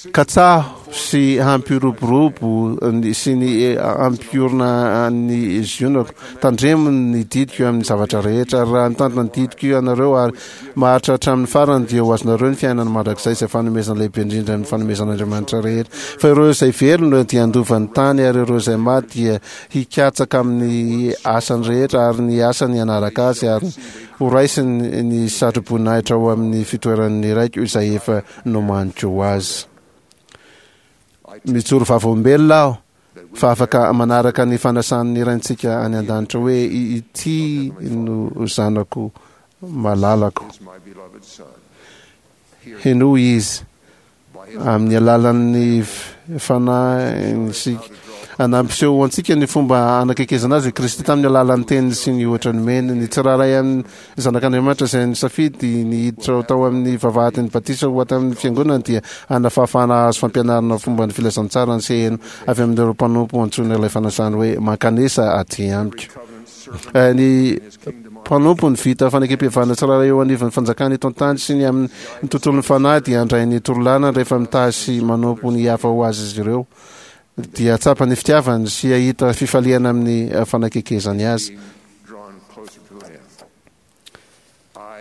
Katsaho sy hampiroborobo sy ny hampiorina ny Zionako. Tandremo ny didiko amin'ny zavatra rehetra. Ary raha mitandrina ny didiko ianareo ary maharitra hatramin'ny farany dia ho azonareo ny fiainana mandrakizay izay fanomezana lehibe indrindra amin'ny fanomezan'Andriamanitra rehetra. Fa ireo izay velona dia handova ny tany ary ireo izay maty dia hikatsaka amin'ny asany rehetra ary ny asany hanaraka azy ary ho raisiny ny satroboninahitra ao amin'ny fitoeran'ny Raiko izay efa nomaniko ho azy. Mijoro vavolombelona aho fa afaka manaraka ny fanasan'ny Raintsika any an-danitra hoe ity no zanako malalako. Henoy izy. Amin'ny alalan'ny Fanahiny isika. Nampiseho ho antsika ny fomba hanakekezana azy i Kristy tamin'ny alalan'ny teniny sy ny ohatra nomeny. Ny tsirairay amin'ny zanak'Andriamanitra izay nisafidy ny hiditra tao amin'ny vavahadin'ny batisa ho ato amin'ny fiangonana dia hanana fahafahana hahazo fampianarana fomba ny filazantsara sy heno avy amin'ireo mpanompo antsoina ilay fanasany hoe mankanesa aty amiko. Ny mpanompo ny vita fanekempihavanana tsirairay eo anivon'ny fanjakana eto an-tany sy ny amin'ny tontolon'ny fanahy dia handray ny torolalana rehefa mitahy sy manompo ny hafa ho azy izy ireo dia hahatsapa ny fitiavany sy hahita fifaliana amin'ny fanakekezany azy.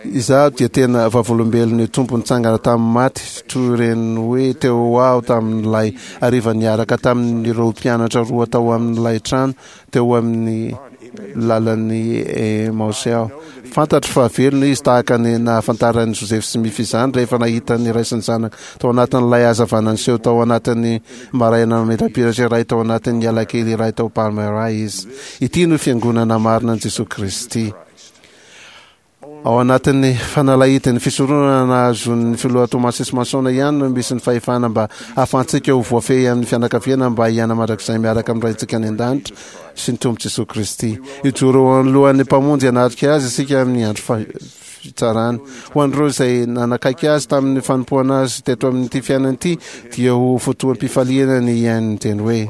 Izaho dia tena vavolombelon'ny Tompo nitsangana tamin'ny maty toy ireny hoe teo aho tamin'ilay hariva niaraka tamin'ireo mpianatra roa tao amin'ilay trano teo amin'ny lalan'i Emaosy aho. Fantatro fa velona izy tahaka ny nahafantaran'i Joseph Smith izany rehefa nahita ny ray sy ny zanaka tao anatin'ilay hazavana niseho tao anatin'ny maraina mamirapiratra iray tao anatin'ny alakely iray tao Palmyra izy. Ity no fiangonana marina an'i Jesoa Kristy. Ao anatin'ny fanalahidin'ny fisoronana nahazoan'ny Filoha Thomas S. Monson ihany no misy ny fahefana mba hahafahantsika ho voafehy amin'ny fianakaviana mba hiaina mandrakizay miaraka amin'ny Raintsika any An-danitra sy ny Tompo Jesoa Kristy. Hijoro eo anoloan'ny Mpamonjy hanatrika Azy isika amin'ny andro fitsarana. Ho an'ireo izay nanakaiky Azy tamin'ny fanompoana Azy teto amin'ity fiainana ity dia ho fotoam-pifaliana ny hihaino ny teny hoe,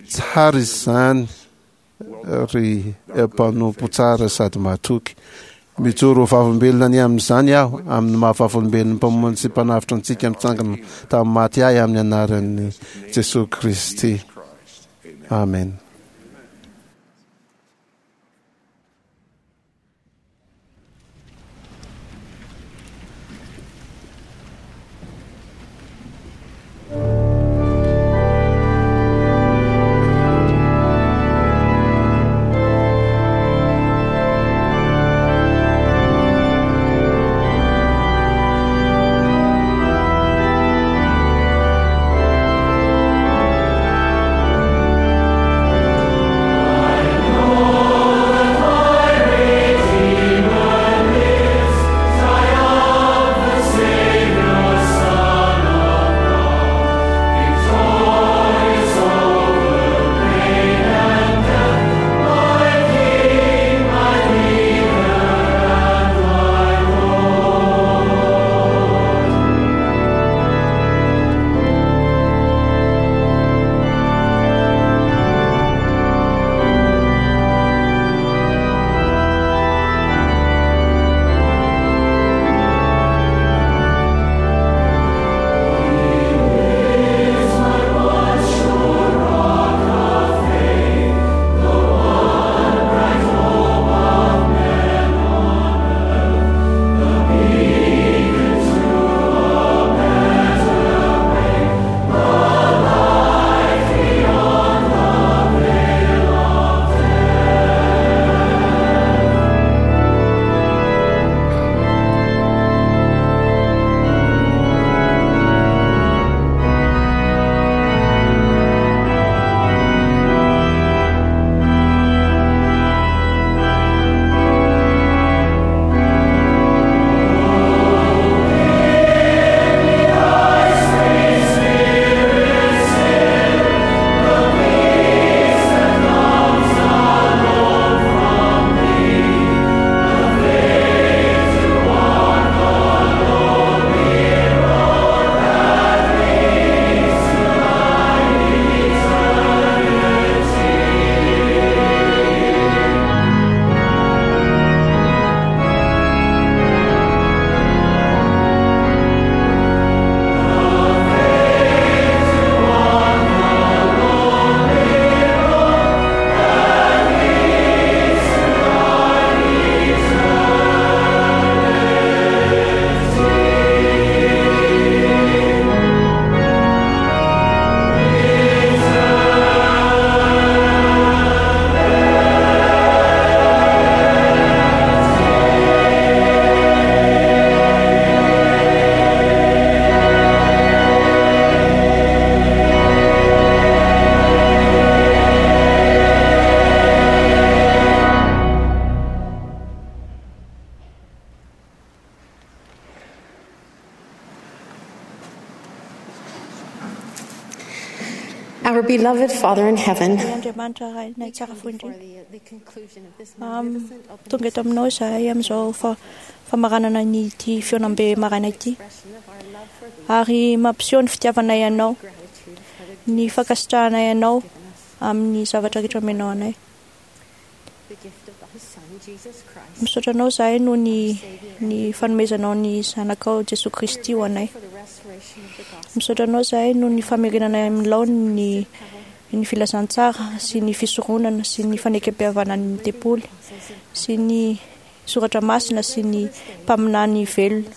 Tsara izany ry mpanompo tsara sady mahatoky. Mijoro ho vavolombelona ny amin'izany aho, amin'ny maha vavolombelon'ny Mpamonjy sy Mpanavotra antsika mitsangana tamin'ny maty ahy amin'ny anaran'i Jesoa Kristy. Amen. Our beloved Father in heaven, Andriamanitra Rainay tsara fo indrindra. Tonga eto aminao izahay amin'izao famaranana ny ity fihaonambe maraina ity, ary mampiseho ny fitiavanay anao, ny fankasitrahanay anao amin'ny zavatra rehetra omenao anay. Misaotra anao izahay noho ny ny fanomezanao ny Zanakao Jesoa Kristy ho anay. Misaotra anao izahay noho ny famerenanay amin'ny laoniny ny ny filazantsara sy ny fisoronana sy ny fanekempihavanan'ny tempoly sy ny soratra masina sy ny mpaminany velona.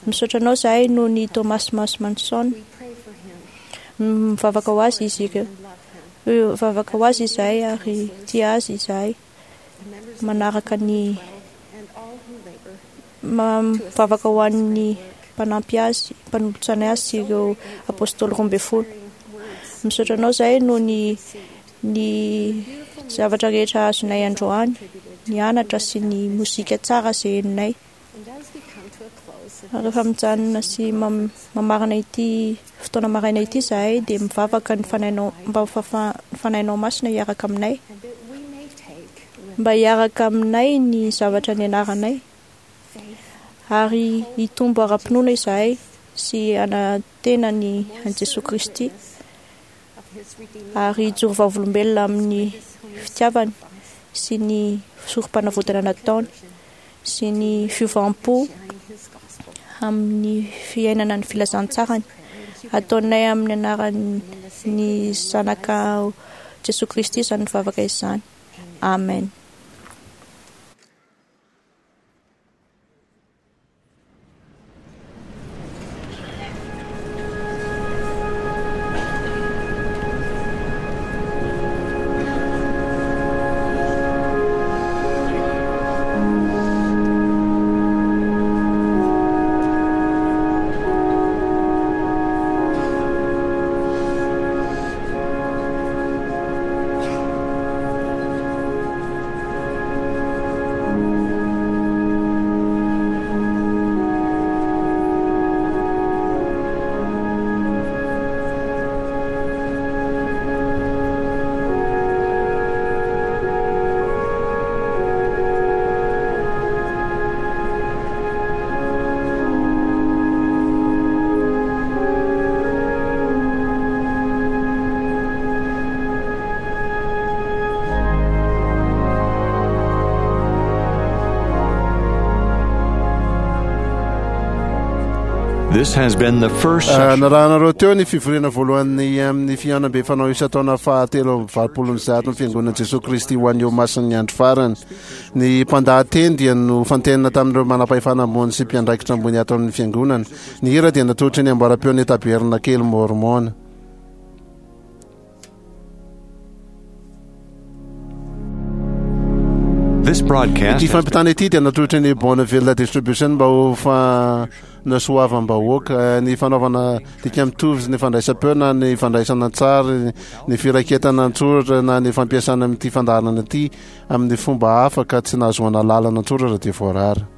Misaotra anao izahay noho ny Thomas Manson. Mivavaka ho azy izy ireo. Mivavaka ho azy izahay ary tia azy izahay. Manaraka ny mivavaka ho an'ny mpanampy azy, mpanolotsaina azy sy ireo apôstôly 12. Misaotra anao izahay noho ny ny zavatra rehetra azonay androany, ny anatra sy ny mozika tsara izay henonay. Rehefa mijanona sy mamarana ity fotoana maraina ity izahay dia mivavaka ny Fanahinao mba ho ny Fanahinao Masina hiaraka aminay, mba hiaraka aminay ny zavatra nianaranay, ary hitombo ara-pinoana izahay sy hanantena ny an'i Jesoa Kristy ary hijoro vavolombelona amin'ny fitiavany sy ny sorom-panavotana nataony sy ny fiovam-po amin'ny fiainana ny filazantsarany. Ataonay amin'ny anaran'ny Zanaka Jesoa Kristy izany vavaka izany. Amen. This has been the first session. Narahanareo teo ny fivoriana voalohany amin'ny fihaonambe fanao isan-taona faha-183 ny Fiangonan'i Jesoa Kristy ho an'ny Olomasin'ny Andro Farany. Ny mpandahateny dia nofantenina tamin'ireo manam-pahefana ambony sy mpiandraikitra ambony ato amin'ny Fiangonana. Ny hira dia natolotry ny amboaram-peon'ny Tabernakely Môrmôna. This broadcast Ity fampitana ity dia natolotry ny Bonneville Distribution mba ho fanasoavam-bahoaka ny fanaovana dika mitovy sy ny fandraisam-peo na ny fandraisana an-tsary, ny firaketana an-tsoratra na ny fampiasana amin'ity fandaharana ity amin'ny fomba hafa ka tsy nahazoana alalana an-tsoratra dia voarara.